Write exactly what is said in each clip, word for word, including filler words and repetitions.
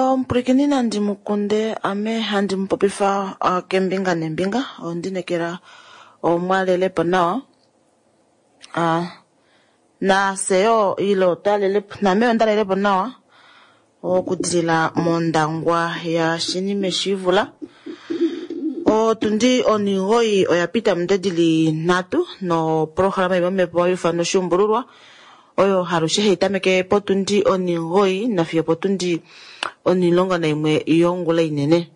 Omupwilikini nandi mukunde ame handi mupopifa kembinga nembinga ondinekela omwalelepo nawa nafye yoo ile otwalelepo naame ondalelepo nawa okudilila mondangwa ya Shinime Shivula. Otundi onigoyi oya pita ominute dili nhatu noprograma yomomepo hayi oshuumbululwa oyo halushe hayi tameke potundi onigoyi nafiyo potundi onilongo naimwe yongula inene.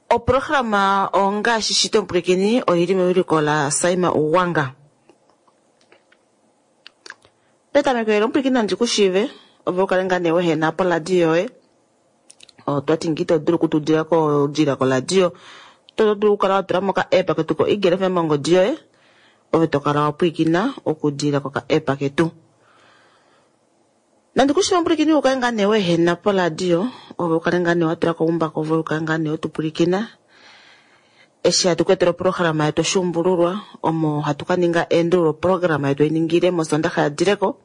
Oprograma ongaashi shito omupwilikini oili mewiliko la Saima Uwanga. Petameko elo omupwilikini nandi kushiive ove ukale ngaa nee wehena poladio yoye. Otwati ngi to dulu okutudila kodila koladio, to dulu okukala wa tula mo ka app ketu ko Eagle F M mongodi yoye, ove to kala wa pwilikina okudila koka app ketu. Nandi kushiive omupwilikini ukale ngaa nee wehena poladio, ove ukale ngaa nee wa tula ko oumbako, ove ukale ngaa nee wetupwilikina. Eshi hatu ku etela oprograma yetu oshuumbululwa, omo hatu ka ninga eendululo programa yetu einingile mosondaxa ya dileko,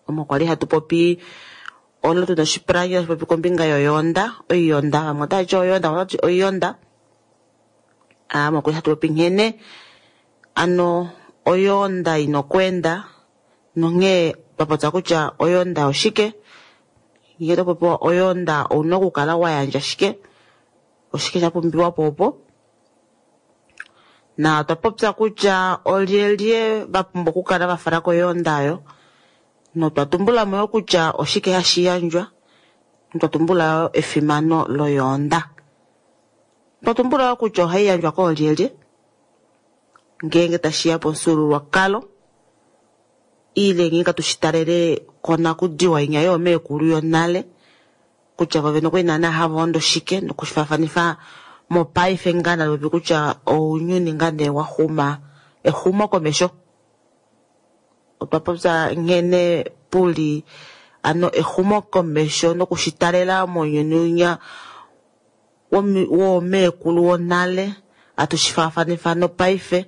omo kwali hatu popi olo tuna oshipulangi hatu popi kombinga yoyoonda, oiyonda, vamwe otava ti oyoonda, vamwe otava ti oiyonda. Omo kwali hatu popi nghene ano oyoonda ina okweenda nonghee twa popya kutya oyoonda oshike, ngee to popiwa oyoonda ouna okukala wa yandja shike, oshike sha pumbiwa po opo. Na otwa popya kutya olyelye va pumbwa okukala va fala koyoonda oyo, notwa tumbula mo yo kutya oshike hashi yandjwa, notwa tumbula yo efimano loyoonda. Otwa tumbula yo kutya ohai yandjwa koolyelye ngeenge tashiya pomufyuululwakalo, ile ngeenge tushitalele konakudiwa inya yoomeekulu yonale, kutya vo vene okwali naana hava ondo shike, nokufaafanifa mopaife ngaa nalopi kutya ounyuni ngaa nee wa xuma exumo komesho. Otwa popya nghene puli ano exumo komesho nokushitalela mounyuni unya woomeekulu wonale, hatushi faafanifa nopaife,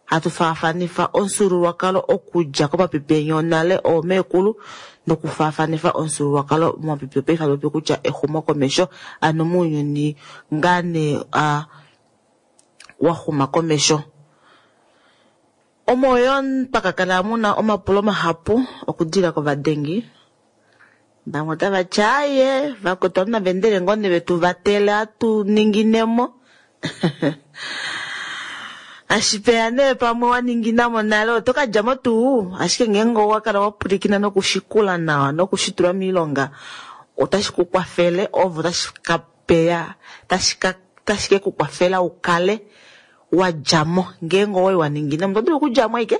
hatu faafanifa omufyuululwakalo okudja komapipi enya onale oomeekulu nokufaafanifa omufyuululwakalo momapipi opaife hatu popi kutya exumo komesho, ano mounyuni ngaa nee wa xuma komesho. Omo yo pakakala muna omapulo mahapu okudila kovadengi, vamwe otava ti aaye vakwetu navendele ngoo nee vetu vatele atu ninginemo. Ashipeya nee pamwe wa ninginamo nale oto kadjamo tuu, ashike ngeenge owa kala wa pwilikina nokushikula nawa nokushitula moilonga otashi ku kwafele, ovo tashi ka peya tashi ke ku kwafela ukale wa djamo ngeenge owai wa ninginamo. Oto dulu okudjamo aike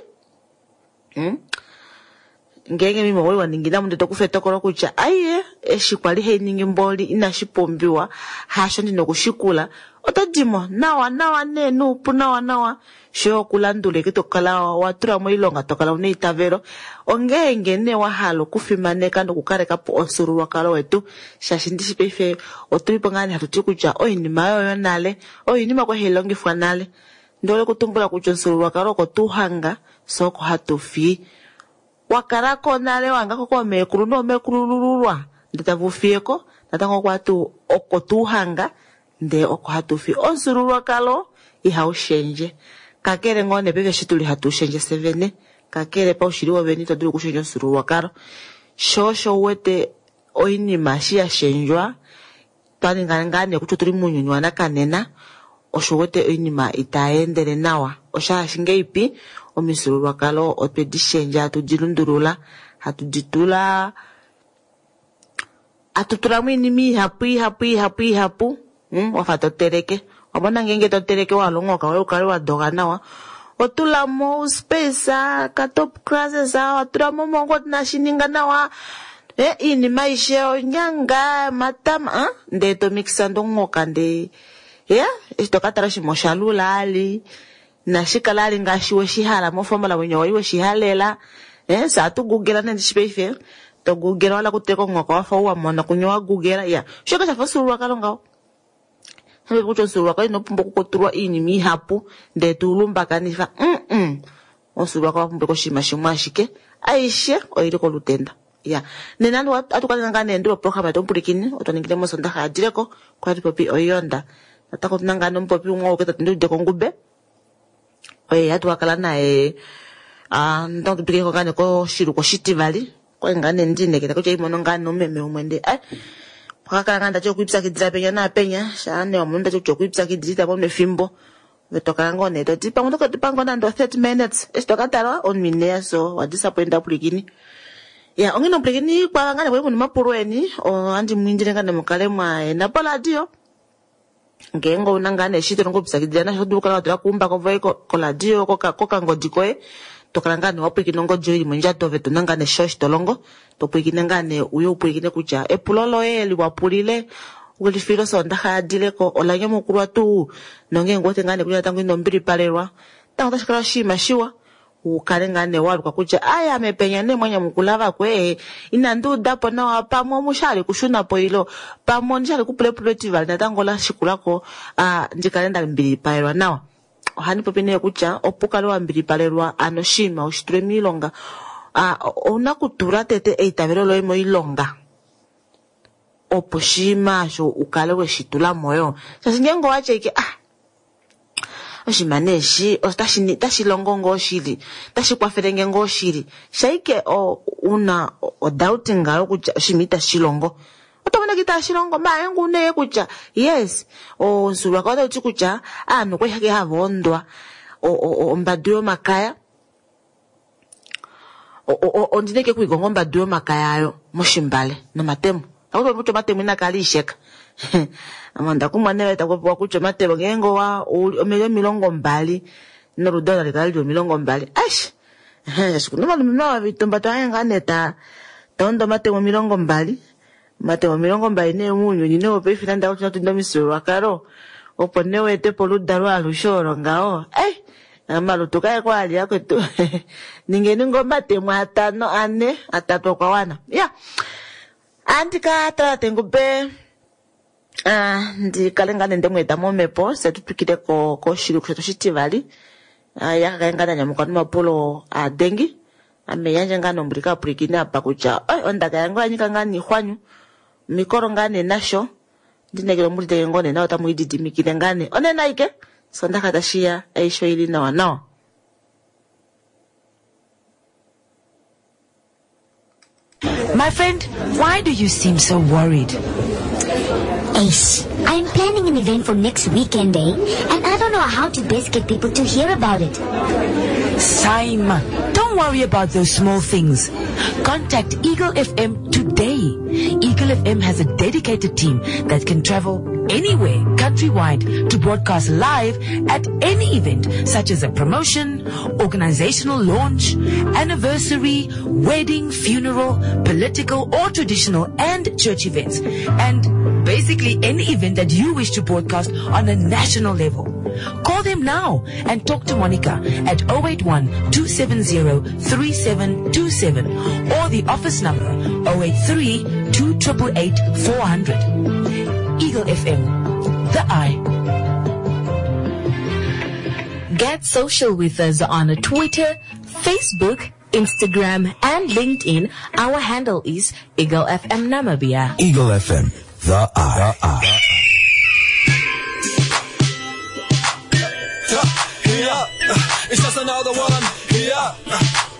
ngeenge mimo owai wa ninginamo ndele tokufa etokolo kutya aiye eshi kwali hainingi mboli inashi pumbiwa hasho ndina okushikula, oto dimo nawa nawa nee nuupu nawa nawa sho okulandula eke tokala wa tula moilonga, tokala una eitavelo. Ongeenge nee wa hala okufimaneka nokukaleka po omufyuululwakalo wetu, shaashi ndishi paife otulipo ngaa nee hatu ti kutya oinima oyo yonale oinima kwali hai longifwa nale. Ndihole okutumbula kutya omufyuululwakalo oko tuhanga fye oko hatu fi. Wakalako nale wahangako koomeekulu noomeekulululwa ndee tava ufiyeko natango oko oko tuhanga ndee oko hatu fi. Omufyuululwakalo ihaushendje, kakele ngoo nee paife eshi tuli hatu shendje fye vene, kakele paushili wovene ito dulu okushendja omufyuululwakalo. Sho osho uwete oinima eshi ya shendjwa twaninga ngaa nee kutya otuli mounyuni wanakanena, osho uwete oinima itayeendele nawa. Oshaashi ngeipi omifyuululwakalo otwe di shendja, hatu di lundulula, hatu di tula hatu tulamo oinima ihapu ihapu ihapu ihapu, wafa toteleke. Wamona ngeenge toteleke wahala omuhoka woye ukale wa doga nawa, otulamo ouspace ka top classes, watulamo omongwa inashininga nawa, iinima aishe onyanga, omatama, ndee tomixa ndee omuhoka ndee ya eshi tokatala oshinima osha lula ali inashikala ali ngaashi weshihala mofomola mwenyo wali weshihalela. Fye ohatu googla nee ndishi paife to googla wala okuteleka omuhoka wafa ou wamona kunye wa googla ya osho shafa omufyuululwakalo ngaho. Kutya omufyuululwakalo ino pumbwa okutulwa oinima ihapu ndee tuulumbakanifa. Omufyuululwakalo owa pumbwa oshinima shimwe ashike, aishe oili kolutenda. Ya nena atu kale ngaa nee ndula oprograma yetu omupulikini otwa ningile mosondaxa yadileko kwa tupopi oiyonda natango tuna ngaa nomupopi umwe ouke tatu ndiude kongube oye hatu kakala naye ah, natango tupikileko ngaa nee koshiluko oshitivali kwali ngaa nee ndiinekela kutya imono ngaa nomumeme umwe ndee ai pakakala ngaa ndati okwiipyakidila penya naapenya shaa nee wamono ndati kutya okwiipyakidila ita mono efimbo ove tokala ngoo nee toti pamwe tokatipa ngoo nande o thirty minutes eshi tokatala omunhu ineya so wadisappointa pulikini. Ya onghene omupulikini kwava ngaa nee kwali muna omapulo eni ohandi mwiindile ngaa nee mukale mwaena poradio ngeenge ouna ngaa nee eshi tolongo okupyakidila nasho oto dulu okukala watula kuumbako voye koradio kokangodi koye tokala ngaa nee wapwilikina ongodi yoye ili mondjato ove tuna ngaa nee sho tolongo topwilikine ngaa nee uye upwilikine kutya epulo loye liwapulile welifilo osondaxa yadileko ola nyamukulwa tuu nongeenge uwete ngaa nee kutya natango ino mbilipalelwa natango otashi kala oshinima shiwa ukale ngaa nee waluka kutya aya mepenya nee mwanyamukula vakwe inandi udapo nawa pamwe omushali kushunapo ilo pamwe ondishali kupula epulo etivali natango lashikulako ah, ndikale ndambilipalelwa nawa. Ohandi popi nee kutya opo ukale wambilipalelwa ano oshinima ushitule miilonga ah, ouna kutula tete eitavelo loye moilonga opo oshinima osho ukale weshitulamo yo shaashi ngeenge owatya ike ah oshinima nee eshi otashi longo ngoo shili otashi kwafelenge ngoo shili shaike una odoubt ngayo kutya oshinima itashi longo oto mono itashi longo maala ngu nee kutya yes omufyuululwakalo otauti kutya aanhu okwali hava ondwa ombadu yomakaya ondina ike okuikonga ombadu yomakaya ayo moshimbale nomatemo akuti kutya omatemo inakala isheka ame onda kumwa nee takupopiwa kutya omatemo ngeenge owa omili omilongo mbali noludalo nali kale lili omilongo mbali aish shaashi kuna ovalumenhu ava vitumba twaye ngaa nee ta taonda omatemo omilongo mbali omatemo omilongo mbali nee mounyuni nee wopaife nande akutya tunda omifyuululwakalo opo nee weetepo oludalo alushe olo ngaho ei omalutu kae ko ali akwetu ningeni ngoo omatemo atano ane atatu okwa wana ya andika tala tengube ah, ndikale ngaa nee ndemweeta momhepo fye tutwikile koshiluku shetu oshitivali yakakale ngaa nanyamuka nomapulo adengi ame yandje ngaa nombuli kaapwilikini apa kutya oi ondaka yange oyanyika ngaa niixwanyu mikolo ngaa nee nasho ndinekele omuliteke ngoo nee nawa otamu ididimikile ngaa nee onena aike sondaxa tashiya aishe oili nawa nawa. My friend, why do you seem so worried? Ace, I'm planning an event for next weekend, eh? And I don't know how to best get people to hear about it. Saima, don't worry about those small things. Contact Eagle F M today. Eagle F M has a dedicated team that can travel anywhere, countrywide, to broadcast live at any event, such as a promotion, organizational launch, anniversary, wedding, funeral, political or traditional and church events, and basically any event that you wish to broadcast on a national level. Call them now and talk to Monica at oh eight one, two seven zero, three seven two seven or the office number oh eight three, two triple eight, four hundred. Eagle F M, the eye. Get social with us on Twitter, Facebook, Instagram, and LinkedIn. Our handle is Eagle F M Namibia. Eagle F M, the eye. The eye. Yeah, it's just another one. Yeah,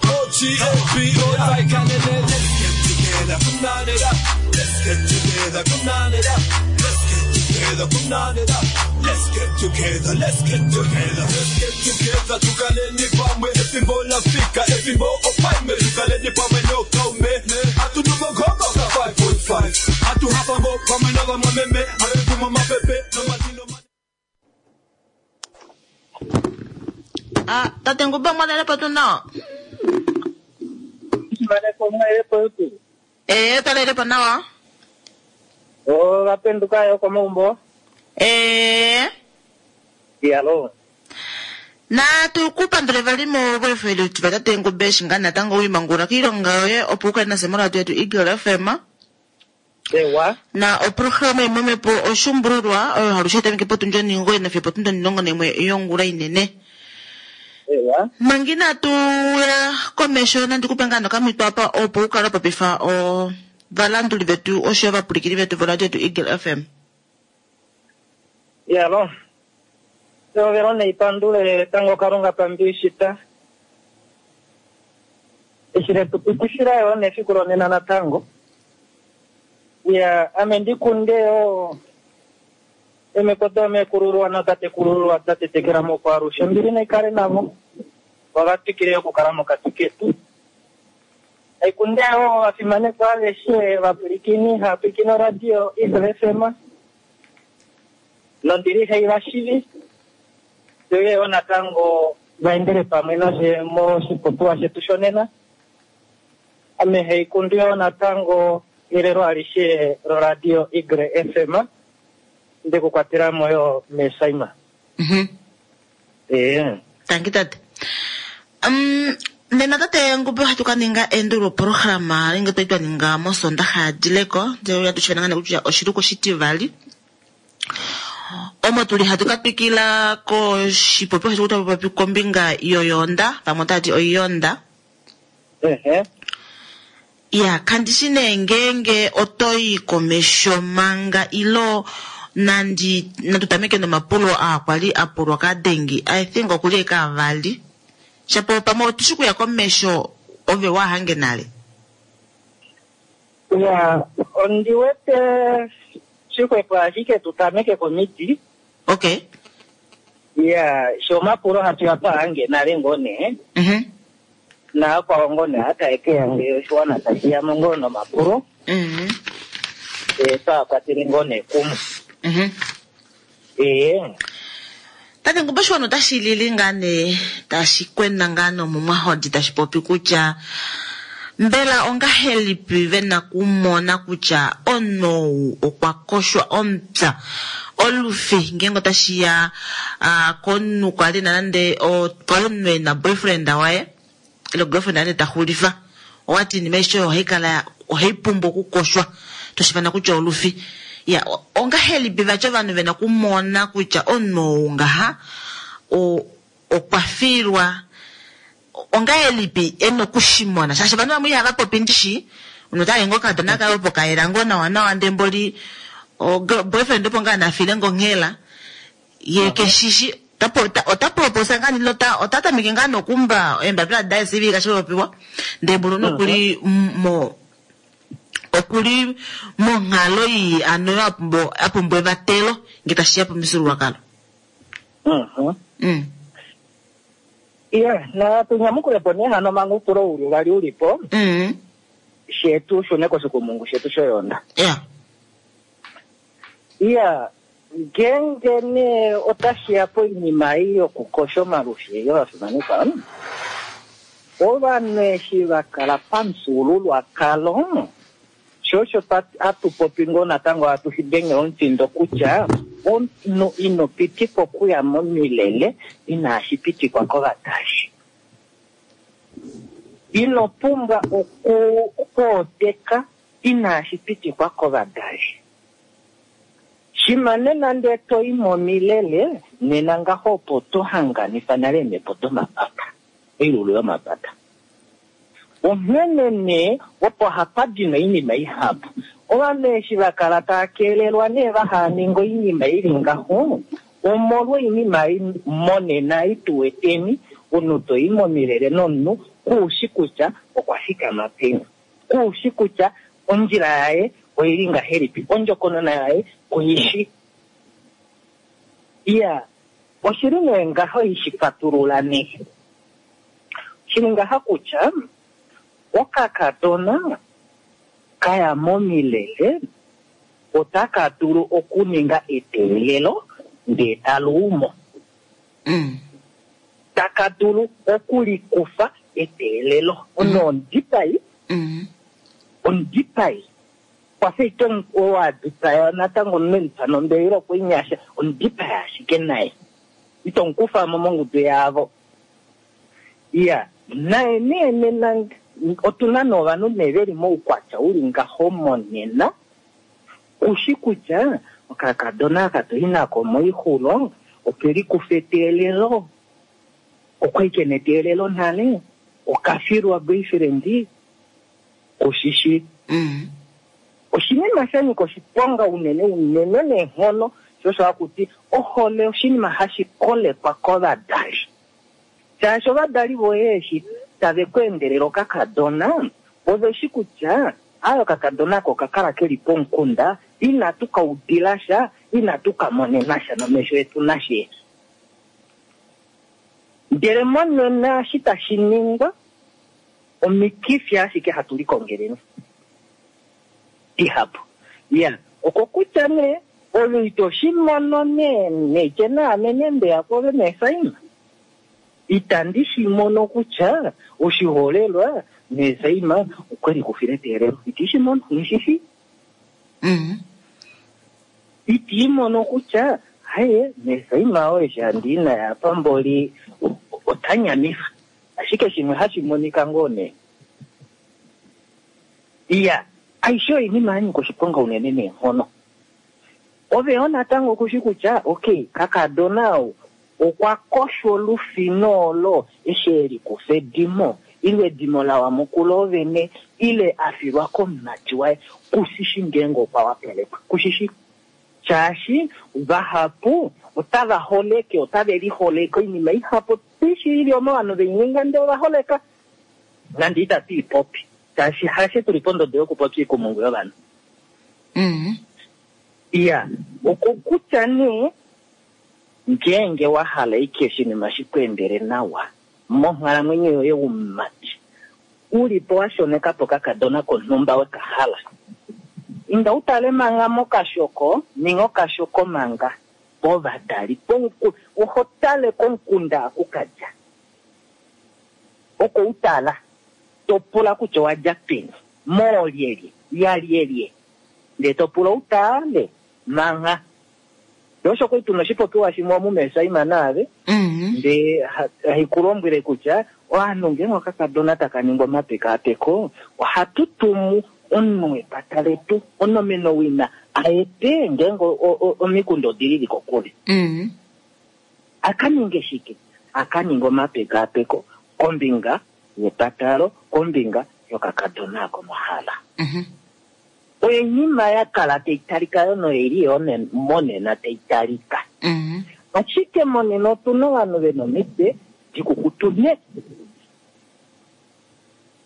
O G O B O I can it. Let's get together, come on it up. Let's get together, come on it up. Let's get together, come on it up. Let's get together, let's get together, let's get together. Tukaleni pamwe, efimbo lafika, efimbo opaime. Tukaleni pamwe no kaume. Atudumo gogo ka five point five. Atuhafa ngo pamwe no vamwameme. Atudumo mapepe no matino. Ah, tate Nguba mwalelepo tu nawa. Mwalelepo, mwalelepo tu. Eh, talelepo nawa. Oh, vapenduka yo komombo. Eh. Dialo. Na tukupandule vali mo bwefele tu tate Ngube shinga natango wimangura kiilonga yoye opo ukale nasemora yetu Eagle F M. Ewa. Na oprograma imwe po oshumbululwa oyo halushe tameke potundi onhingoye nafiyo potundi onhilongo naimwe yongula inene. Ewa. Manga inatu ya komesho nandi kupe ngaa nokamhito apa opo u kale wa popifa ovalanduli vetu osho yo ovapwilikini vetu voradio yetu Eagle F M. Yalo. Eovelo neipandule tango Kalunga pambiishita. Eshi letu pitishila yo nefiku lonena natango. Ya, ame ndikunde yo emekoto mekululwa notatekululwa tatetekela mokwalushe mbili naikale navo vavatwikile okukala mokati ketu aikunde yo vafimanekwa aveshe vapwilikini haapwilikini oradio Eagle F M nondili hai vashivi tuye yo natango vaendele pamwe nashe moshipopiwa shetu shonena ame haikundu yo natango elelo alishe loradio Eagle F M ndikukwatelamo yo mesaima. Mhm. Ee. Tangi tate. Um, nena tate Ngube ohatu ka ninga endululo programa nenge twali twa ninga mosondaxa ya dileko ndele ohatu shivana ngaa kutya oshiluku oshitivali omo tuli hatu ka twikila koshipopiwa shetu tapopi kombinga yoyonda vamwe otava ti oiyonda. Ehe. Ya kandishi nee ngeenge otoyi komesho manga ilo nandi natu tameke nomapulo aa kwali a pulwa kadengi. I think okuli eke avali shapo pamwe otushi kuya komesho ove wahange nale. Ya, ondi wete shixwepo ashike tu tameke komiti. Okay. Ya, sho omapulo hatu ya twahange nale ngoo nee mhm naakwao ngoo nee hataeke yange oshiwana tashi yamo ngoo nomapulo. Mhm. E, twaakwatele ngoo nee kumwe. Mhm. Ee. Tate Ngube, oshiwana otashi lili ngaa nee tashi kwena ngaa nomumwahodi tashi popi kutya mbela ongahelipi vena kumona kutya omunhu ou okwa koshwa omupya olufi ngeenge otashi ya ah, komunhu kwali na nande kwali omunhu ena boyfriend waye ile girlfriend waye ta xulifa owati iinima aishe oyo ohai kala ohai pumbwa okukoshwa toshifana kutya olufi ya o- ongahelipi vati ovanhu vena kumona kutya omunhu ou ngaha o- okwa filwa ongahelipi ena okushimona shaashi ovanhu vamwe ihava popi ndishi omunhu otali ngoo okakadona kaye opo kayela ngoo nawa nawa ndee mboli o girl- boyfriend opo ngaa nafile ngonghela ye keshishi ota proposa ngaa nilo ota tameke ngaa nokumba eembapila daye C V kashi popiwa ndee mboli nokuli mo okuli monghalo ii ano a pumbwa a pumbwa evatelo nge tashiya pomifyuululwakalo. Mhm. Mm. Iya, natu nyamukulepo nee hano manga upulo uli uvali ulipo Mm. shetu shune koshikumungu shetu shoyonda. Yeah. Iya, ngenge nee otashiya poinima ei yokukosha omalushi yovafimanekwa ovanhu eshi va kala pamufyuululwakalo sho osho twa- hatu popi ngoo natango hatu shi denge omutindo kutya omunhu ino pitikwa okuya momilele inashi pitikwa kovadali. Ino pumbwa oku- okwooteka inashi pitikwa kovadali. Shima nena ndee toyi momilele nena ngaho opo to hanganifa nale eemhepo domapata oilulu yomapata. Onghene nee opo hapa dina oinima ihapu ovanhu eshi va kala tava keelelwa nee vahaninga oinima ili ngaho omolwa oinima ei monena ei tuweteni omunhu toyi momilele nomunhu kuushi kutya okwa fikama peni kuushi kutya ondjila yaye oili ngahelipi ondjokonona yaye kuishi. Iya, oshili nee ngaho ishi fatulula nee shili ngaha kutya okakadona kaya momilele otaka dulu okuninga eteelelo ndee taluumo. Mm. Taka dulu okulikufa eteelelo ono omudipai. Mm. Omudipai kwafa ite owadipaya natango omunhu nombele okwinyasha omudipaya ashike naye ito mukufamo mongudu yavo. Iya, naye nee nena otuna novanhu nee veli moukwatya uli ngaho monena kushi kutya okakadona aka toyi nako moixulo okelikufa eteelelo. Okwali kena eteelelo nale, okafilwa boyfriend, kushishi. Mm. Oshinima sha nyika oshiponga unene unene neenghono, sho osho haku ti ohole oshinima hashi kolekwa kovadali. Shaashi ovadali voye eshi tave ku endelele okakadona, ove shi kutya ayo okakadona ako okakala keli pomukunda, inatu ka udila sha, inatu ka monena sha nomesho etu nashe. Ndele monena eshi tashi ningwa, omikifi ashike hatu likongeleni dihapu. Ya, okokutya nee, ove ito shi mono nee, neitye naame nee mbeya kwoove meesaima. Itandi shi mono kutya oshiholelwa meesaima okwe likufila eteelelo. Iti shi mono, nghi Mm. Iti mono kutya haye meesaima oye eshi handi i naye apa mboli ota nyamifa. Ashike shimwe hashi monika ngoo nee. Iya, aishe oinima ya nyika oshiponga unene neenghono. Ove yo natango kushi kutya okay, kakadona ou okwa koshwa olufino olo eshi e likufa edimo, ile edimo la wa mukula ovene, ile a filwa komumati waye, kushishi ngeenge okwa wapalekwa. Kushishi. Shaashi vahapu otava holeke, otave liholeke oinima ihapu tishi ili omo ovanhu veininga ndele ova holeka. Nande itatu i popi. Shaashi hashe tuli pondodo yokupopya oikumungu yovanhu. Mm. Iya, okokutya nee ngeenge wa hala ike oshinima shi ku endele nawa monghalamwenyo yoye umumati, u li po wa shoneka po kakadona konhumba we ka hala. Inda u tale manga mokashoko, ninga okashoko manga povadali, pomuku-, oho tale komukunda aku ka dja. Oko u tala, to pula kutya owa dja peni, moolyelye, yalyelye. Ndee to pula u tale manga. Osho kwali tuna oshipopiwa shimwe omu meesaima naave, Mm. ndee haikulombwele kutya ovanhu ngeenge okakadona taka ningwa omapekaapeko, ohatu tumu omunhu wepata letu, onomeno wina, aete ngeenge omikunda odili li kokule. Mm. Aka ninge shike? Aka ninge omapekaapeko kombinga yepatalo, kombinga yokakadona komahala. Mm-hmm. Oinima ya kala tai talika yo noili yo monena tai talika. Mm-hmm. Ashike monena otuna ovanhu vena omitwe dikukutu ne.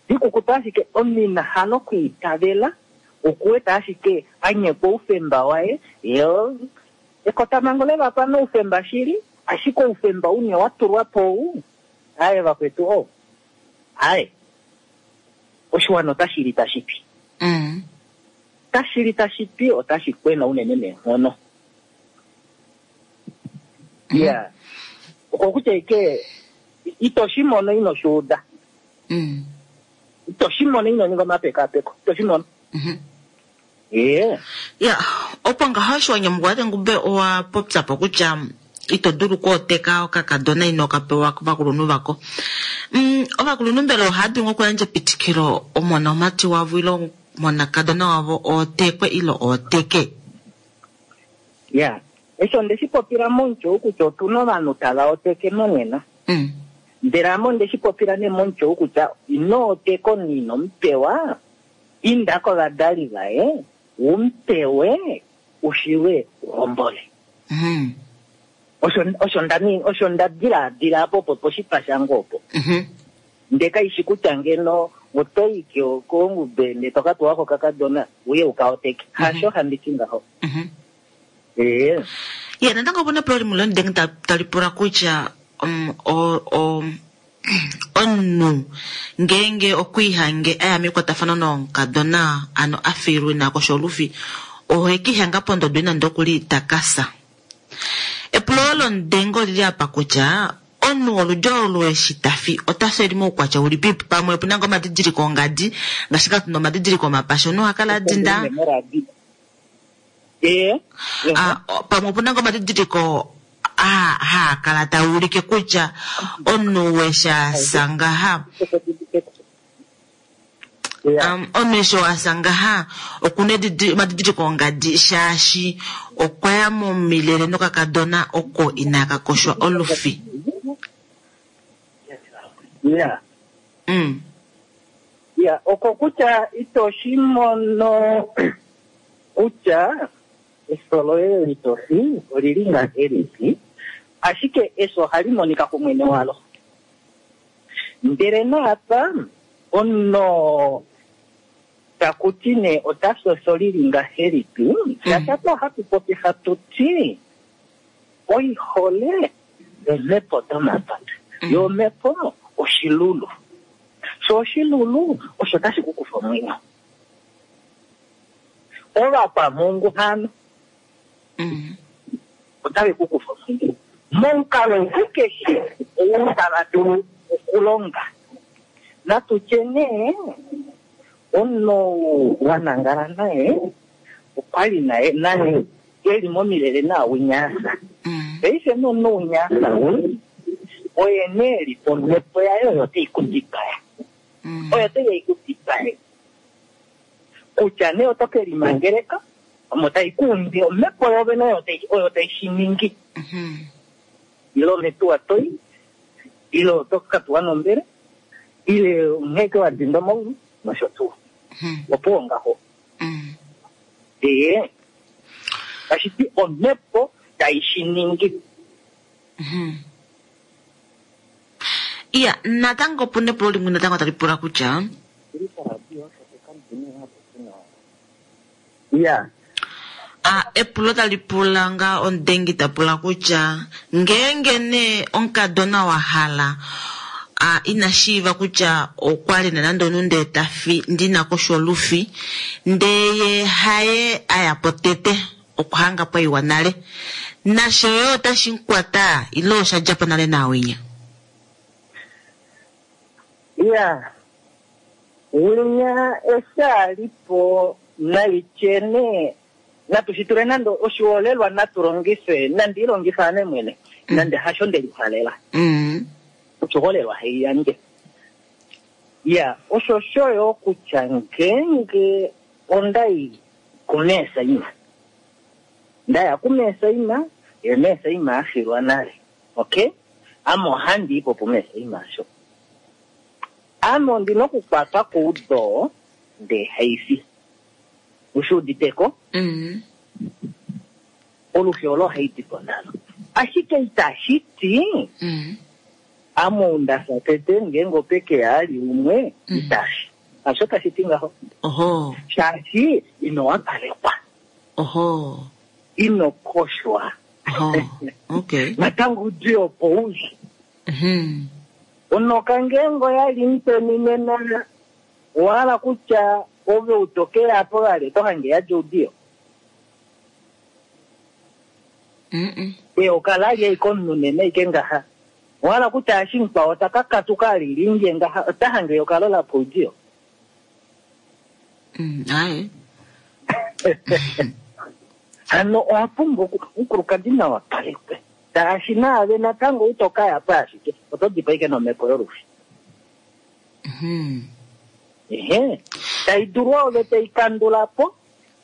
Dikukutu ashike omina hano kwiitavela, okuweta ashike anyekwa oufemba waye, yo ekotamango levapa noufemba shili, ashike oufemba une wa tulwa po ou, aye vakwetu o. Aye. Oshiwana otashi li tashi pi. Mm. Tashi li tashi pi, otashi kwena unene neenghono. Yeah. Okokutya ike ito shi mono ino shi uda. Mm. Ito shi mono ino ninga omapekapeko. Ito shi mono. Mm-hmm. Yeah. Ya, opo ngaho eshi wa nyamukula Tengumbe owa popya po kutya ito dulu okwooteka okakadona ino ka pewa kovakulunhu vako. Mm, ovakulunhu mbela ohava dulu okuyandja epitikilo omona omati wavo ile omonakadona wavo ootekwe ile ooteke? Yeah. Eshi onde shi popila momutyo ou kutya otuna ovanhu tava oteke monena. Mm. Ndele ame onde shi popila nee momutyo ou kutya ino oteka omunhu ino mupewa, inda kovadali vaye, umupewe, ushiwe uhombole. Mm. Osho, osho nda ni-, osho nda dilaadila apo opo poshipa shange opo. Mm-hmm. Ndele kaishi kutya ngeno oto i kongube ndele to ka pewa kokakadona uye uka oteke. Hasho handi ti ngaho. Mm-hmm. Ee. Ya, natango opuna epulo limwe lomudenge tali pula kutya, um, o, o, omunhu ngeenge okwiihange aya mekwatafano nomukadona ano a filwe nako sholufi, ohe kiihanga pondodo ina ndokuli takasa. Epulo lomudenge olili apa kutya omunhu woludi olu eshi tafi ota feli moukwatya ulipi, pamwe opuna ngoo omadidiliko ongadi ngaashi ka tuna omadidiliko omapasha omunhu oha kala a dinda. Ee. Ah, pamwe opuna ngoo omadidiliko a haa kala taa ulike kutya omunhu wesha ngaha. Um, omunhu eshi wasa ngaha okuna omadidiliko ongadi shaashi okwa ya momilele nokakadona oko inaka koshwa olufi. Ya. Mm. Ya, oko kutya ito shi mono kutya eso loye litofi olili ngahelipi, ashike eso ohali monika kumwene walo. Ndele naapa omunhu taku ti nee ota fi eso lili ngahelipi, shatatu ohatu popi hatu ti oihole omhepo domapata, yo omhepo oshilulu. So oshilulu osho tashi ku kufa omwenyo. Ovakwamungu hano Mm. otave ku kufa omwenyo momukalo keshe ou tava dulu okulonga. Natu tye nee omunhu wa nangala naye okwali naye naye eli momilele naawinyaasa. Mm. Paife nomunhu winyaasa ou oye nee eli omhepo yaye oyo tai ku dipaya. Mm. Oyo tai ku dipaye. Kutya nee oto ke limangeleka omo tai ku umbi omhepo yovene oyo tai- oyo tai shi ningi. Mhm. Ile ometuwa toi, ile oto ka tuwa nombele, ile onghee wa dinda omaulu nosho tuu. Mhm. Opuwo ngaho. Mm. Ee, tashi ti omhepo tai shi ningi. Mhm. Iya, natango opu na epulo limwe natango tali pula kutya Ya. a epulo tali pula nga omudengi ta pula kutya ngeenge nee omukadona wa hala a ina shiiva kutya okwa li na nande omunhu ndee ta fi ndina koshi olufi ndee ye haye aya po tete okwa hanga pwaiwa nale nasho yo otashi mukwata ile osha dja po nale naawinya. Ya. Winya eshi a li po naitye nee natu shi tule nande oshiholelwa natu longife nandi ilongifa ame mwene nande hasho nde lihalela. Mm. Oshiholelwa haiyandje. Ya, osho shoyo kutya ngeenge ondai kumeesaima. Ndaya kumeesaima, ye meesaima afilwa nale. Okay? Ame ohandi i po pumeesaima asho. Ame ondina okukwatwa koudo ndee haifi. Ushi uditeko? Mm. Olufi olo haidi po nalo. Ashike itashi ti Mm. ame ou ndafya tete ngeenge opeke ali umwe Mm. itashi. Hasho tashi ti ngaho. Oho. Shaashi ino wapalekwa, Oho. ino koshwa. Oho. Okay. Natango udi opo uli. Mhm. Onoka ngeenge oyali muteni nena owahala kutya ove utokele apo vali oto hange yadja oudiyo. Mm. Eyoka lali ashike omunhu nena ashike ngaha. Owahala kutya eshi mukwao taka katuka alilinge ngaha ota hange eyoka lola poudiyo. Mm. Aye. Hano owa pumbwa oku- omukulukadi nawa palekwe. Taashi naave natango ito kaya po ashike oto dipa ashike nomhepo yolufi. Mhm. Ehe, tai dulu ove tai kandula po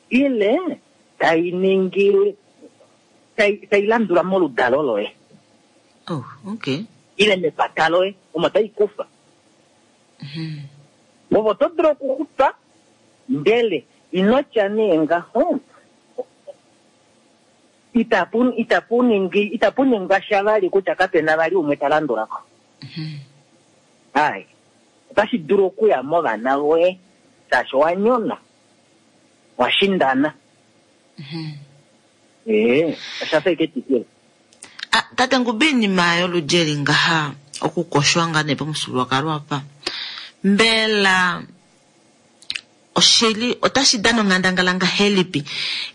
ile tai ningi tai, tai landula moludalo loye Oh, okay. ile mepata loye omo tai kufa. Mhm. Ove oto dulu okuxupa ndele ino tya nee ngaho itapu itapu ningi itapu ningwa sha vali kutya kapena vali umwe ta landula ko. Mhm. Ai, otashi dulu okuya movana voye shaashi owa nyona wa shindana. Mhm. Ee, osha fa ike etikilo. Ah, tate Ngubi iinima yoludhi eli ngaha okukoshwa ngaa nee pamufyuululwakalo apa mbela oshili otashi dana onghandangala ngahelipi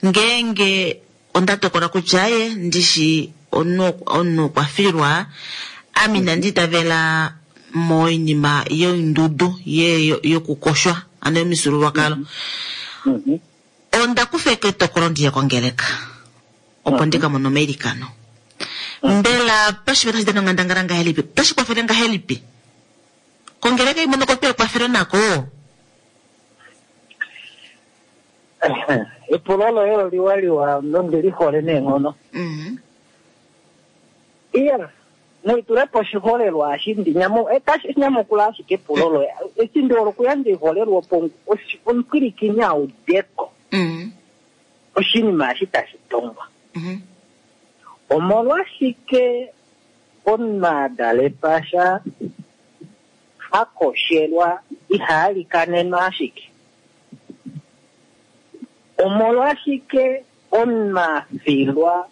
ngeenge onda tokola kutya aye ndishi omunhu omunhu okwa filwa ame inandi itavela moinima yoindudu ye yokukoshwa ano yomifyuululwakalo Mhm. onda kufa etokolo ndiye kongeleka opo ndika mone omailikano mbela pashipe tashi dana onghandangala ngahelipi otashi kwafele ngahelipi kongeleka imwe nokotwa ekwafelo nako Epulo loye oliwa liwa nondi li hole neenghono. Mhm. Iya, Naitulepo oshiholelwa eshi ndi nyamu etashi nyamukula ashike epulo loye. Eshi ndi hole okuyandja oiholelwa opo oshi- omupwilikini a udeko Mm. oshinima eshi tashi tongwa. Mhm. Omolwashike omunhu a dala sha ha koshelwa iha likanenwa ashike? Omolwashike omunhu a filwa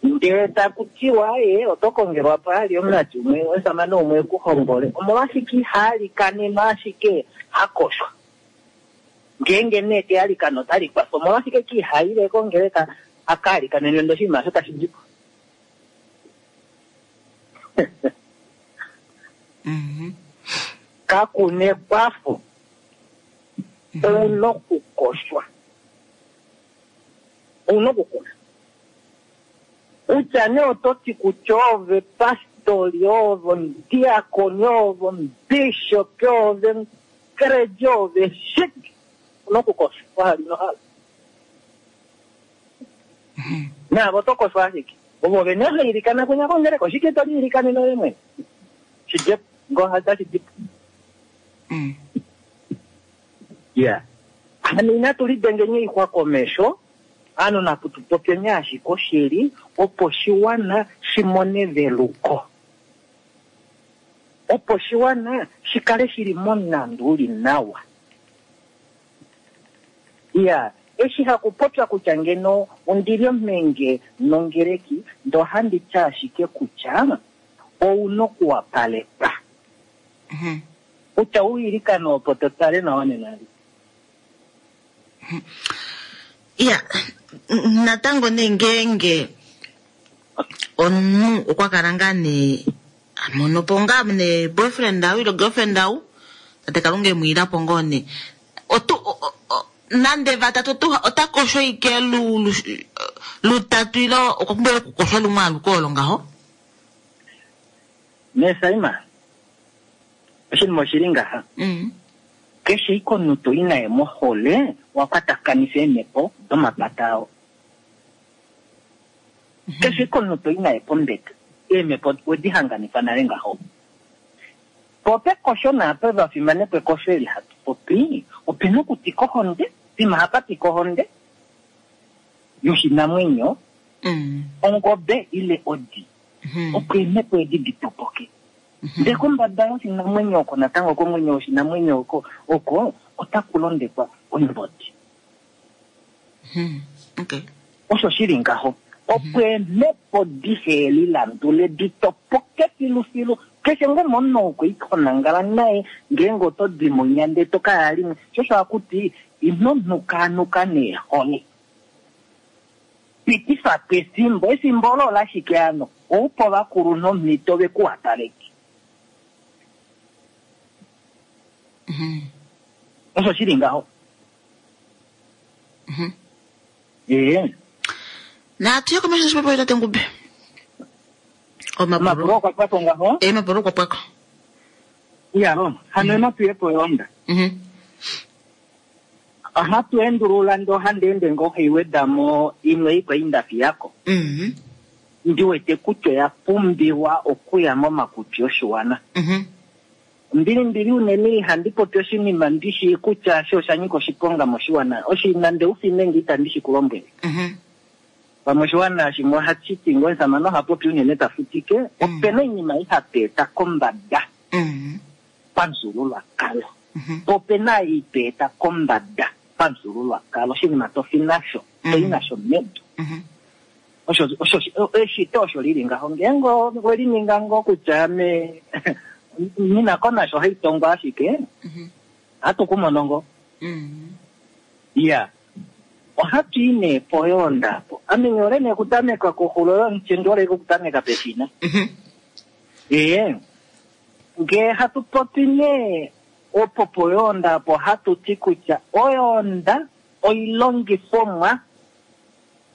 ndele taku tiwa ye oto kongelwa paali omumati umwe omusamane umwe e ku hombole, omolwashike iha likanenwa ashike ha koshwa? Ngeenge nee te alikana otali kwafa, omolwashike ki ihaile kongeleka a ka alikanenwe ndee oshinima osho tashi di po? Mhm. Kakuna ekwafo, ouna okukoshwa, ouna okukoshwa. Kutya nee oto ti kutya ove pastori, ove omudiakoni, ove omubishopi, ove omukereji, ove shike, ouna okukoshwa wahala ino hala. Naave oto koshwa ashike. Ovo vene hailikana kunya kongeleka, oshike to liilikanene ove mwene? Shidjepo, ngoo otashi di po. Mm. Ya. Hano inatu lidengeni oixwa komesho, ano natu tu popyeni ashike oshili, opo oshiwana shi mone eveluko. Opo oshiwana shi kale shili momulandu uli nawa. Ya, eshi hakupopya kutya ngeno ondili omhenge nongeleki, ndee ohandi ti ashike kutya ouna okuwapalekwa. Mhm. Kutya uilikane opo to tale nawa nena. Ya, n- natango nee ngeenge omunhu okwa kala ngaa nee a mono po ngaa nee boyfriend au ile girlfriend au, tate Kalunga e mu ila po ngoo nee. Otu, o- o- o- nande vatatu otu, ota kosho ike lu, lu, lutatu ile okwa pumbwa okukoshwa lumwe aluke olo ngaho? Nee Saima, oshinima oshili ngaha. Mm. Keshe ike omunhu to i naye mohole, wa kwatakanifa eemhepo domapata ao. Keshe ike omunhu to i naye pombeta, eemhepo wedi hanganifa nale ngaho. Po pekosho naapo vafimanekwa ekosho eli hatu popi, opena okutika ohonde, pima hapa tika ohonde yoshinamwenyo, Mm. ongobe ile odi, Mhm. opo eemhepo edi di topoke. Ndee kombada yoshinamwenyo oko natango komwenyo woshinamwenyo oko, oko otaku londekwa oimbodi. Mhm. Okay. Osho shili ngaho. Opo eemhepo dihe lilandule di topoke filufilu. Keshe ngoo omunhu okwe i konangala naye ngeenge oto di monya ndee to ka ya limwe. Sho osho hakuti ino nukaanuka neehole. Pitifa po efimbo, efimbo olo olashike ano? Oupa ovakulunhu omhito ve ku wapaleke. Mhm. Osho shili ngaho. Mhm. Ee. Natu ye komesho noshipopiwa tate Ngube. Omapulo Omapulo. okwa pwako ngaho? Eh, omapulo okwa pwako. Iya, hano natu ye poyonda. Mhm. Ohatu endulula ndee ohandi ende ngoo haiweda mo imwe ikwa indafi yako. Mhm. Ndi wete kutya oya pumbiwa okuya momakutsi oshiwana. Mhm. Mbili mbili unene ihandi popi oshinima ndishi kutya sho osha nyika oshiponga moshiwana. Oshinima nde ufime nge itandi shi ku lombwele. Mhm. Pamwe oshiwana shimwe ohashi ti ngoo omusamane oha popi unene ta futike, opena oinima ihapu eta kombada Mhm. pamufyuululwakalo. Mhm. Po opena ei to eta kombada pamufyuululwakalo, oshinima to fi nasho, to i nasho medu. Mhm. Osho, osho, eshito osho lili ngaho. Ngeenge owe lininga ngoo kutya ame nina ko nasho haitongwa ashike, Mhm. ohatu ku mono ngoo. Mhm. Iya. Ohatu i nee poyoonda apo. Ame nyole nee okutameka koxulo yomuti, ndi hole okutameka pefina. Mhm. Ee. Ngee hatu popi nee opo poyoonda apo hatu ti kutya oyoonda oilongifomwa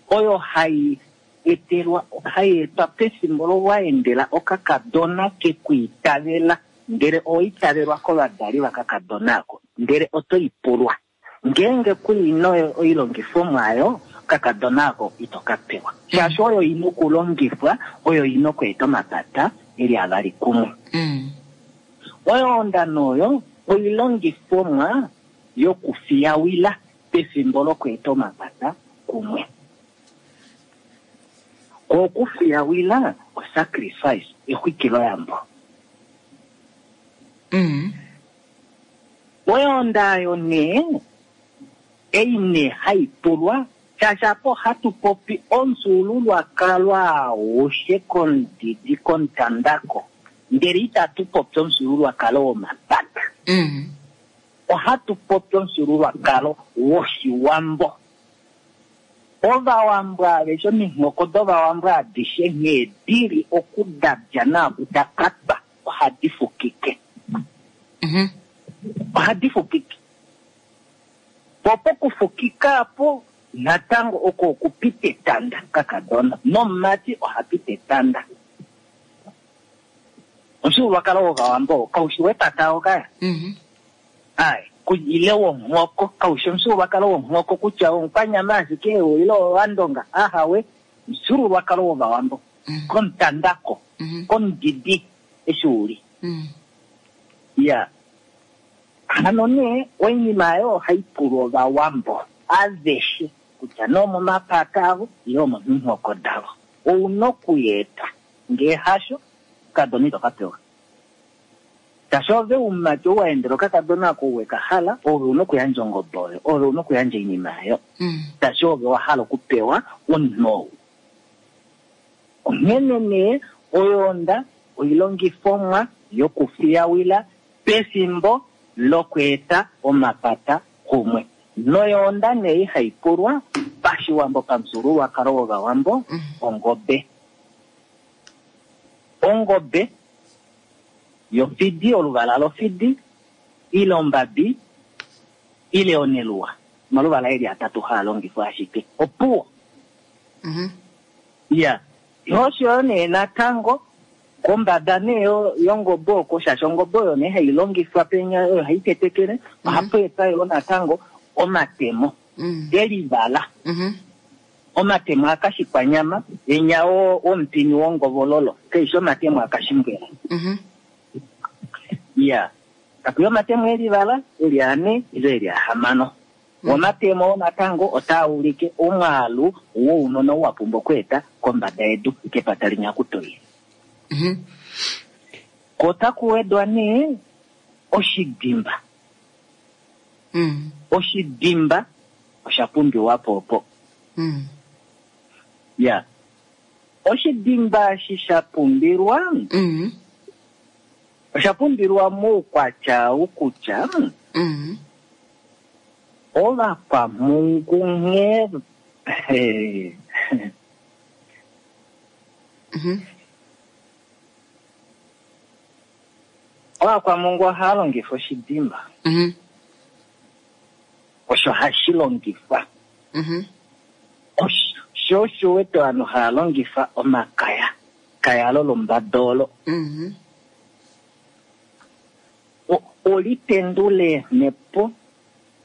oyo hai etelwa, hai etwa pefimbo lowaendela okakadona kekwiitavela, ndele owaitavelwa kovadali vakakadona ako, ndele oto i pulwa. Ngeenge kuina oilongifomwa ayo, okakadona ako ito ka pewa. Shaashi oyo ina okulongifwa, oyo ina okweeta omapata eli avali kumwe. Mm. Oyoonda noyo oilongifomwa yokufiyawila pefimbo lokweeta omapata kumwe. Okufiyawila osacrifice, exwikiloyambo. Mm. Oyoonda oyo nee ei nee hai pulwa, shaashi apa ohatu popi omufyuululwakalo aushe komudidi komutandako, ndele itatu popi omufyuululwakalo womapata. Mm. Ohatu popi omufyuululwakalo wOshiwambo. Ovawambo aveshe, ominghoko dovawambo adishe nghee dili okudadya naakudakatwa, ohadi fukike. Mhm. Ohadi fukike. Po pokufukika apo natango oko okupita etanda kakadona, nomumati oha pita etanda. Omufyuululwakalo wovawambo kaushi wepata okaya. Mhm. Ai, ile wonghoko, kaushi omufyuululwakalo wonghoko kutya omukwanyama ashike ile owandonga, ahawe, omufyuululwakalo wovawambo. Mm. Komutandako, Mhm. komudidi eshi uli. Mm. Ya. Hano nee oinima oyo ohai pulwa ovawambo aveshe kutya nomomapata avo ile omominghoko davo. Ouna okuyeeta, ngee hasho kakadona ito ka pewa. Shaashi ove umumati ou wa endela okakadona ako we ka hala, ove una okuyandja ongobe oyo, ove una okuyandja oinima oyo. Mm. Shaashi ove wa hala okupewa omunhu ou. Onghene nee oyoonda oilongifomwa yokufiyawila pefimbo lokweeta omapata kumwe. Noyoonda nee ihai pulwa pashiwambo pamufyuululwakalo wovawambo, Mm. ongobe. Ongobe yofidi, oluvala lofidi, ile ombabi, ile oneluwa. Omaluvala eli atatu haa longifwa ashike. Opuwo. Mhm. Ya. Osho nee natango kombada nee yongobe oko, shaashi ongobe oyo nee hai longifwa penya, oyo hai tetekele, ohapu etwa yo natango omatemo Mm. elivala. Mhm. Omatemo akashikwanyama, enya wo womupini wongovololo, keishi omatemo akashimbwela. Mhm. Ya. Takuya omatemo elivala, eli ane, ile eli ahamano. Omatemo natango otaa ulike omwaalu wounona wa pumbwa okweeta kombada yedu kepata linyakutoyi. Mhm. Kotaku wedwa nee oshidimba. Mm. Oshidimba osha pumbiwa po opo. Mm. Ya. Oshidimba eshi sha pumbilwa, Mm. osha pumbilwa moukwatya wokutya Mm. ovakwamhungu nghee Mhm. Ovakwamhungu ohava longifa oshidimba. Mhm. Osho hashi longifwa. Mhm. Osho osho wete ovanhu hava longifa omakaya. Kaya lo lombadolo. Mhm. O- olitendule eemhepo,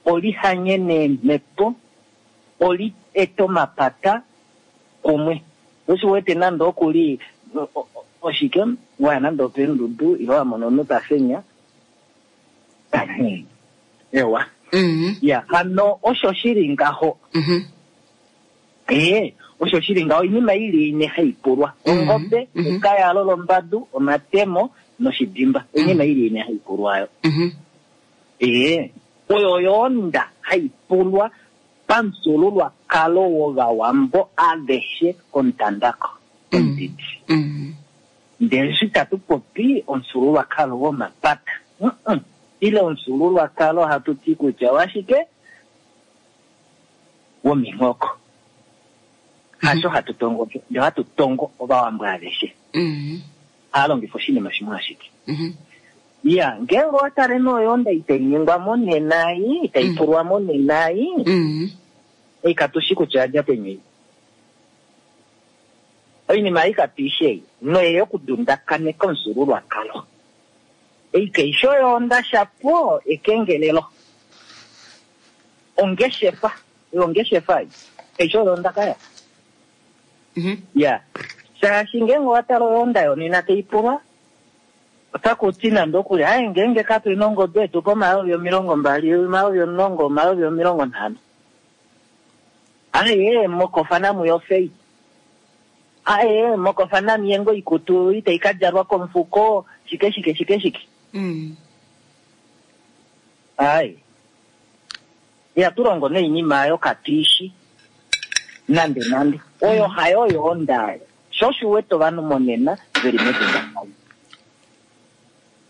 olihanyene eemhepo, oli ete omapata kumwe. Osho wete nande okuli o- o- oshike waya nande opendudu ile wa mona omunhu ta fenya. Ewa. Mhm. Ya, hano osho shili ngaho. Mhm. Ee, osho shili ngaho oinima ili ine hai pulwa. Mhm. Ongobe, Mhm. ekaya lolombadu, omatemo noshidimba. Oinima ili ine hai pulwa ayo. Mhm. Ee, oyo oyoonda hai pulwa pamufyuululwakalo wovawambo aveshe komutandako komudidi. Mhm. Ndele eshi tatu popi omufyuululwakalo womapata. Mm-mm. Ile omufyuululwakalo hatu ti kutya washike? Wominghoko. Hasho hatu tongo, ndele hatu tongo ovawambo aveshe. Mhm. Hava longifa oshinima shimwe ashike. Mhm. Ya, ngeenge owa tale noyoonda itai ningwa monena ei, itai Mm. pulwa monena ei, Mhm. ei katushi kutya yadja peni ei. Oinima ei katuishi ei, noye yokudundakaneka omufyuululwakalo. Ei kaishi oyoonda shapo ekengelelo. Ongeshefa, oyo ongeshefa ei. Kaishi oyoonda kaya. Mhm. Ya, shaashi ngeenge owa tala oyoonda yonena tai pulwa, otaku ti nande okuli aye ngeenge katu na ongobe tu pa omayovi omilongo mbali, omayovi omulongo, omayovi omilongo nhano. Aye mokofa namu yofei. Aye mokofa namu ye ngo ikutu itai ka djalwa komufuko, shike shike shike shike. Mm. Aye. Ihatu longo noinima oyo katuishi nande nande. Oyo hayo yoonda. Sho osho u wete ovanhu monena veli medundakano.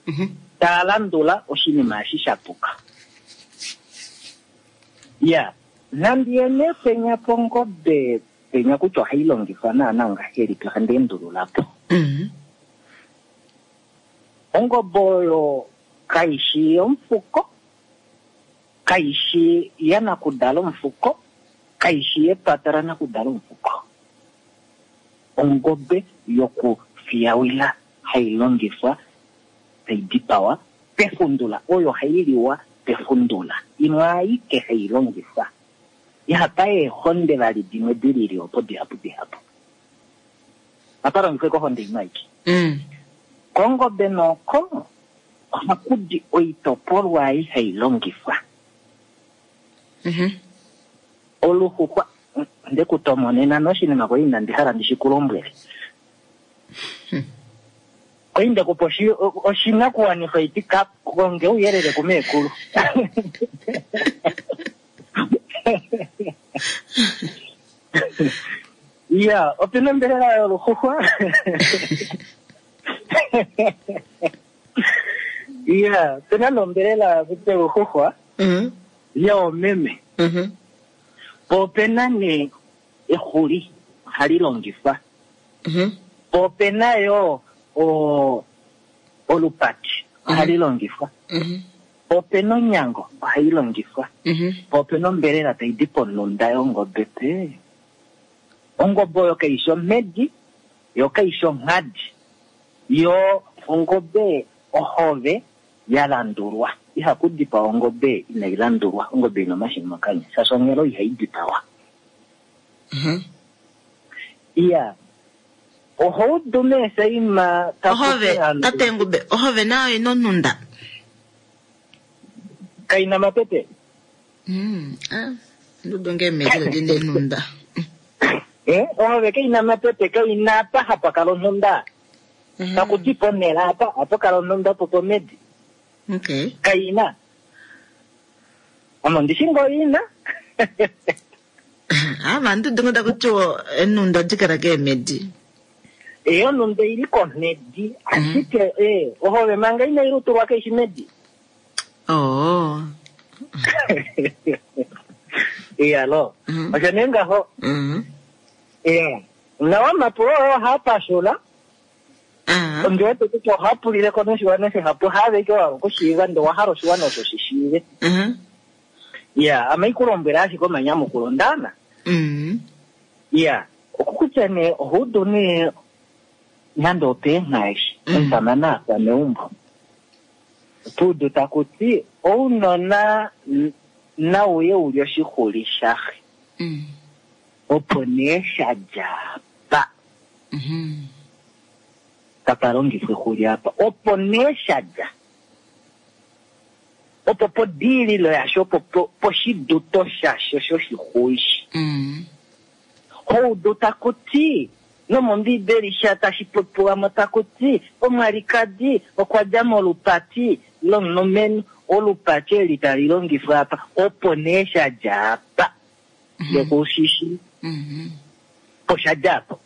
Mhm. Taa landula oshinima eshi sha puka. Ya, nandi yene penya pongobe penya kutya ohai longifwa naana ngahelipi ohandi endulula po. Mhm. Ongobe oyo kaishi yomufuko, kaishi yanakudala omufuko, kaishi yepata lanakudala omufuko. Ongobe yokufiyawila hai longifwa tai dipawa pefundula, oyo hai liwa pefundula. Imwe aike hai longifwa. Ihapa eehonde vali dimwe di lili opo dihapu dihapu. Apa longifwe kohonde imwe aike. Mm. Kongobe noko ohaku di oitopolwa ei hai longifwa. Mhm. Oluxuxwa nde ku tomonena noshinima kwali inandi hala ndi shi ku lombwele. Kwali nde kupa oshi- oshinakuwanifwa iti ka konge ouyelele kumeekulu. Ya, opena ombelela yoluxuxwa. Ya, opena nombelela yoluxuxwa Mhm. yoomeme. Mhm. Po opena nee exuli ohali longifwa. Mhm. Po opena yo o olupati ohali longifwa. Mhm. Po opena onyango ohai longifwa. Mhm. Po opena ombelela tai di ponunda yongobe pe. Ongobe oyo kaishi omhedi, yo kaishi onghadi. Yo ongobe ohove ya landulwa. Ihaku dipawa ongobe inai landulwa, ongobe ina omashini mokanya, shaashi onghelo ihai dipawa. Mhm. Iya, oho udu meesaima taku Ohove, ti ovanhu tate Ngube, ohove nayo ina onhunda. kaina mapepe. Mm. Ah, ndudu nge meedi dina eenhunda. Eh, ohove kaina mapepe, kaina apa hapa kala onhunda. Mhm. Taku ti ponhele apa, apa kala onhunda po pomedi. Okay. Kaina. Ame ondishi ngoo ina. Ah, vandu dungu taku tiwa eenhunda odi kala keemedi. Eh, onhunda ili komhedi, ashike eh, ohove manga inai lutulwa kaishi medi. Oh. Iya lo. Mhm. Osho nee ngaho. Mhm. Iya. Nawa omapulo oo ohaa pashula. Ah. Ondi wete kutya ohaa pulile ko noshiwana shihapu, haaveke wa hala okushiiva ndee owa hala oshiwana osho shi shiive. Mhm. Iya, ame ikulombwela ashike omanyamukulo ndana. Mhm. Iya, okukutya nee ohuudu nee nande opeenghaashi, Mm. omusamane afa meumbo. Otuudu taku ti ounona n- nauye uli oshixuli shaxe. Mm. Opo nee sha dja apa, Mhm. tapa longifwa exuli apa. Opo nee sha dja. Opo podiililo yasho, opo po- poshiduto shasho shoshixuli. Mm. Oudu taku ti nomombiibeli sha tashi popiwa mo taku ti omwalikadi okwa dja molupati lomulumenhu, olupati eli tali longifwa apa, opo nee sha dja apa. Yokushishi Mhm. po sha dja apo.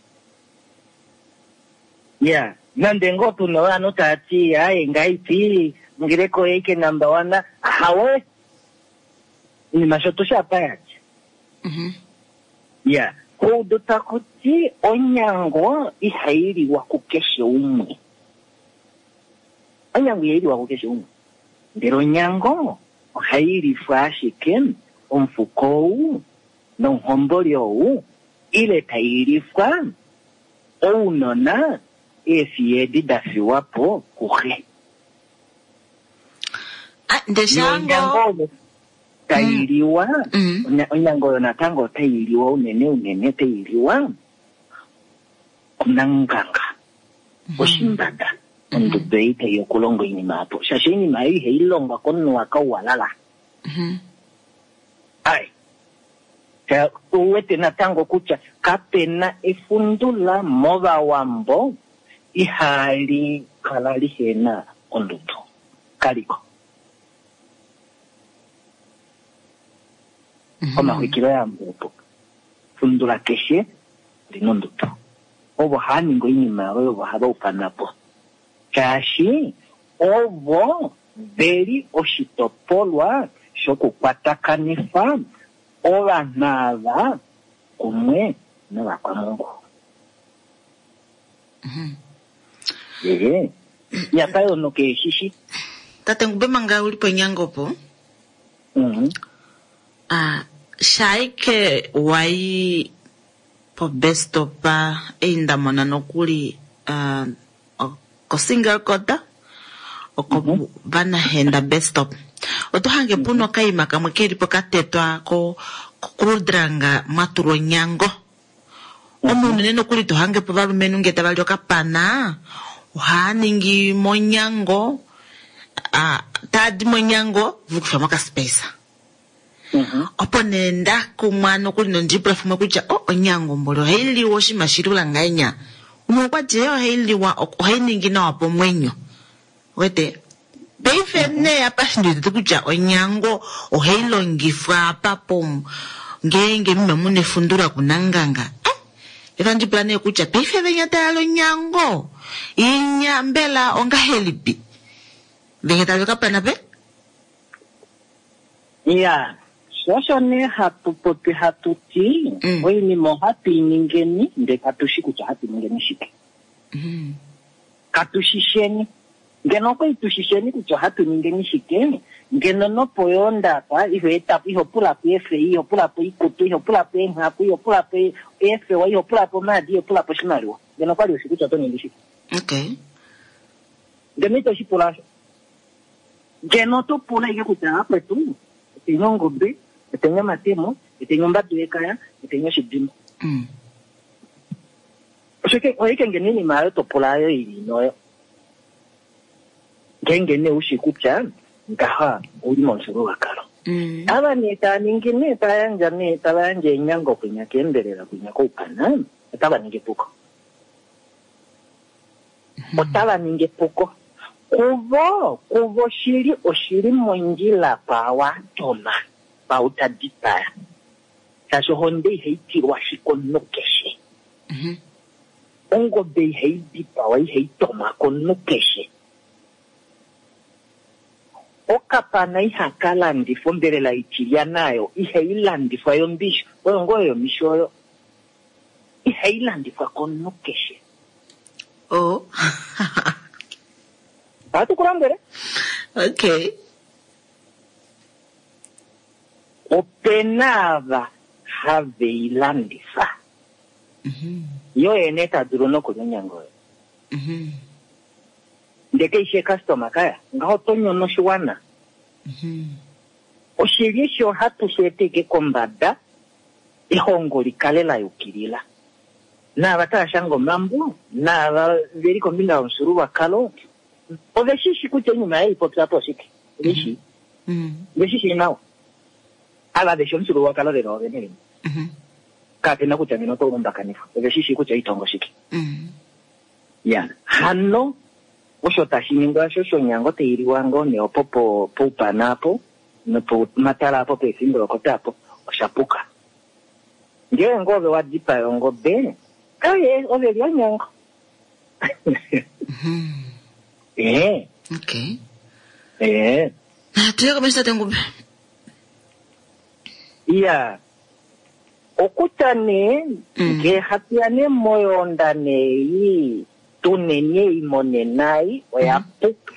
Ya, nande ngoo tuna ovanhu tava ti aye ngaipi ngeleko oyeike number one, ahawe inima sho tusha apa ya dja. Mhm. Ya, oudu taku ti onyango ihai liwa kukeshe umwe. Onyango ihai liwa kukeshe umwe. Ndele onyango ohai lifwa ashike omufuko ou nomuhomboli ou, ile tai lifwa ounona eefiye edi da fiwa po kuxe. Ah, ndee Nonyango shango. oyo tai liwa, Mm. onya- onyango oyo natango otai liwa unene unene tai liwa Kunanganga oshimbada ondudu ei tai okulonga oinima apo shaashi oinima ei ihai longwa komunhu wakauwalala. Ai uwete natango kutya kapena efundula movawambo ihali kala lihena ondudu kaliko. Omaxwikilo yambo opo fundula keshe lina ondudu. Ovo hava ningi oinima oyo ovo hava ufana po shaashi ovo veli oshitopolwa shokukwatakanifa ovanhu ava kumwe novakwamungu. Ehe yapa yono keeshishi. Tate Ngube manga uli ponyango po ah shaike wai po best stop ei ndamona nokuli uh, ko single quota oko vanahenda best stop oto hange puno okaima kamwe keli po katetwa ko krudrang mwatulwa onyango. Omo unene nokuli to hange po valumenhu nge tava li okapana ohaa ningi monyango ah, taadi monyango vukufa mokaspace. Opo nee ndakumwa nokuli nondipula fimwe kutya o onyango mboli ohai liwa oshinima shilula ngahenya. Umwe okwa ti ohai liwa ohai ningi nawa pomwenyo. Wete paife nee apa shindiwetete kutya onyango ohai longifwa apa po ngeenge mima muna efundula kunanganga. Eh, etandipula nee kutya paife venya tayali onyango inya mbela ongahelipi venya tali okapana pe? Ya osho nee hatu popi hatu ti oinima ohatu i ningeni ndele katu shi kutya ohatu ningeni shike. Katu shisheni. Ngeno okwali tu shisheni kutya ohatu ningeni shike, ngeno nopo yoondapa iho etapo iho pulapo eefeyi, iho pulapo oikutu, iho pulapo eenghaku, iho pulapo eefewa, iho pulapo omaadi, iho pulapo oshimaliwa. Ngeno okwali ushi kutya oto ningi shike. Okay. Ngeno ito shi pula osho. Ngeno oto pula ike kutya akwetu etenya ongobe, etenya omatemo, etenya ombadu yekaya, etenya oshidimbo. Osho ke oike ngeno oinima ayo to pula ayo ili noyo. Ngeenge nee ushi kutya ngaha ouli momufyuululwakalo. Ava nee tava ningi nee tava yandja nee tava yandja eenyango kwinya keembelela kwinya koupana otava ningi epuko. Otava ningi epuko. Kuvo kuvo shili oshili mondjila pawatoma pautadipaya. Shaashi ohonde ihai tilwa ashike omunhu keshe. Ongobe ihai dipawa ihai tomwa komunhu keshe. Okapana ihaka landifwa ombelela itilya nayo ihai landifwa yombisho oyo ngoo yomisho oyo ihai landifwa komunhu keshe. Oh. Ohatu ku lombwele. Okay. Opena ava have i landifa. Yo yene ta dulu nokulya onyango oyo. Ndele keishe customer kaya ngaho oto nyono oshiwana. Oshili eshi ohatu shi eteke kombada ehongo likale la yukilila. Naava tava shanga omambo, naava veli kombinga yomufyuululwakalo, ove shi shi kutya oinima ei popya po oshike. Ove shi. Ove shi shi nawa. Ava veshi omufyuululwakalo lela ovene vene. Kapena kutya ngeno oto lumbakanifwa. Ove shi shi kutya itongo shike. Ya, hano osho tashi ningwa osho shonyango tai liwa ngoo nee opo po poupana apo nopomatala apo pefimbo lokota apo osha puka. Ngele ngoo ove wa dipaya ongobe, aye ove li onyango. Eh. Okay. Eh. Tuye komesho tate Ngube. Ya. Okutya nee ngee hatu ya nee moyoonda nee tuneni ei monenai oya puka.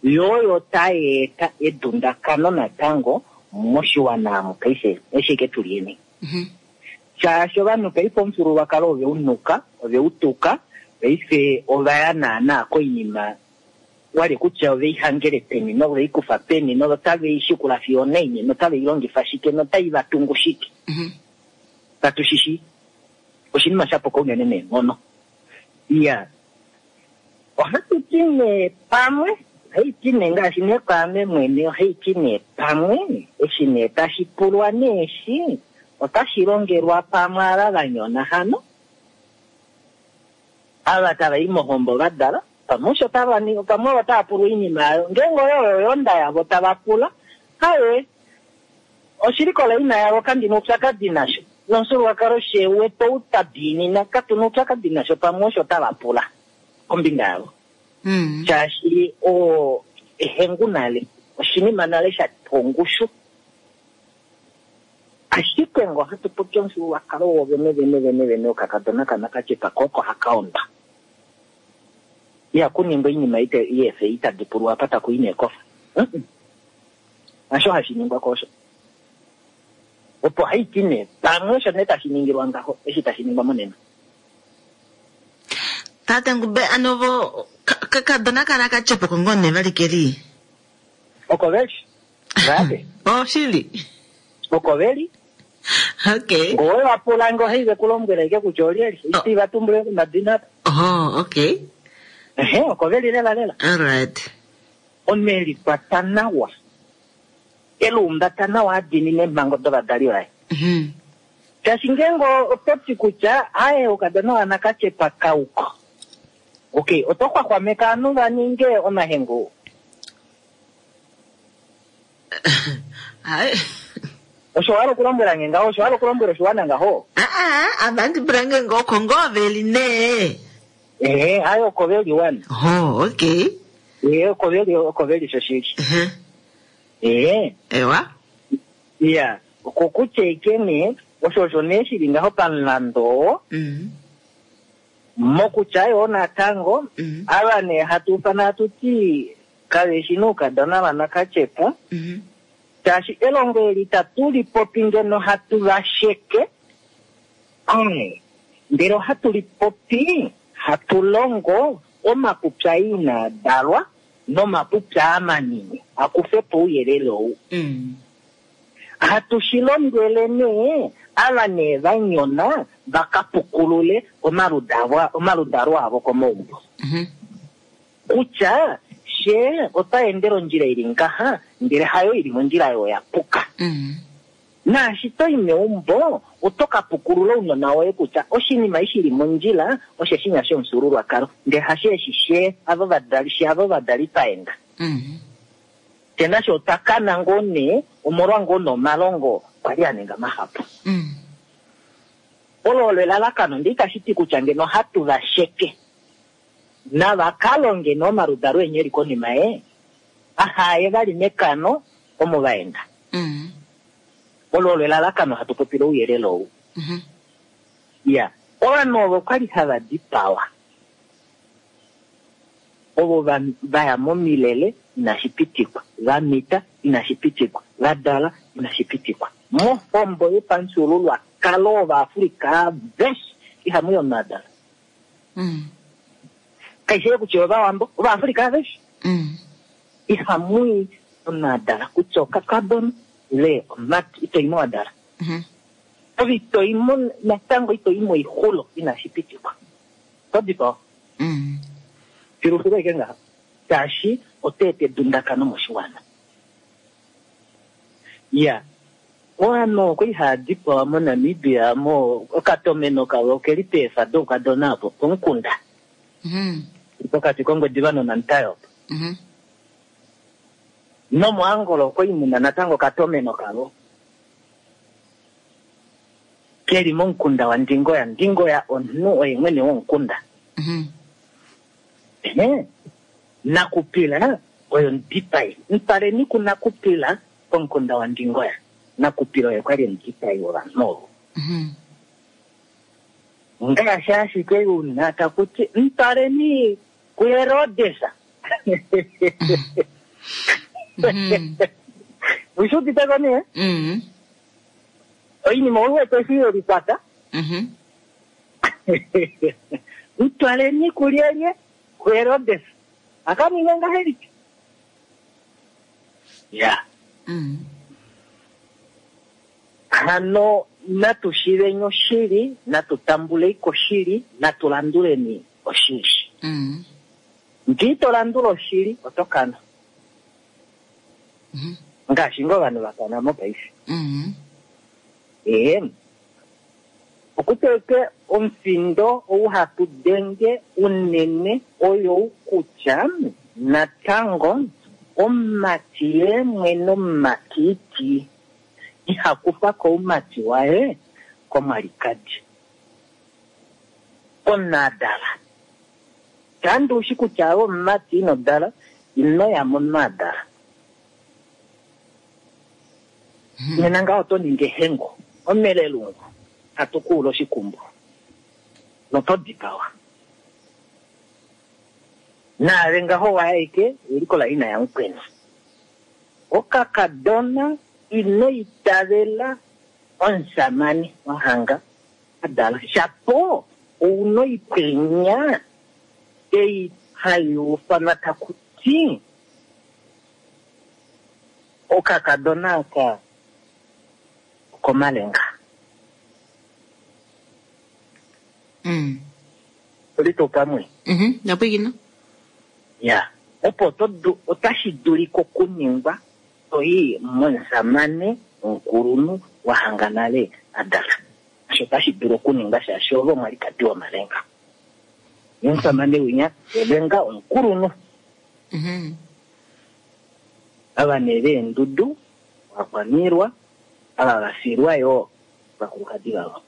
Yo oyo tai eta edundakano natango moshiwana amu paife eshi ke tuli eni. Shaashi ovanhu paife omufyuululwakalo ove u nuka, ove u tuka, paife ova ya naana koinima wali kutya ove i hangele peni nove i kufa peni notave i shikula fiyo onaini notave i longifa shike notai va tungu shike. Katu shi shi. Oshinima sha puka unene neenghono. Ya, ohatu ti nee pamwe, ohai ti nee ngaashi nee kwaame mwene, ohai ti nee pamwe, eshi nee tashi pulwa nee eshi, otashi longelwa pamwe ava va nyona hano, ava tava i mohombo va dala, pamwe osho tava ningi, pamwe ovo tava pulwa oinima yayo, ngeenge oyo oyo yonda yavo tava pula, haye, oshilikola ina yavo kandi na oupyakadi nasho, nomufyuululwakalo shewetu ou twa diinina, katu na oupyakadi nasho, pamwe osho tava pula kombinga yavo. Mm. Shaashi o ehengu nale, oshinima nale sha ongushu. Ashike ngo hatu popi omufyuululwakalo wovene vene vene vene okakadona kanakatyepa koko haka onda. Ihaku ningwa oinima ite yefe itadi pulwa apa taku i neekofa. Mm-mm. Hasho hashi ningwa kosho. Opo hai ti nee pamwe osho nee tashi ningilwa ngaho eshi tashi ningwa monena. Tate Ngube ano vo kakadona kana katyepa oko ngoo nee vali keli. Oko veli? Vape? Oh, shili. Oko veli? Okay. Ngowe wa pula ngo hei vekulombwela ike kutya olyeli. Iti va tumbule komadina. Oh, okay. Ehe, oko veli lela lela. All right. Omeli kwata nawa. Elumbata nawa adinine eemhango dovadali vaye. Mhm. Shaashi ngeenge oto ti kutya aye okadona wanakatyepa kauko. Okay, oto xwaxwameka ovanhu va ninge omahengu. Ai. Osho wa hala okulombwela nge ngaho, osho wa hala okulombwela oshiwana ngaho. Ah ah, avandi pulange ngoko ngoo veli nee. Ehe, aye oko veli wana. Oh, okay. Ehe, oko veli oko veli shoshili. Mhm. Ehe. Ewa. Iya, okokutya ike nee, osho osho nee shili ngaho pamulando, Mm. mokutya yoo natango, Mm. ava nee hatu ufana hatu ti kaveshi noukadona vanakatyepa, Mhm. shaashi elongo eli itatu li popi ngeno hatu va sheke, ae, ndele ohatu li popi hatu longo omapupya inaa dalwa nomapupya amanini akufe po ouyelele ou. Mm. Hatu shi lombwele nee ava nee va nyona va ka pukulule omaludalo omaludalo avo komaumbo. Mhm. Kutya she ota endele ondjila ili ngaha ndele hayo ili mondjila yo ya puka. Mm. Naashi to i meumbo oto ka pukulula ounona woye kutya oshinima eshi li mondjila oshe shinya shomufyuululwakalo ndele hasho eshi she avo vadali she avo vadali paenda. Mm. Te nasho otwa kana ngoo nee omolwa ngoo nomalongo kwali a ninga mahapu. Mm. Olo olo elalakano ndele itashi ti kutya ngeno hatu va sheke. Nava ka longe nomaludalo enye eli konima ye, ahaye vali mekano omo va enda. Mm. Olo olo elalakano hatu popile ouyelele ou. Mhm. Ya, ovanhu ovo kwali hava dipawa. Ovo va, va ya momilele inashi pitikwa, va mita inashi pitikwa, va dala inashi pitikwa. Mohombo yopamufyuululwakalo wOvaafrika aveshe ihamu i omunhu a dala. Mm. Kaishi kutya Ovawambo, Ovaafrika aveshe Mm. ihamu i omunhu a dala kutya okakadona ile omumati ito i mo wa dala. Mhm. Ove ito i mo natango ito i moixulo inashi pitikwa. Oto dipawa. Mm. Filufilu ashike ngaho. Shaashi oto eta edundakano moshiwana. Ya, ovanhu okwali hava dipawa moNamibia mo okatomeno kavo okeli peefa doukadona apo pomukunda. Mhm. Pokati kOngwediva nOnamutayi opo. Mhm. NomoAngola okwali muna natango okatomeno kavo. Keli momukunda waNdingoya. Ndingoya omunhu oye mwene womukunda. Mhm. Ehe. Nakupila oyo omudipai. Mpaleni kunakupila pomukunda waNdingoya. Nakupila oye kwali omudipai wovanhu ovo. Mhm. Ngaashi ashike una taku ti mpaleni kuHerodes. Mhm. Ushi udite ko nee? Mm. Oinima ou wete eshi ye likwata. Mhm. Mtwaleni kulyelye kuHerodes. Akaninga ngahelipi? Ya. Mm. Hano natu shiveni oshili, natu tambulei koshili, natu landuleni oshili. Mm. Ngee to landula oshili, oto kana. Ngaashi ngoo ovanhu va kana mopaife. Mm. Ee. Okuteke omufindo ou hatu denge unene oyou kutya natango omumati ye mwene omumatiti iha kufa ko oumati waye komwalikadi. Komunadala. Kandi ushi kutya ove omumati ino dala, ino ya momunadala. Nena ngaho oto ningi ehengo, omelelungu, hatu kuula oshikumbu. Noto dipawa. Naave ngaho waeke elikola ina yamukweni. Okakadona ino itavela omusamane wahanga adala. Shapo ouna oipwenya ei hai ufanwa taku ti okakadona aka okomalenga. Mm. Oli tuu pamwe? Mhm. Ndapwiikina. Ya. Opo oto du- otashi dulika okuningwa toyi momusamane omukulunhu wahanga nale adala. Osho otashi dulu okuningwa shaashi ove omwalikadi womalenga. Omusamane winya elenga omukulunhu. Mhm. Ava nee veendudu, vakwaniilwa, ava vafilwa yoo vakulukadi vavo.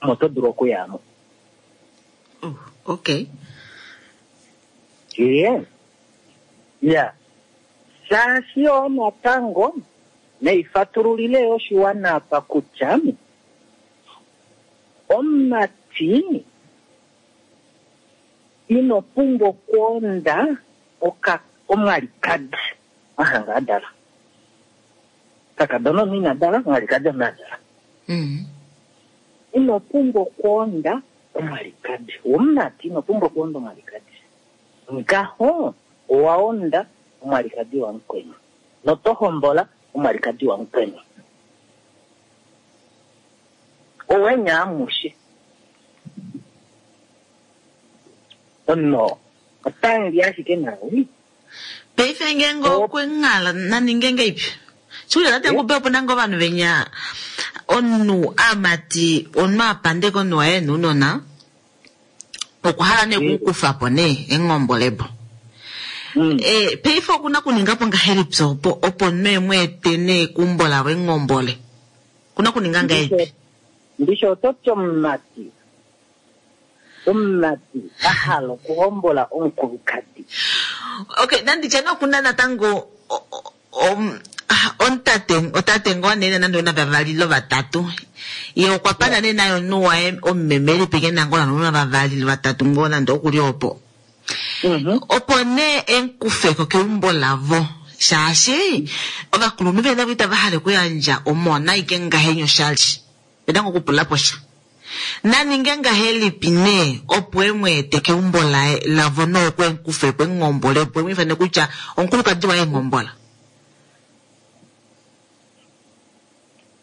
Omo oto dulu okuyamo. Oh, okay. Ee. Ya. Shaashi yoo natango neifatululile oshiwana apa kutya omumati ino pumbwa okwoonda oka omwalikadi wahanga adala. Kakadona omunhu ina dala, omwalikadi omunhu adala. Mm. Ino pumbwa okwoonda omwalikadi. Womumati ino pumbwa okwoonda omwalikadi. Ngaho owa onda omwalikadi wamukweni. Noto hombola omwalikadi wamukweni. Owenya amushe. Ono otangi ashike nawe. Paife ngeenge okwenghala naninge ngeipi? Shikuti tate ngupe opo nange ovanhu venya omunhu amati omunhu apandeka omunhu waye nounona okwa hala nee okukufa po nee engombolebo. Mm. Eh, paife okuna okuninga po ngahelipi opo opo omunhu emweete nee ekumbo lavo engombole? Kuna okuninga ngahelipi? Ndisho oto ti omumati. Omumati a hala okuhombola omukulukadi. Okay, nanditya nee okuna natango o- o- om- ah, omutate otate ngoo nee nande una vavali lovatatu ye okwa pana nee naye omunhu waye omumeme elipi ke nangoo nande una vavali lovatatu ngoo nande okuli opo. Mhm. Opo nee emukufeko keumbo lavo shaashi ovakulunhu vena itava hala okuyandja omona ike ngahenya oshali vena ngoo okupula po sha. Naninge ngahelipi nee opo emweete keumbo laye lavo noku emukufepo emungombolepo emwiifane kutya omukulukadi waye engombola.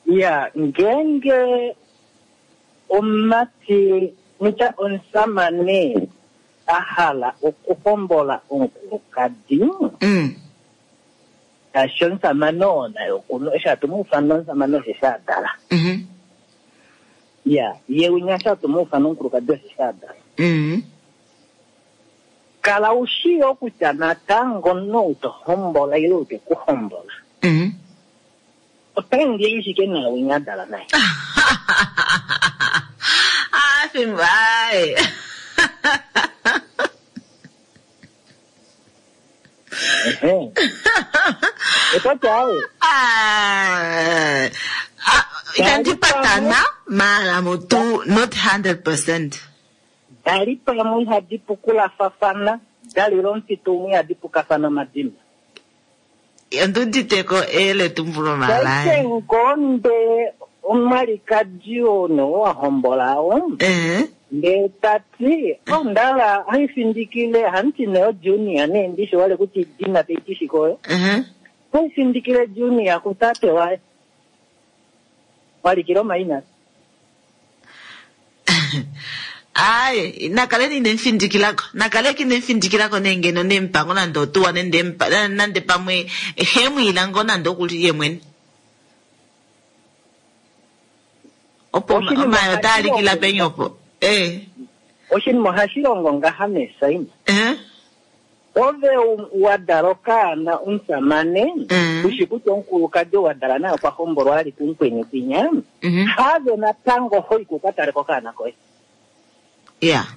Ya, ngeenge omumati nitya omusamane a hala okuhombola omukulukadi, Mm. shaashi omusamane oo naye okuna eshi hatu mu ufana omusamane osheshi a dala. Mhm. Ya, ye winya eshi hatu mu ufana omukulukadi osheshi a dala. Mm. Kala u shii yo kutya natango omunhu ou to hombola ile ou te ku hombola, Mm. otangi ashike naye winya a dala naye. Ah, fimbo ai. Ehe. Oto ti awe, Ah, ah, itandi patana mara mutu not hundred percent. dali pamwe ihadi pukulafafana, dali lomufitu umwe ihadi pukafana omadimba. Onduditeko eletumbulo Paife malaye. ngonde omwalikadi oo nee wa hombola oo, Eh. ndee tati ondala haifindikile hanti neyo junior nee ndishi wale kuti dina teitishiko oyo Eh. haifindikile junior kutate waye walikile omaina. Aye, nakale inemufindikilako nakale kinemufindikilako nee ngeno nemupango nande otuwa nande empa- nande pamwe hemwiila ngoo nande okuli ye mwene opo Oshinima omayo taalikila hashi penya opo eh Oshinima ohashi longo ngaha mesaima. eh Ove u- wa dala okaana omusamane, Mm. ushi kutya omukulukadi wa dala naye okwa hombolwa ali kumukweni kwinya, mhm have natango hoiko uka tale kokaana koye. yeah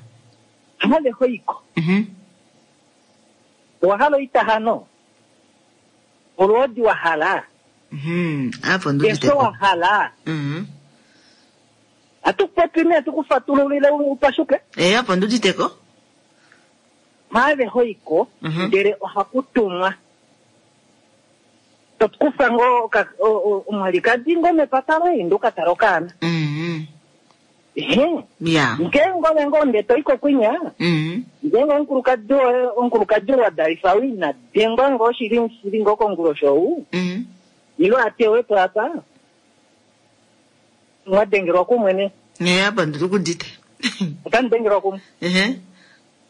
Have hoiko. mhm Owa hala oitahano? Olwoodi wa hala? mhm apo Eso nduditeko wa hala? mhm Atukupopi nee tukufatululile upashuke? eh apo nduditeko Have hoiko, Mhm. ndele ohaku tumwa. Tokufa ngoo oka- o- o- omwalikadi ngoo mepata loye inde uka tale okaana. mhm Ehe. yeah Ngeenge ove ngoo ndee toiko kwinya, mhm ngeenge omukulukadi woye omukulukadi ou wa dalifa ou ina dengwa ngoo shili shili ngoo kongulosho ou, mhm ilo atewe po apa, mwa dengelwa kumwe ne, eh apo ndikudite otamu dengelwa kumwe. ehe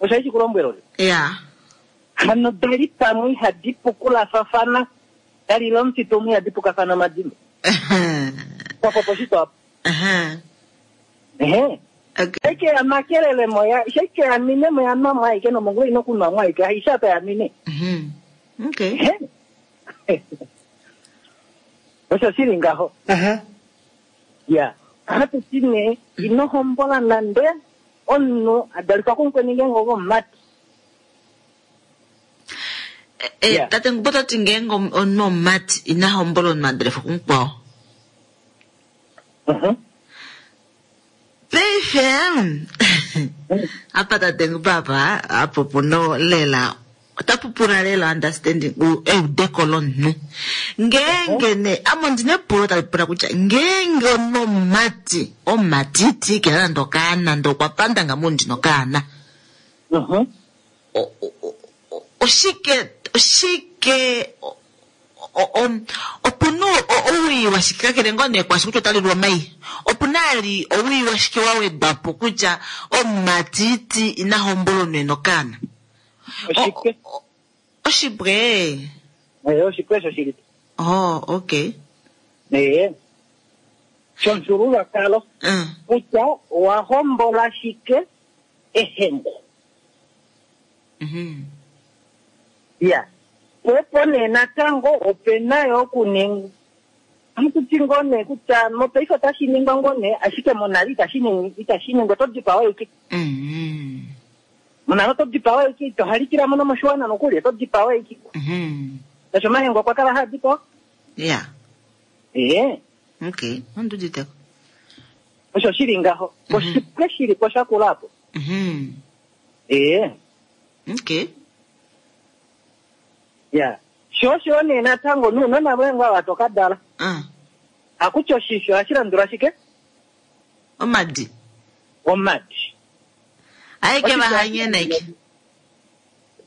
Osho hashi kulombwela ove. yeah Hano dali pamwe ihadi pukulafafana, dali lomufitu umwe ihadi pukafana omadimo. Kwapopo shito apa. Aha. Ehe. Okay. Shaike ya makelele moya, shaike ya mine moya nwa mwaike nomongula ino kunwa mwaike, haisha apa ya mine. Mhm. Okay. Ehe. Osho shili ngaho. Aha. Ya. Hatu ti nee, ino hombola nande omunhu a dalifwa kumukweni ngeenge ove omumati. Eh, eh, Yeah. tate ngupo tati ngeenge om- omunhu omumati ina hombola omunhu a dalifwa kumukwao. Mhm. Paife apa tate ngupo apa apo puno lela otapu pula lela understanding u- eudeko lomunhu ngeenge ne ame ondina epulo tali pula kutya ngeenge omunhu omumati omumatiti kena nande okaana nande okwa panda ngame ndina okaana Mhm. o- o- o- o- oshike oshike o- o- o- opuna o- owii washike kakele ngoo nee kwashi kutya otalilwa omai opuna ali owii washike wa wedwa po kutya omumatiti ina hombola omunhu ena okaana Oshike? O- o- oshipwe Eh, oshike osho shili. oh okay Eh. Shomufyuululwakalo mm. kutya owa hombola shike ehengo. mm Ya. Po opo nee natango opena yo okuninga ohatu ti ngoo nee kutya mopaife otashi ningwa ngoo nee ashike monale itashi ningi- itashi ningwa oto dipawa ike mm monale oto dipawa ike ito halikila mo nomoshiwana nokuli oto dipawa ike mm tasho omahengo okwa kala haa dipawa yeah ee okay onduditeko osho shili ngaho Mhm. oshipwe shili po shakula apo mm ee okay ya sho osho nee natango nuunona voye ngoo ava toka dala mm. hakutya oshisho ohashi landula shike omadi omadi aike vahanyena ike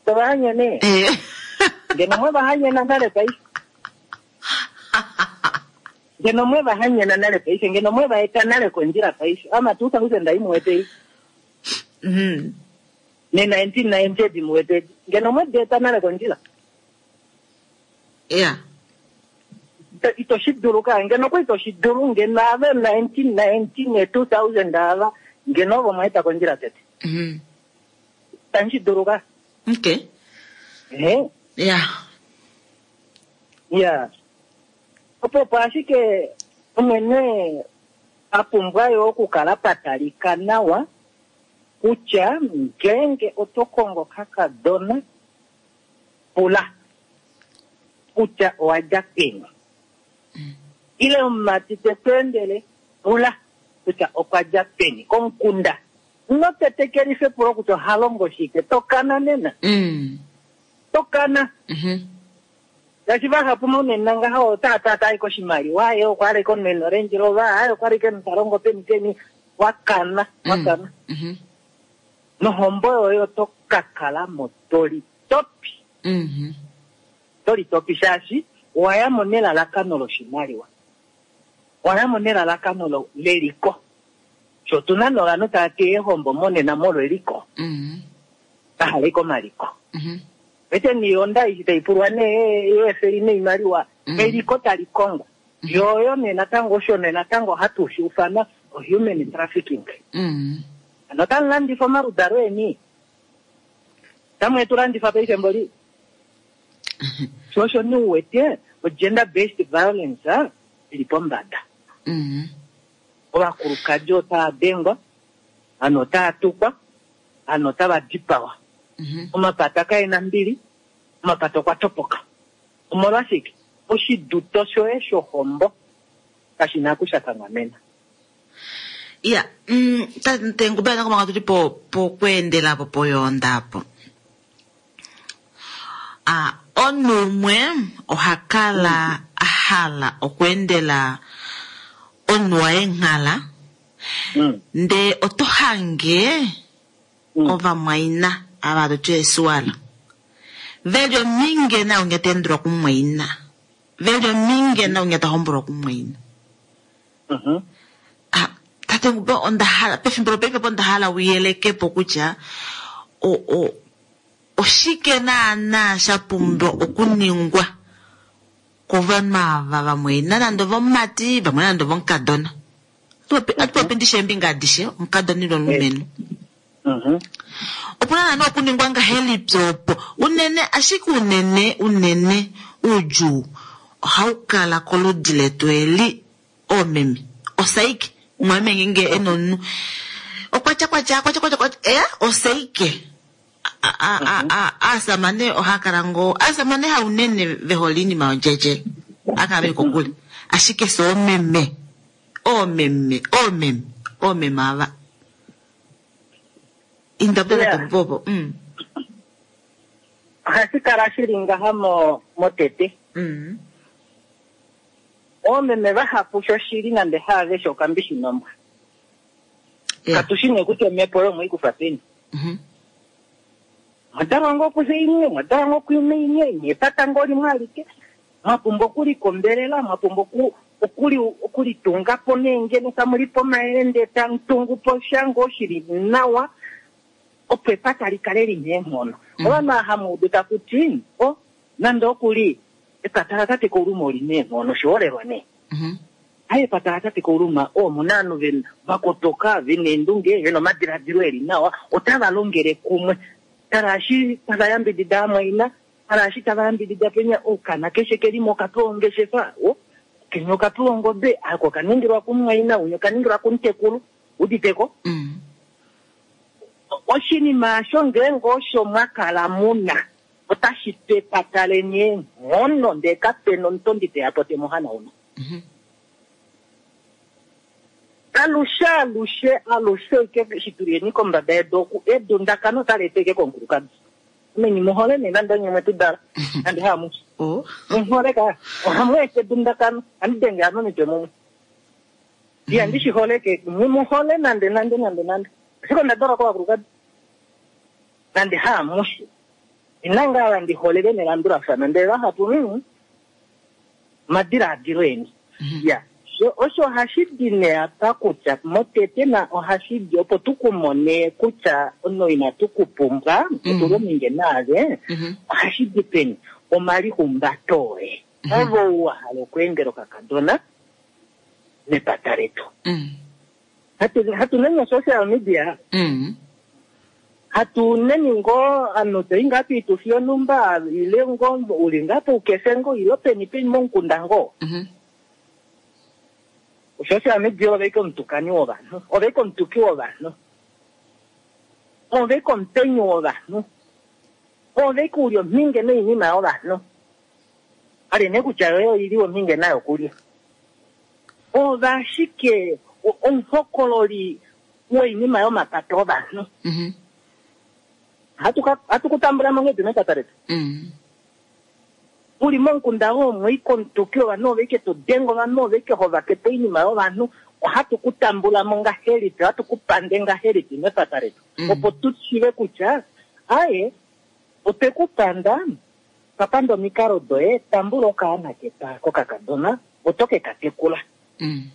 tovahanyene Eh. ngeno mwe vahanyena nale paife ngeno mwe vahanyena nale paife ngeno mwe vaeta nale kondjila paife ama two thousand aimuwete Mhm. ne nineteen ninety edi muwete edi ngeno mwe dieta nale kondjila yeah Ito- ito shi dulu ka ngeno kwa ito shi dulu ngeno ave nineteen ninety ne two thousand ava ngeno ovo mwaeta kondjila tete Mhm. tashi dulu ka okay ehe yeah ya opo opo ashike omwene a pumbwa yo okukala patalika nawa kutya ngeenge oto kongo kakadona pula kutya owa dja peni ile omumati te ku endele pula kutya okwa dja peni komukunda ino tetekelifa epulo kutya oha longo shike tokana nena mm. tokana Mhm. ngaashi vahapu monena ngaha otata tai koshimaliwa ye okwa aleke omunhu Range Rover aye okwa aleke omunhu ta longo peni peni wakana wakana Mhm. nohombo yoye oto ka kala mo tolitopi Mhm. tolitopi shaashi owaya mo nelalakano loshimaliwa owaya mo nelalakano lo- leliko Sho otuna novanhu tava teya eehombo monena molweliko, Mm. vahala ike omaliko. Mhm. Wete niilonda ishi tai pulwa nee yeefeli noimaliwa, Mm. eliko tali kongwa. Yo oyo nee natango osho nee natango hatu shi ufana human trafficking. Mm. Ano otamu landifa omaludalo eni. Otamu etu landifa paife mboli. Sho osho nee uwete o-gender based violence ah, ili pombada. Mm. Ovakulukadi otava dengwa, ano otava tukwa, ano otava dipawa. Mhm. Omapata kaena mbili, omapata okwa topoka. Omolwashike? Oshiduto shoye shohombo kashi na kusha kanghamena. Ya, mm, tate Ngubela natango manga tuli po pokweendela po poyoonda apo. Ah, omunhu umwe oha kala a hala okweendela omunhu waye nghala, Mm. ndee oto hange Mm. ovamwaina ava hatu ti eesuwala veli ominge naunya ta endelwa kumumwaina, veli ominge naunya ta hombolwa kumumwaina. Mhm. Ah, tate Ngube onda hala pefimbo lopaife po onda hala uyeleke po kutya o, o, oshike naana sha pumbwa okuningwa kovanhu ava vamwaina nande ovomumati vamwe nande ovomukadona. Atu popi ndishe eembinga adishe omukadona ile omulumenhu. Mhm. Opuna naana okuningwa ngahelipi opo unene ashike unene unene oudjuu ohau kala koludi letu eli oomeme osaike mumwameme ngeenge ena omunhu okwatya kwatya kwatya kwatya kwatya eh osaike A- a- a- a- aasamane ohaya kala ngoo aasamane haunene ve hole iinima yondjendjele ohaya kala veli kokule ashike fye oomeme oomeme oomeme oomeme ava indapela Yeah. topopo mm. Ohashi kala shili ngaha mo motete. Mm. Oomeme vahapu shoshili nande haaveshe okambishi nombwa. Yeah. Katushi nee kutya omhepo oyo mweikufa peni. Mhm. Mwadalwa ngoo kuxe imwe, mwadalwa ngoo kuina imwe, nepata ngoo limwe alike. Mwapumbwa okulikombelela, mwapumbwa oku- okuli okulitunga po neengeno tamu lipe omayele ndee tamu tungu po sha ngoo shili nawa, opo epata li kale lina eenghono. Mm. Ovanhu ava hamu udu taku ti, o nande okuli epata latate Kauluma olina eenghono, oshiholelwa nee. Mhm. Aye epata latate Kauluma omuna ovanhu ve- vakotoka vena eendunge vena omadiladilo eli nawa otava longele kumwe tala eshi tava yambidida amwaina tala eshi tava yambidida penya okana keshe kelimo okapewa ongeshefa o kenya okapewa ongobe ako okaningilwa kumumwaina unya okaningilwa kumutekulu uditeko Mm. oshinima osho ngeenge osho mwakala muna otashi tu epata leni eenghono ndee kapena omutondi teya po temuhanauna Mhm. alushe alushe alushe ike shituliyeni kombada yedu oku edundakano otali eteke komukulukadi meni muhole nee nande onye mwetu dala nande haamushi Oh. muhole ka ohamu eta edundakano andi denge ano omitwe mumwe ihandi shi holeke muhole nande nande nande nande ashike onda dalwa kovakulukadi nande haamushi ina ngaa vandi holele nelandulafano ndele vahapu mm, omadilaadilo eni Mhm. ya so osho ohashi di nee apa kutya motete na ohashi di opo tukumone kutya omunhu inatu kupumbwa otuli ominge naave Mhm. ohashi di peni omalihumbato oye ove ou wa hala okweendela okakadona mepata letu Mm. hatu hatu neni social media Mm. hatu neni ngoo ovanhu toyi ngaa piitufi yonhumba ile ngoo uli ngaa poukefe ngoo ile peni peni momukunda ngoo Mhm. social media ove ike omutukani wovanhu ove ike omutuki wovanhu ove ike omupenyi wovanhu ove ike uli omhinge noinima yovanhu ali nee kutya yoye oili omhinge nayo kulya ove ashike o- omuhokololi woinima yomapata ovanhu Mhm. Hatu ka- hatu kutambula monghedi mepata letu Mm. uli momukunda womwe ike omutuki wovanhu ove ike todenga ovanhu ove ike hovakepo oinima yovanhu ohatu ku tambula mo ngahelipi ohatu ku pande ngahelipi mepata letu Mm. opo tu shive kutya aye otwe ku panda twa panda omikalo doye tambula okaana ketu kokakadona oto ke ka tekula Mm.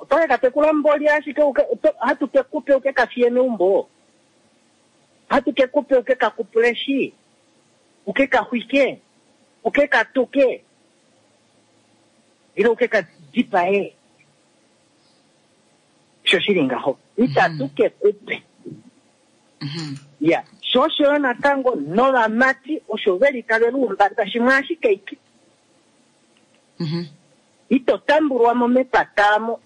Oto ke ka tekula mboli ashike uke- oto- hatu ke kupe uke ka fiye meumbo. Hatu ke kupe uke ka kupuleshi. Uke ka xwike. Uke ka tuke. Ile uke ka dipae. Sho shili ngaho. Itatu ke kupe. Ya, sho osho yo natango novamati osho veli tave luumbata shimwe ashike iki. Ito tambulwa mo mepata mo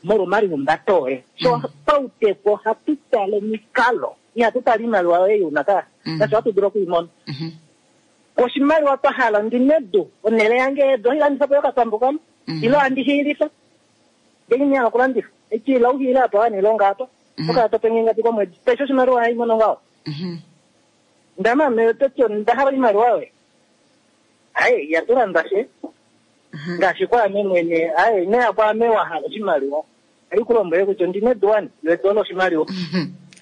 molwomalihumbato oye. So pauteku ohatu tale omikalo. Ihatu tale iimaliwa yoye yuna ka. Ngaashi ohatu dulu okuimona. Oshimaliwa twa hala ndi nedu, onhele yange yedu ohai landifa po yokapambu kamwe. Ile ohandi hiilifa. Ngenge ine hala okulandifa. Eti ila uhiile apa wanilonga apa. Okala to penge ngapi komwedi. Pesha oshimaliwa ohai mono ngaho. Ndama ototi onda hala oimaliwa yoye. Aye, ihatu landa she. Ngaashi kwaame mwene, aye, inoya kwaame wa hala oshimaliwa. Ohai ku lombwele kutya ondina edu wani, lo edu olo oshimaliwa.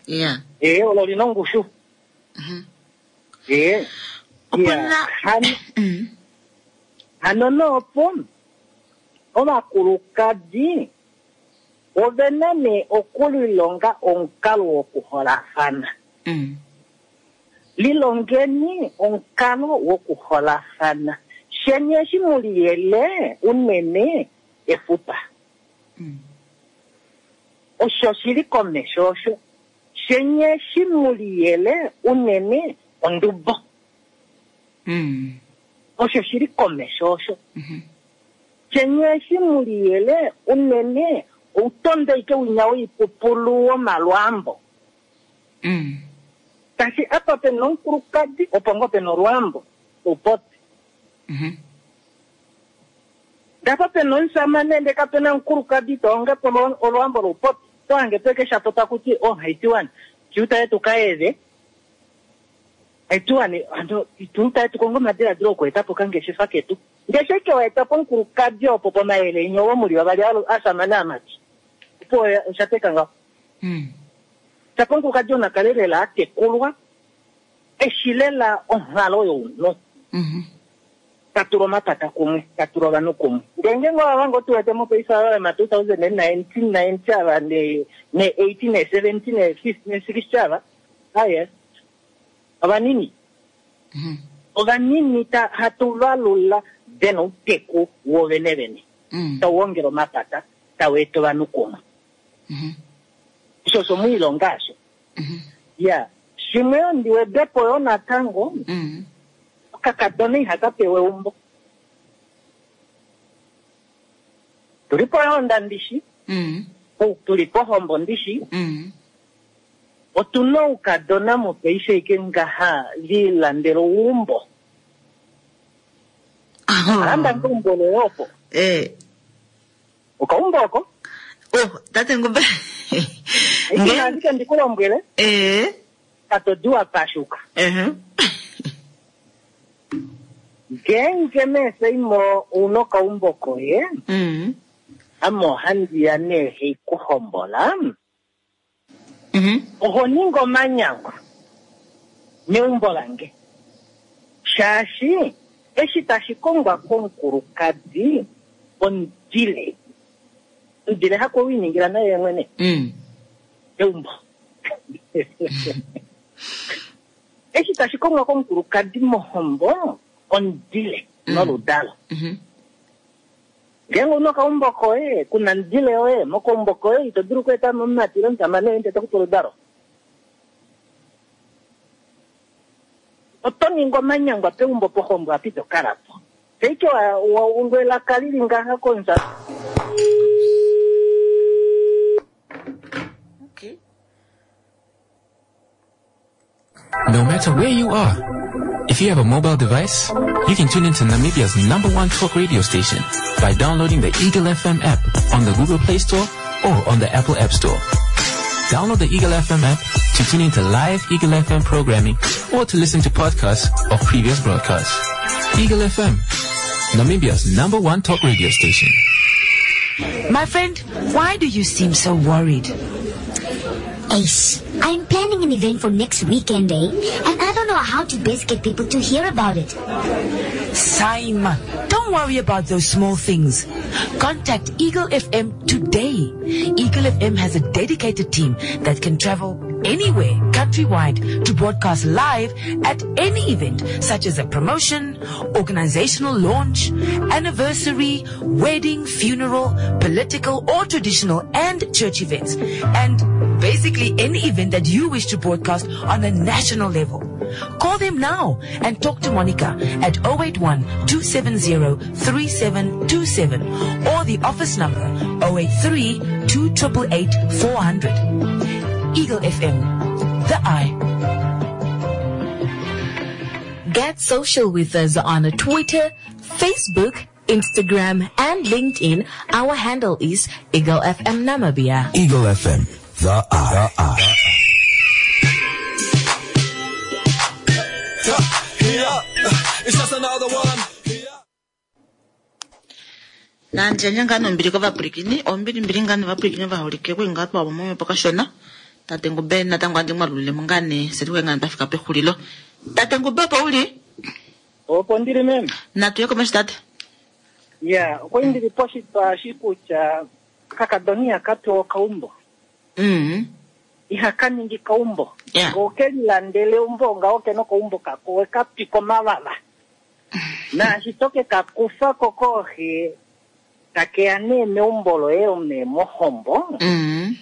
Ya. Ee, olo lina ongushu. Ee. Opuna- Ya, hano- hano noopo ovakulukadi ovena nee okulilonga omukalo wokuholafana. Lilongeni omukalo wokuholafana. Sheni eshi muliyele unene efupa. Osho shili komesho osho. Sheni eshi muliyele unene ondubo. Osho shili komesho osho. Sheni eshi muliyele unene outonde ike winya woipupulu womalwambo. Tashi apa pena omukulukadi opo ngoo pena olwambo oupopi. Ndapa pena omusamane ndee kapena omukulukadi toongepo olwambo loupopi. Tohange peke shapo takuti oh haitiwani tiutaye tukaeve haitiwani ando tiutaye tukonge omadiladilo okuetapo okangeshefa ketu. Ndee sheke waetapo omukulukadi opo pomayele inyo womuli vavali asamane amati. Opo oshateka ngaho. Shapo omukulukadi onakale lela atekulwa eshi lela onghalo younhu. Tatula omapata kumwe, tatula ovanhu kumwe. Ndee ngeenge ova ngoo tuwete mopaife ava ma two thousand and nineteen ninety ava ne ne eighteen ne seventeen ne fifteen ne sixty ava, aye, ovanini. Ovanini ta hatu valula vena outeku wovene vene. Tau ongele omapata, tau eta ovanhu kumwe. Osho osho muilonga asho. Ya, shimwe ondi wedepo yo natango, okakadona ihaka pewa eumbo. Tuli pohonda ndishi, tuli pohombo ndishi, otuna oukadona mopaife ike ngaha lilandela oumbo. Alanda ngeumbo loye opo. Eh. Okaumbo oko? Oh, tate Ngube. Nge ashike ndikulombwele. Eh. Katodiwa pashuka. Eh. Ngeenge meeseimo una okaumbo koye, ame ohandiya nee heikuhombola, oho ningi omanyangwa meumbo lange. Shaashi eshi tashi kongwa komukulukadi omudile. Omudile hako winingila naye mwene. Eumbo. Eshi tashi kongwa komukulukadi mohombo omudile noludalo. Ngeenge una okaumbo koye, kuna omudile yoye, mokaumbo koye ito dulu okueta mo omumati ile omusamane woye ndele tokupe oludalo. Oto ningi omanyangwa peumbo pohombo apa ito kala po. Teike wa ungwe elaka lili ngaha konza. Okay. No matter where you are, if you have a mobile device, you can tune into Namibia's number one talk radio station by downloading the Eagle F M app on the Google Play Store or on the Apple App Store. Download the Eagle F M app to tune into live Eagle F M programming or to listen to podcasts of previous broadcasts. Eagle F M, Namibia's number one talk radio station. My friend, why do you seem so worried? Ace, I'm planning an event for next weekend, eh? And I don't know how to best get people to hear about it. Saima, don't worry about those small things. Contact Eagle F M today. Eagle F M has a dedicated team that can travel anywhere countrywide to broadcast live at any event such as a promotion, organizational launch, anniversary, wedding, funeral, political or traditional and church events, and basically any event that you wish to broadcast on a national level. Call them now and talk to Monica at oh eight one two seven zero three seven two seven or the office number oh eight three two eight eight four hundred. Eagle F M, the Eye. Get social with us on Twitter, Facebook, Instagram, and LinkedIn. Our handle is Eagle F M Namibia. Eagle F M, the Eye. The Eye. Yeah, it's just another one. Nandjandja ngaa nombili kovapwilikini, ombilimbili ngaa novapwilikini ovaholike kuli ngaa twavo momhepo kashona. Tate Ngube natango andi mwalulilemo ngaa nee setuke ngaa twafika pexulilo. Tate Ngube, opo uli? Opo ndili, meme. Natuye komesho, tate. Ya, okwali ndili poshitwa shi kutya kakadoni ihaka pewa okaumbo, mm. ihaka ningi kaumbo. Yeah. Ngo kelilandele eumbo ngaho kena okaumbo kako wekapika omavava naashi toke kakufa ko kooxe takeya nee meumbo loye nee mohombo, Mm.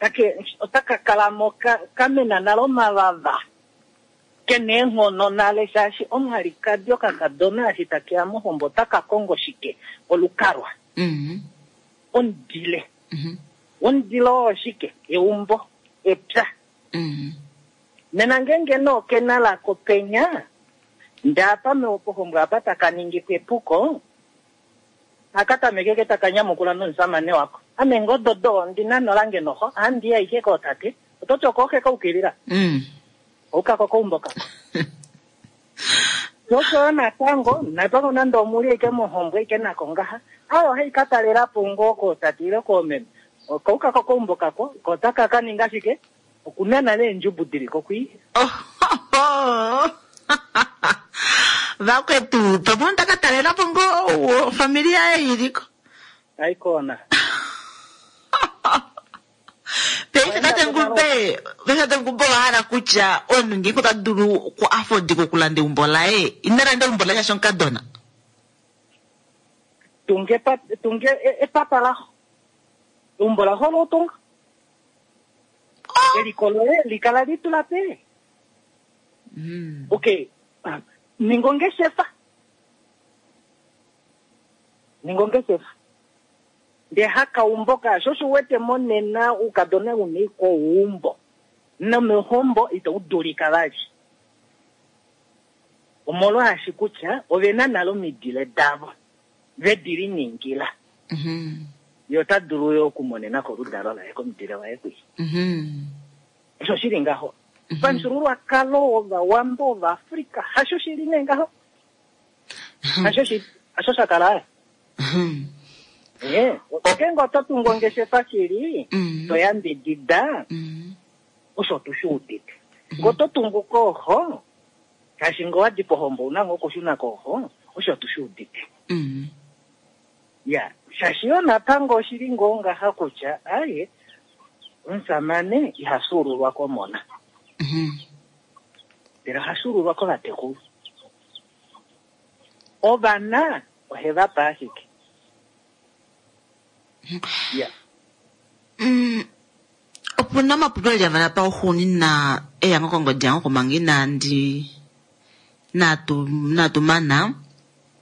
take otaka kalamo ka- kamena nale omavava kena eenghono nale, shaashi omwalikadi okakadona eshi takeya mohombo otaka kongo shike? Olukalwa, Mm. omudile. Mhm. Omudile oo shike? Eumbo, epya. Mm. Nena ngenge noo kena lako penya ndapa pohombo apa taka ningi epuko akatameke ke taka nyamukula nomusamane wako, ame ngododo ondina nolange noho andiya ike kootate ototi okoohe kaukilila Mm. oukako koumbo kako shosho natango natango nande omuli ike mohombo ike nako ngaha ayo ohai ka talelapo ngoo kootate ile koomeme okaukako koumbo kako kotaka ka ninga shike okunana neendjubu dili kokwi. Oh, vakwetu pamwe ndaka talelapo ngoo ofamili yaye iliko. Aikona. Paife tate Ngube, paife tate Ngube owa hala kutya omunhu ngenge ota dulu oku afford okulanda eumbo laye, ina landa eumbo laye shaashi omukadona? Tunge epa- tunge e- epapa laho, eumbo laho lotunga, eliko loye likala litula pe. Mm. Okay, ah, ninga ongeshefa, ninga ongeshefa ndee hakaumbo kaasho osho wete monena uukadona una iko uumbo nomehombo ito dulika vali omolwaashi kutya ovena nale omidile davo vedi liningila. Mhm. Ye ota dulu yo okumonena koludalo laye komudile waye kwi. Mhm. Osho shili ngaho pamufyuululwakalo wovawambo vaAfrika, hasho shili nee ngaho, hasho shi hasho sha kala. Mhm. Eh, okenge oto tungu ongeshefa shili, Mhm. to yambidida, Mhm. osho tushi udite ngo to tungu kooho shaashi ngo wadi pohombo una ngo okushuna kooho, osho tushi udite. Mhm. Ya, shaashi yo natango oshili ngoo ngaha kutya aye omusamane iha suululwa komona, Mhm. ndele oha suululwa kovatekulu. Ovana oheva pa ashike ya. Mm, opuna omapulo eli avala pauxuunina eya ngo kongodi yango komanga inandi natu natumana.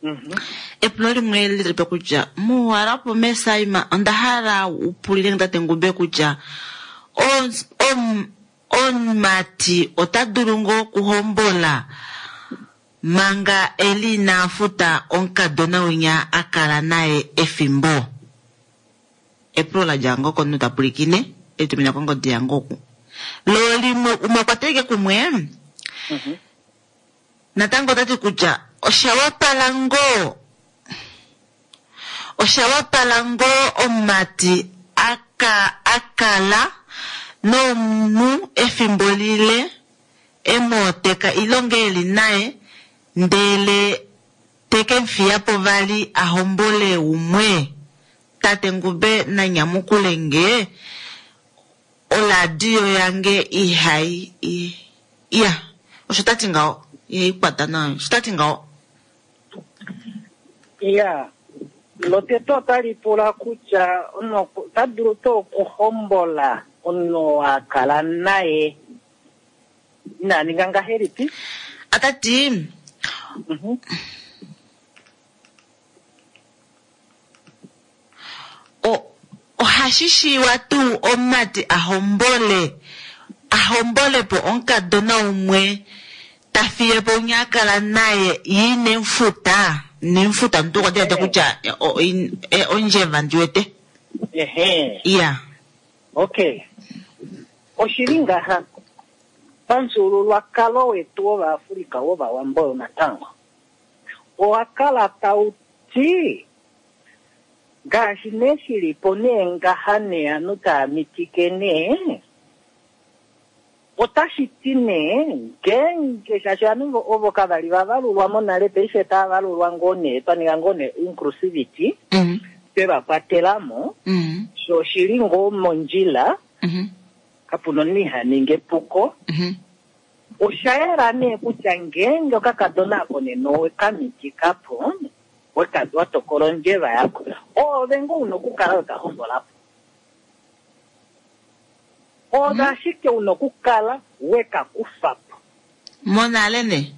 Mhm. Epulo limwe lilipe kutya muwalapo mesaima onda hala upulile tate Ngube kutya on- om- omumati ota dulu ngoo okuhombola manga eli ina futa omukadona winya a kala naye efimbo? Epulo la dja ngoo komunhu ta pwilikine elitumina kongodi yange oku lo limwe umwe okwa teleke kumwe. Mhm. Natango otati kutya osha wapala ngoo osha wapala ngoo omumati aka akala nomunhu efimbo lile emooteka ilonge eli naye ndele Te ke mu fiya po vali a hombole umwe? Tate Ngube na nyamukule nge, oladio yange ihai i- iya, osho ta ti ngaho, ihai kwata nawa, osho ta ti ngaho. Iya, lotete otali pula kutya omunhu ota dulu tuu okuhombola omunhu a kala naye ina ninga ngahelipi? Ota ti Mhm. o- ohashi shiiwa tuu omumati a hombole a hombole po omukadona umwe ta fiye po umwe a kala naye ye ine mu futa, ine mu futa omuntu okwa diladila kutya, e, o, in-, e, ondjeva ndi wete. Ehe. Iya. Okay. Oshili ngaha pamufyuululwakalo wetu wOvaafrika wOvawambo yonatango owa kala tau ti ngaashi nee shili po nee ngaha nee ovanhu tava mitike nee, otashi ti nee ngeenge shaashi ovanhu ovo kava li va valulwa monale, paife tava valulwa ngoo nee, twa ninga ngoo nee inclusivity, Mm. twe va kwatela mo, Mm. sho oshili ngoo mondjila, Mm-hmm. kapu na omunhu iha ningi epuko. Mm-hmm. Osha yela nee kutya ngeenge okakadona ako nena owe ka mitika po, weka-, wa tokola ondjeva yako, oove ngoo una okukala we ka hombola po. Oove ashike una okukala we ka kufa po. Monale ne?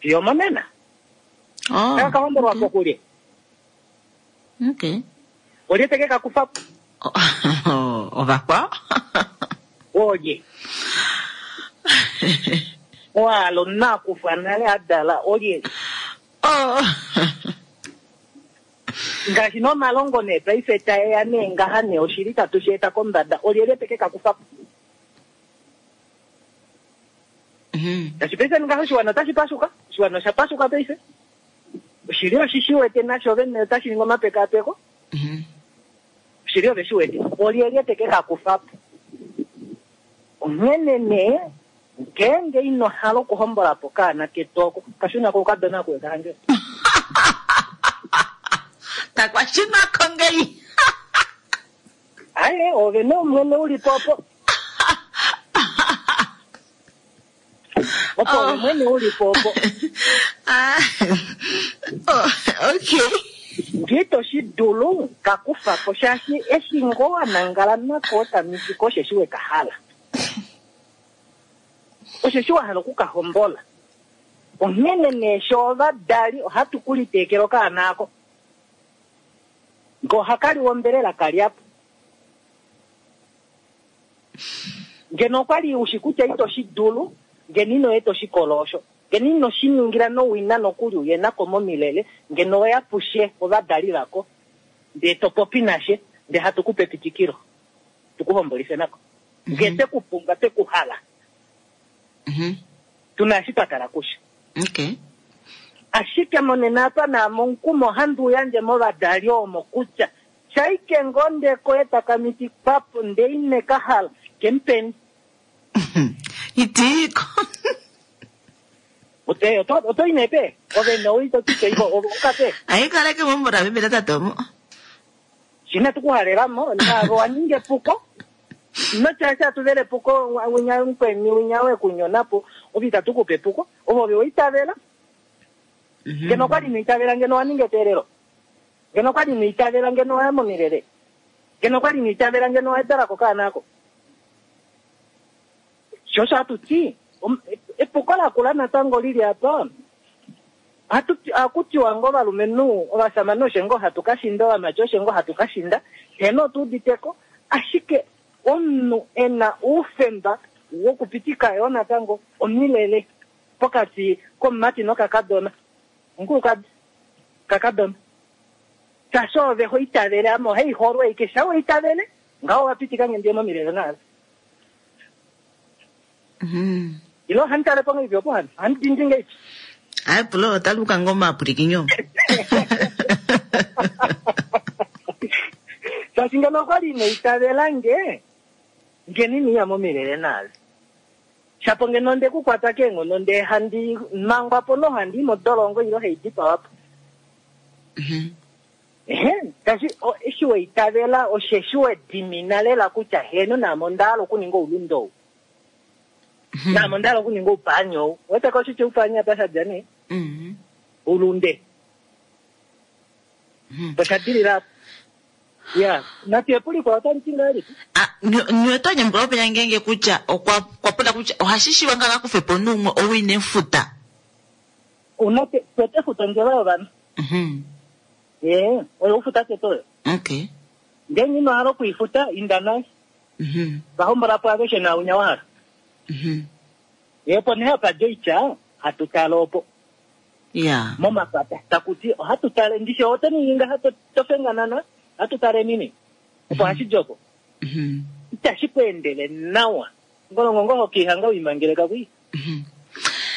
Fiyo monena. Oh, Taka ka hombolwa po kulye? Okay. Olye teke ka kufa po? Oh, ovakwao? Olye? Oalo omunhu a kufwa nale a dala, olye? Oh. Ngaashi nomalongo nee paife taeya nee ngaha nee oshili tatu shi eta kombada, olyelye teke ka kufa po? Mm-hmm. Ngaashi paife ngaha oshiwana otashi pashuka, oshiwana osha pashuka paife. Oshili oshi shi wete nasho vene otashi ningi omapekapeko. Mm-hmm. Oshili ove shi wete, olyelye teke ka kufa po? Onghene nee, ngeenge ino hala okuhombola po kaana ketu oko, kashuna ko okadona koye kahange. Takwashuna ko ngei. Aye, ove nee omwene uli po opo. Opo ove mwene uli po opo. Ah. Oh, okay. Ngee to shi dulu, ka kufa po, shaashi eshi ngoo wa nangala nako otamiti ko osheshi we ka hala. Osheshi wa hala oku ka hombola. Onghene nee sho ovadali ohatu ku liteekela okaana ako. Ngee ohaka liwa ombelela ka lya po. Ngeno okwa li ushi kutya ito shi dulu, ngeno ino eta oshikolo osho. Ngeno ino shi ningila nowina nokuli uye nako momilele, ngeno oya pushe ovadali vako. Ndee to popi nashe, ndee hatu ku pe epitikilo. Tu ku hombolife nako. Ngee twe ku pumbwa, twe ku hala. Mm-hmm. Tuna eshi twa tala kushe. Okay. Ashike monena apa naamo omukumo ohandi uyandje movadali omo kutya shaike ngoo ndee koye taka mitikwa po ndee ine ka hala, ke mu peni. Itiiko. Ote, oto, oto ine pe? Ove ne oi to ti iko, ove uka pe? Ai kaleke mo mora bebe tata tomo. Shina tu kuhalela mo, na wa ninge puko. No cha cha tu vele puko, wa winya mkweni, winya we kunyona po, ovi tatu kupe puko, ovo ove oitavela. Mm-hmm. Ngeno kwali niitavela ngeno wa ninge eteelelo. Ngeno kwali niitavela ngeno wa ya momilele. Ngeno kwali niitavela ngeno wa etala ko kaana ako. Sho osho hatu ti, om-, epuko lakula natango lili apa. Hatu ti, ohaku tiwa ngoo ovalumenhu, ovashamane osho ngoo hatu ka shinda, ovamati osho ngoo hatu ka shinda, heno otu uditeko, ashike omunhu e na oufemba wokupitika yo natango omilele pokati komumati nokakadona. Omukulukadi, kakadona. Shaashi ove ho itavele, ame ohai holwa aike, sha wa itavele, ngaho wa pitika nge ndiye momilele naave. Mm-hmm. Ilo ohandi tale po ngeipi opo handi? Ohandi dindi ngeipi? Ai, pulo, ota luka ngoo omapwilikinyo. Shaashi ngeno okwali ina itavela nge, ngeno ina iya momilele naave. Shapo ngeno onde ku kwata keenghono ndee handi mangwa po nohandi i modolongo ile hei dipawa po. Ehe, tashi o- eshi weitavela osheshi wedimina lela kutya heno naame onda hala okuninga oulunde ou. Naame onda hala okuninga oupaani ou. Weteko oshitya oupaani apa sha dja nee? Mhm. Oulunde. Osha dilila apa. Ya, natu epuliko otali ti ngahelipi? Ah, nyo oto nyamukula openya ngeenge kutya okwa okwa pula kutya ohashi shiwa ngaa kufe po nuumwe ou ine futa. Una te tete futa ondjeva yovanhu. Mhm. Ee, oyo ufuta tete oyo. Okay. Ngeenge ino hala okuifuta, inda naye. Mhm. Vahombola po aveshe naunya wa hala. Mhm. Ye opo nee hapa dja oitya, hatu tale opo. Yeah. Momapata. Taku ti, ohatu tale, ndishi oto ningi ngaha to, to fenganana, ohatu tale nini. Opo hashi di opo. Mhm. Itashi ku endele nawa. Ngolongo ngo hokiihanga wiimangeleka kwi. Mhm.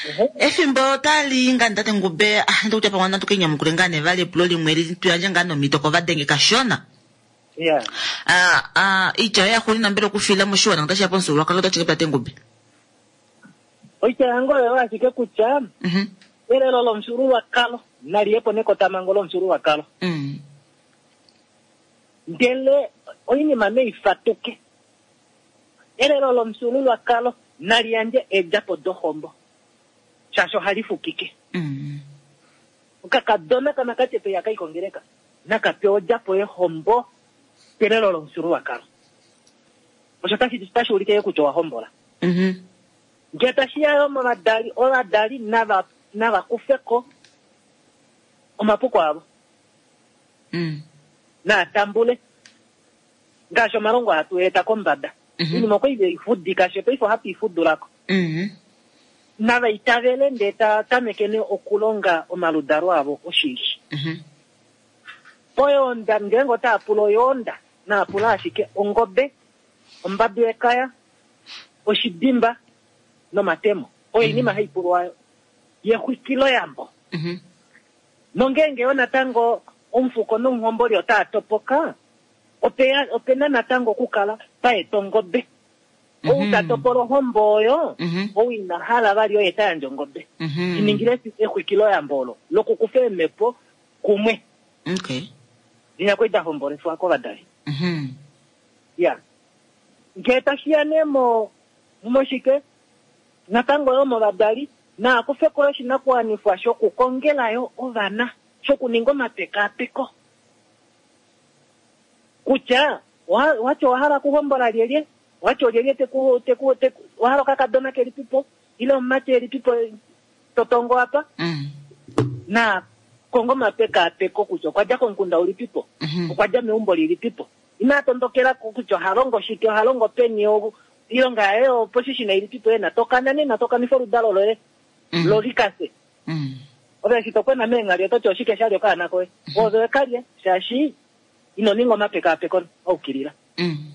Ehe. Efimbo otali nga tate Ngube, ah, ndikutya pamwe natu kenyamukule ngaa nee vali epulo limwe li tu yandje ngaa nomhito kovadenge kashona. Ya. Ah, ah, oitya yoye yaxuuninwa mbela okufiila moshiwana otashi ya pomufyuululwakalo otashi ke tate Ngube. Oitya yange oyo ashike kutya, Mhm. elelo lomufyuululwakalo nali ye po nekotamango lomufyuululwakalo. Mm. Ndele oinima neifatuke. Elelo lomufyuululwakalo nali yandje eedjapo dohombo. Shaashi ohali fukike. Mm. Okakadona kanakatepe yaka ikongeleka. Naka pewa odjapo yehombo kelelo lomufyuululwakalo. Osho tashi tashi ulike kutya owa hombola. Mhm. Ngele tashi ya yo movadali, ovadali nava nava kufe ko omapuko avo. Mm. Naa tambule. Ngaashi omalongo hatu eta kombada. Mhm. Oinima okwa i fudika she paife ohatu i fudulako. Mhm. Nava itavele ndee ta tameke nee okulonga omaludalo avo oshili. Mhm. Oyoonda ngeenge otaa pula oyoonda, naa pula ashike ongobe, ombadu yekaya, oshidimba nomatemo. Oyo oinima hai pulwa yexwikiloyambo. Mhm. Nongeenge yo natango omufuko nomuhomboli otaa topoka, opeya opena natango okukala paeta ongobe. Ou ta topola ohombo oyo, Mhm. ou ina hala vali oye ta yandje ongobe. Mhm. Iningile exwikiloyambo olo lokukufa eemhepo kumwe. Okay. Linya kwai da hombolefwa kovadali. Mhm. Ya. Ngee tashi ya nee mo moshike natango yo movadali naa kufe ko oshinakuwanifwa shokukongela yo ovana shokuninga omapekaapeko kutya wa- wati owa hala okuhombola lyelye wati olyelye teku teku teku owa hala okakadona kelipipo ile omumati elipipo totongo apa Mm. na konga omapekaapeko kutya okwa dja komukunda ulipipo Mhm. okwa dja meumbo lilipipo inaa tondokela ko kutya oha longo shike oha longo peni o- oilonga yaye oposhishina ilipipo yena tokana nena tokanifa oludalo loye Mm. lolikase Mm. ove eshi tokwena meenghali ototi oshike shalya okaana koye ove wekalya shaashi ino ninga omapekaapeko aukilila Mm.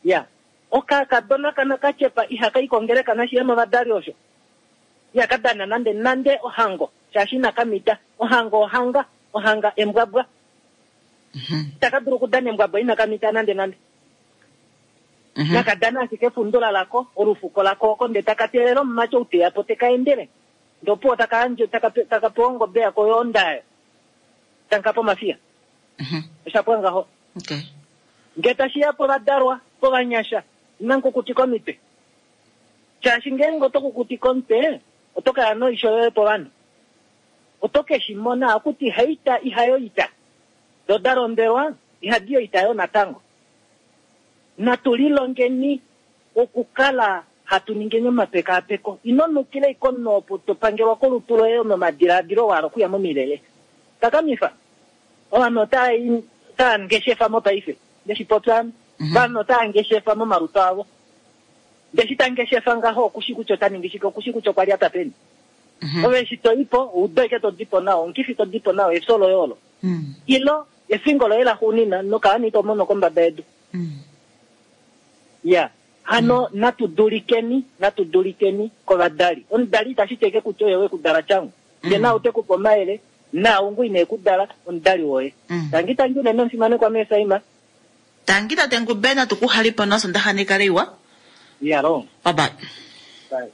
ya okakadona kana kachepa ihaka ikongeleka nashiya movadali osho ihaka dana nande nande ohango shaashi inaka mita ohango ohanga ohanga embwabwa Mhm. itaka dulu okudana embwabwa inaka mita nande nande Mhm. naka dana ashike efundula lako olufuko lako oko nde taka teelela omumati ou teya po teka endele ndopuwo taka yandje taka pe- taka pewa ongobe yako yoondayo tanka pomafiya Mhm. oshapwa ngaho Okay. nge tashiya povadalwa povanyasha ina nkukutika omitwe shaashi ngeenge oto kukutika omutwe oto kaya noisho yoye povanhu oto ke shi mona akuti haita ihayoita do da lombelwa ihadi yoita yo natango natu lilongeni okukala hatu ningeni omapekaapeko ino nukila iko omunhu opo to pangelwa kolutu loye nomadilaadilo wa hala okuya momilele takamifa ovanhu otaa otaa ngeshefa mopaife ndeshi popya ame vanhu otaa ngeshefa momalutu avo ndeshi ta ngeshefa ngaho okushi kutya ota ningi shike okushi kutya okwa lyata peni Mhm. ove eshi toipo oudo ike to dipo nao omukifi to dipo nao efyo loye olo Mm. ilo efingo loye laxuunina nokaani ito mono kombada yedu Mm. ya hano natu dulikeni natu dulikeni kovadali omudali itashi teke kutya oye wekudala tyangu nde na ute kupa omayele naungu ine kudala omudali woye Mm. tangi tangi unene omufimanekwa meesaima Tangi tate Ngube natu kuhalipo nosondaxa nekale iwa. yalo Bye bye. Bye.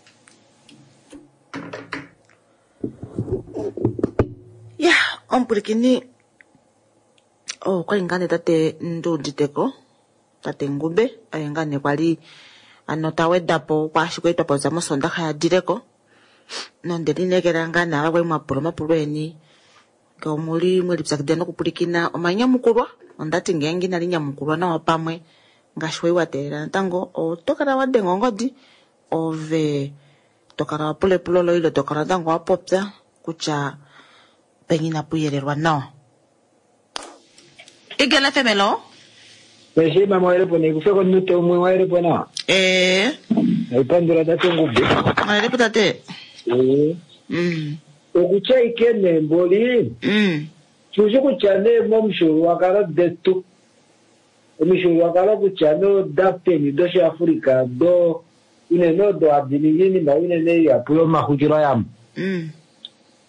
Ya omupwilikini oh okwali ngaa nee tate Nduuditeko tate Ngube oye ngaa nee kwali ano ta wedapo kwaashi kwali twa popya mosondaxa ya dileko nonde lineekela ngaa nee ava kwali mwapula omapulo eni ngee omuli mwelipyakidila nokupwilikina omanyamukulwa ondati ngeenge inali nyamukulwa nawa pamwe ngaashi wai wa teelela natango oto kala wa denga ongodi ove to kala wa pula epulo loye ile to kala natango wa popya kutya peni inapu yelelwa nawa. Eagle F M hello. Eshi mama waelepo ni kufika nute umwe waelepo na. Eh. Naipandula tate Ngube. Waelepo tate. Eh. Mm. Okutya ike nemboli. Mm. Tushi kutya ne momufyuululwakalo detu. Omifyuululwakalo kutya no dapeni doshiAfrika do unene odo hadi ningi iinima unene ihapu yomaxwikiloyambo. Mm.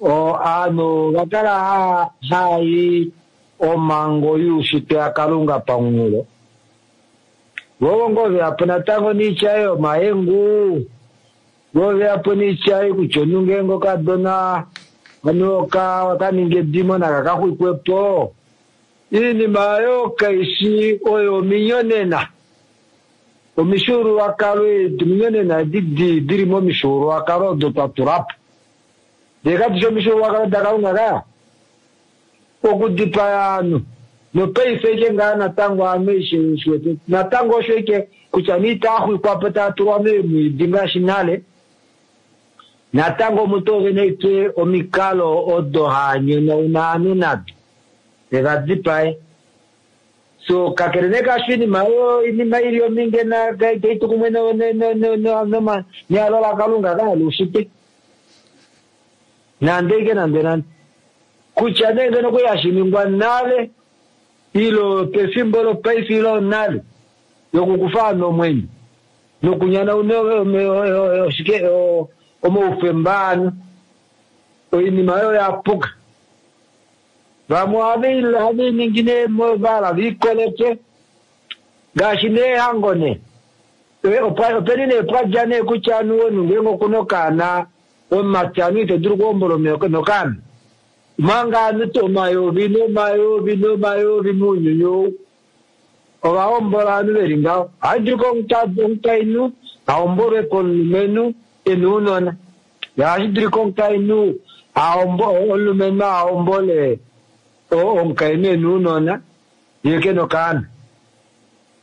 O aanhu ovakala haayi omhango yuushitwe yaKalunga pamunghulo. Vovo ngoo veyapo natango niitya yomahengu, vo veyapo niitya kutya omunhu ngeenge okadona anu okaninga edimo naka kaxwikwepo. Iinima oyo kaishi oyo ominyonena. Omifyuululwakalo edi ominyonena edi dili momifyuululwakalo odo twa tulapo. Ndee kadishi omifyuululwakalo daKalunga kaya. Okudipaya ovanhu. Nopaife ike ngaa natango ovanhu eshi natango osho ike kutya nee itaaxwikwapo taa tulwa meemwiidi ngaashi nale. Natango omutu ovene ike omikalo odo haanyonauna ovanhu nado. Evadipaye. So kakele nee kaasho iinima oyo iinima ili ominge taitu kumwe nehalo laKalunga kaya luushitwe. Nande ike nande nande. Kutya nee ngeno okwali hashi ningwa nale ilo pefimbo lopaife ilo nale yokukufa ovanhu omwenyo nokunyanauna oshike omaufemba ovanhu. Oinima oyo yapuka. Vamwe ohave ningi nee vala viikoleke ngaashi neehango nee. Openi nee pwadja nee kutya ovanhu omunhu ngeenge okuna okaana omumati ovanhu ito dulu okuhombola nokaana. Manga ovanhu omayovi nomayovi nomayovi mounyuni ou ovahombola ovanhu veli ngaho. Ohadulu omukainhu ahombolwe komulumenhu ena ounona. Ohashi dulika omukainhu omulumenhu ahombole omukainhu ena ounona yee kena okaana.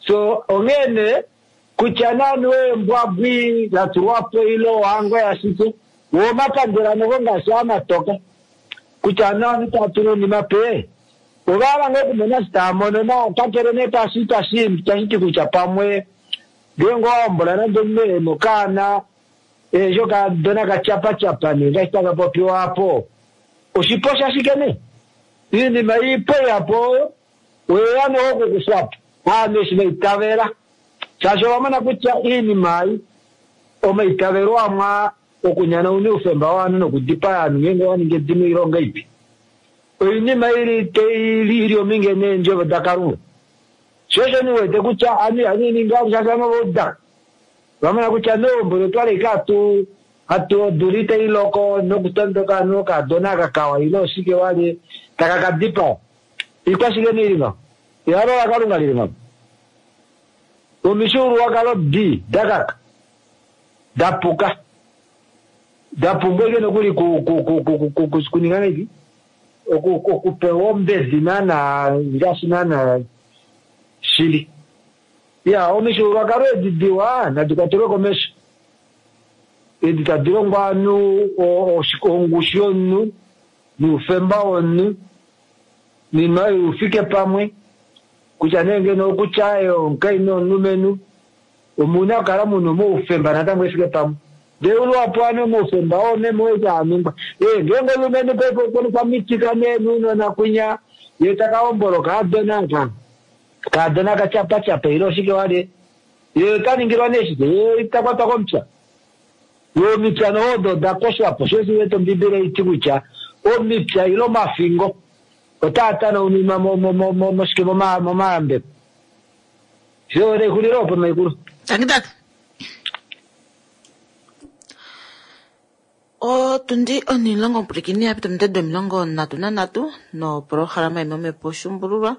So onghee nee kutya naanhu eembwabwi datulwapo ile ohango yashike wo omapandela noko ngaashi amatoka kutya naanhu taa tula oinima pe ovahala ngoo okumona eshi taa mono na kakele nee tashi tashi ti kutya pamwe ngeenge owahombola nande omunhu ena okaana eshi okadona katyapachapa nee ngaashi taka popiwa apo oshipo shashike nee iinima iipo ihapu oyo oyeya noko okukufwapo ovanhu eshi vaitavela shaashi ovamona kutya iinima ei omaitavelo amwe okunyanauna oufemba wovanhu nokudipaya ovanhu ngeenge owaningi edimo oilonga ipi. Oinima ili ili ominge neendjovo daKalunga. Sho osho niwete kutya ovanhu ihava ningi shaashi ovanhu ovaudaka. Vamona kutya neumbo otwali ike hatu hatu odula itai loko nokutondoka ovanhu okadona aka kawa ile oshike wali taka kadipaya. Ikwashike nee ili ngaho? Ehalo laKalunga lili ngaho. Omifyuululwakalo di dakaka dapuka dapumbwa ike nokuli kuninga ngahelipi okupewa ombedi naana ngaashi naana shili. Ya omifyuululwakalo edi diwa nadi kwatelwe komesho. Edi tadi longwa ovanhu ongushu yomunhu noufemba womunhu noinima oyo ufike pamwe kutya nee ngeno okutya omukainhu nomulumenhu omuna okukala muna omaufemba natango efike pamwe. Ndee luhapu ovanhu omaufemba oo meme oye aaningwa. Ee ngeenge omulumenhu paife okwa mitika nee nounona kwinya yee taka hombola okaadona aka kaadona katyapachapa ile oshike wali yee ota ningilwa nee shike yee ita kwatwa komupya. Yee omipya noho odo oda koshwapo sho osho wete Ombibeli oiti kutya omipya ile omafingo otaa tanaunimwa moshike momayambeko. Sho lexulilo opo maikulu. Tangi tata. Otundi onilongo mpwilikini ya pita omitwe domilongo nhatu nanhatu noprograma yomomhepo Shumbululwa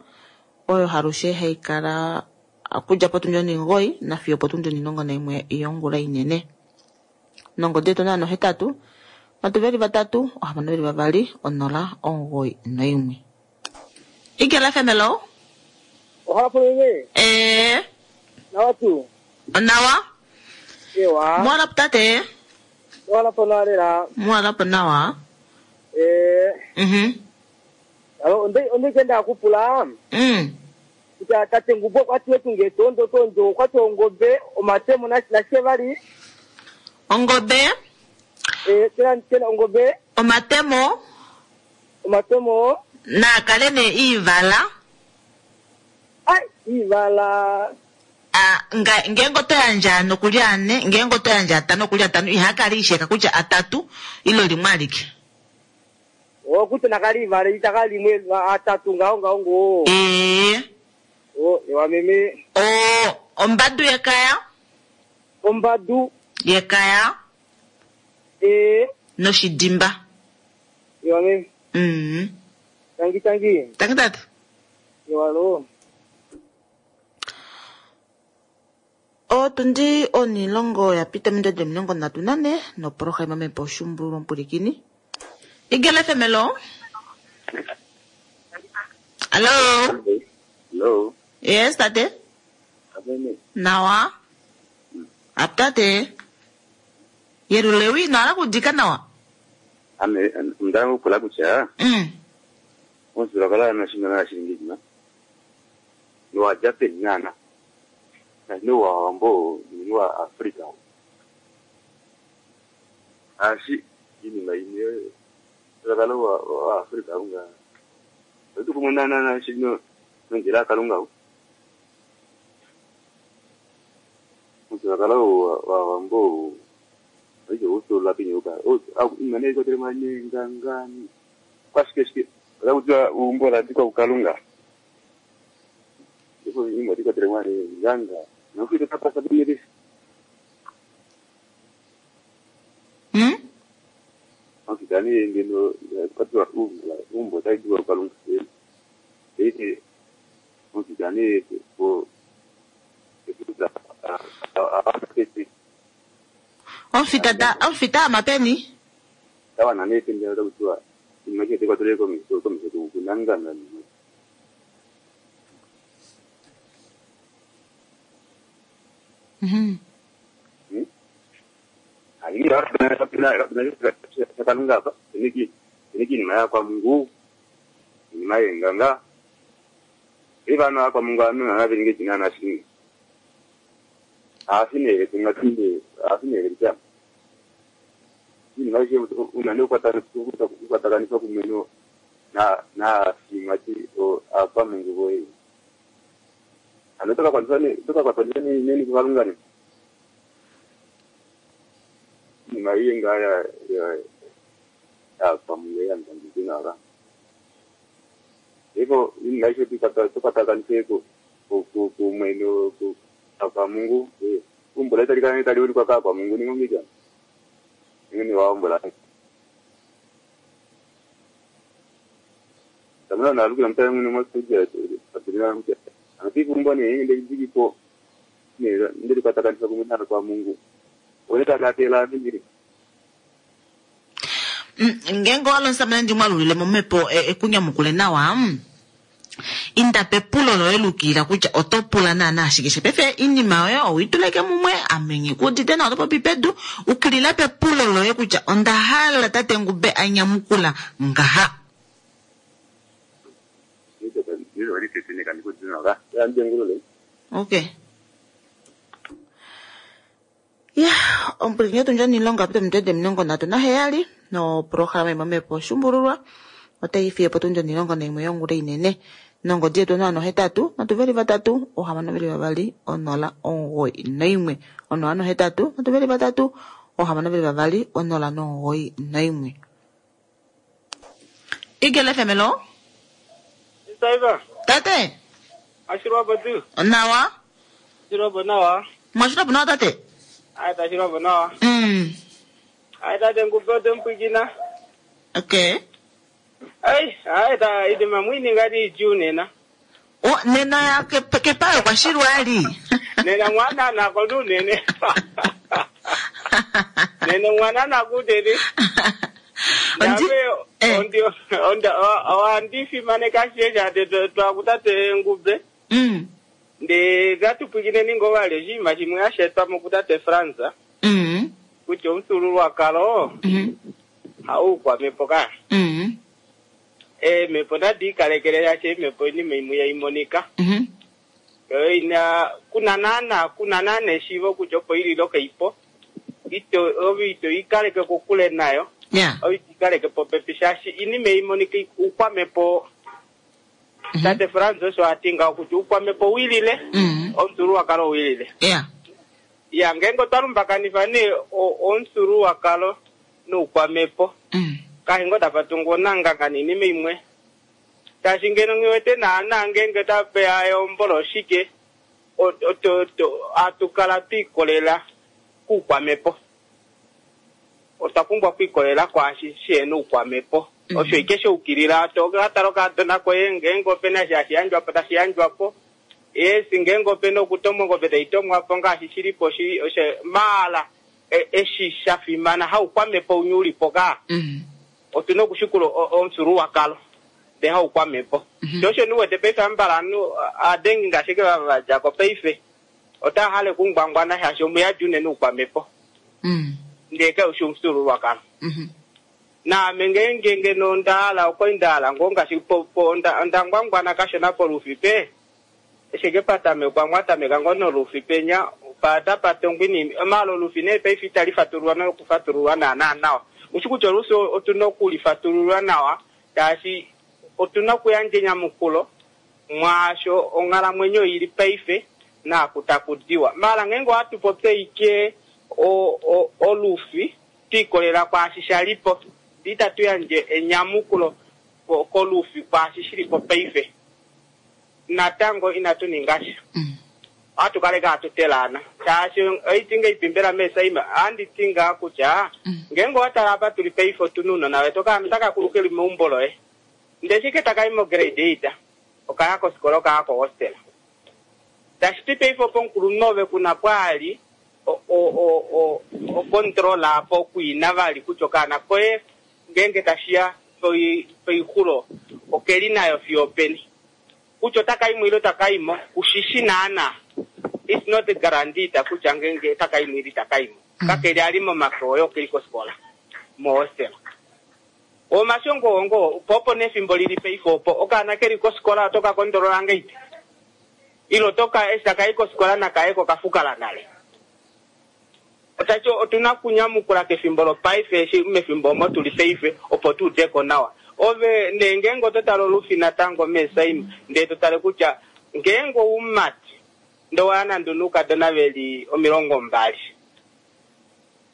oyo halushe hayi kala okudja potundi onimugoi nafiyo opotundi onilongo naimwe yongula inene. Nongodi yetu naano hetatu nhatu veli vatatu ohamano veli vavali onola omugoi noimwe. Igela F M hello. Ohapo Eh. Nawa tu. Nawa. Ewa. Mwala tate. Mwala po nawa lela. Mwala po nawa. Eh. Mhm. Alo onde onde kenda kupula. Mm. Kuta tate ngubo kwati wetu ngetondo tondo kwati ongobe omatemo na na shevali. Ongobe. Eh tena tena ongobe. Omatemo. Omatemo. Na kale ne ivala. Ai ivala. Ah, nga ngengo to yandja nokulya ane, ngengo to yandja atano okulya atano, ihakali isheka kutya atatu ilo limwe alike. O kuti nakali ivala itakali limwe atatu ngao ngao ngo. Eh. O ewa meme. O ombadu yekaya. Ombadu yekaya. Eh. Noshidimba. Ewa meme. Mm. Tangi tangi. Tangi tatu. Ewa lo. Otundi onilongo ya pita mindodo omilongo ndatu nane noprograma mepo Shumbululwa mpwilikini. Igela F M hello. Hello. Hello. Yes, tate. Abene. Nawa. Aptate. Yerulewi nala kudika nawa. Ame mndangu kula kucha. Mm. Onzula kala na shina na shilingi na. Ni wa Japan nana. Na ni wa ambo ni wa Afrika. Ashi ini na ini kala wa wa Afrika unga. Ndu kumuna na na shino ngira kalunga. Onzula kala wa wa ambo ojo uso la pinyuka. O au imane ko tema ngangani. Kwashike shike. Kala kutwa umbola ndiko kukalunga. Ndiko imwe ndiko tema nganga. Nokufika tapasa bimiri. Mm? Akidani ngeno kwatwa umbola umbo taidwa kukalunga. Ete okidani ko ekuza a a Omfita da omfita amapeni. tawa na nete ndio kutwa imake ndiko tole ko miso ko miso kunanganga. Mhm. Hmm? Ayi na na na kalunga pa niki niki ni maya kwa Mungu ni maya nganga ibana kwa Mungu anu na bingi jina na shingi afine tungatinde afine rita ni maisha unane kwata kwata kanisa kumeno na na simati o apa Mungu boy anotoka kwa nani toka kwa nani nini kukalunga ni ni maye ngaya ya ya kwa Mungu ya ndina ra hivyo ni maisha tukata tukata kanisa ko ku ku mweno ku kwa Mungu umbola talikana tali kwa kwa Mungu ni ngomija ni waombola tamuna na lukula mtaya mwini mwasuja patilina mtaya anapiku mboni yenge ndiko ne ndiri kwatakanisa kumutana kwa Mungu oneta katela mingiri Mm, ngengo walonsa mna ndi mwalulile momepo ekunyamukule nawa. Mm. Inda pepulo loye lukila kutya oto pula naana ashike pefe inima yoye owituleke mumwe amenye kudite na oto popi pedu ukilila pepulo loye kutya onda hala tate Ngube anyamukula ngaha. Okay. Ya, ompwilikini yetu ndjo niilonga pita omitwe omilongo ndatu naheyali noprograma yomomepo Shumbululwa otayi fiye po tundi omilongo naimwe yongula inene. Nongodi yetu onola nohetatu nhatu veli vatatu ohamano veli vavali onola omugoi noimwe. Onola nohetatu nhatu veli vatatu ohamano veli vavali onola nomugoi noimwe. Igela F M hello. Saiba. Tate. Ashirwa batu. Nawa. Ashirwa nawa. Mwashirwa nawa tate. Ai tashirwa nawa. Mm. Ai tate Ngube otempwikina. Okay. Ai, ai ta idima mwini ngati iju nena. O, nena ke- kepayo kwashilwali. Nena mwana nako tu nene. Nene mwana nakutete. Ondi- Nabe ondi onda wandifimaneka shesha twakutate Ngube. Mm. Nde gatupwikine ningovale shima shimwe ashetwa mukutate Franza. Mm. Kuti omufyuululwakalo Mm. haukwamepo ka. Mm. Eemhepo nadi ikalekele shaashi eemhepo oinima imwe yaimonika. Mhm. Yo ina kuna naana kuna naana eshiivo kutya opo ilile okaipo ito ove ito ikaleke kokule nayo Yeah. ove ito ikaleke popepi shaashi inima imonika uukwamepo tate Frans osho ati ngaho kutya uukwamepo wilile Mm. omufyuululwakalo wilile Yeah. ya ngeenge otwa lumbakanifa nee o- omufyuululwakalo noukwamepo Mm. kahingo tapa tungu onanganga niinima imwe shaashi ngeno nghiwete naana ngeenge tapeya eombolo oshike o- o- to- to- atu kala twiikolela kuukwamepo otwa pumbwa okwiikolela kwaashi shihena oukwamepo osho ike shoukilila tokatala okadona koye ngeenge opena shi hashi yandjwapo tashi yandjwapo esi ngeenge opena okutomwa ongobe taitomwapo ngaashi shilipo shi osho maala e- eshi shafimana haukwamepo unye ulipo kaa Mm. otuna okushikula o- omufyuululwakalo ndee haukwamepo sho osho niwete paife ambala anu adengi ngaashi ke vava vadjako paife otaya hale okungwangwana shaashi omuyadi unene oukwamepo Mm. ndee kaushi omufyuululwakalo Mhm. naame ngeenge ngeno ndahala okwali ndahala ngoo ngaashi po- po- onda onda ngwangwana kashona polufi pe eshike patamekwa mwatameka ngoo nolufi penya patapatongwa inima maala olufi nee paife itali fatululwa nokufatululwa naana nawa ushi kutya olufi otuna okulifatululwa nawa shaashi otuna okuyandja enyamukulo mwaasho onghalamwenyo ili paife naaku takudiwa maala ngeenge ohatu popye ike o- o- olufi twiikolela kwaashi shalipo ndee itatu yandje enyamukulo ko- kolufi kwaashi shilipo paife natango inatu ninga sha ohatu kale kaatu telaana shaashi oiti ngeipimbela meesaima ohandi ngaa kutya ngeenge owatala apa tuli paife otuna uunona wetu okaana otaka kulu keli meumbo loye ndee shike takayi mo grade eight okaya kosikola okaya kohostel tashiti paife opo omukulunhu ove kuna pwaali o- o- o- o- okontrola apo okwiina vali kutya okaana koye ngeenge tashiya poi- poixulo okeli nayo fiyo openi kutya otakaimo ile otakaimo kushishi naana it's not guaranteed kutya ngeenge otakaimo ile itakaimo kakeli ali momake oye okeli kosikola mohostel omashongo ongo po opo nefimbo lili paife opo okaana keli kosikola otoka kondolola ngeipi ile otoka eshi takayi kosikola nakayeko kafukala nale otachi otuna okunyamukula kefimbo lopaife eshi mefimbo omo tuli paife opo tuudeko nawa ove nee ngeenge oto tale olufi natango meesaima ndee to tale kutya ngeenge oumati ndee waya nande onoukadona veli omilongo mbali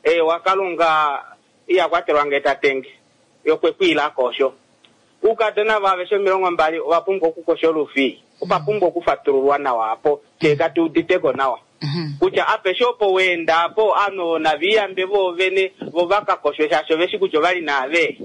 e wakalunga iyakwatelwa ngee tatenge yokwekwiilako osho uukadona vaaveshe omilongo mbali ova pumbwa okukosha olufi opa pumbwa okufatululwa nawa apo tee katuuditeko nawa kutya apeshe opo weenda apo ovanhu naviyambe voovene vo vakakoshwe shaashi oveshi kutya ovali naave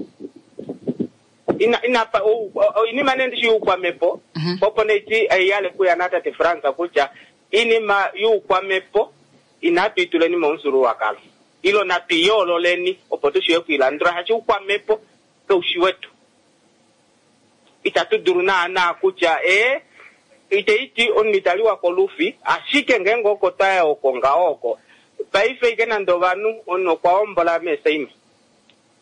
ina ina pa- ou- o- oinima nee ndishi yuukwamepo opo neiti eiyale kuya natate Frans kutya iinima yuukwamepo inatu ituleni momufyuululwakalo ilo natu iyoololeni opo tushiwe okwiilandula shaashi uukwamepo kaushi wetu itatu dulu naana kutya ee iteiti omunhu italiwa kolufi ashike ngeenge oko twaya oko ngaho oko paife ike nande ovanhu omunhu okwa hombola meesaima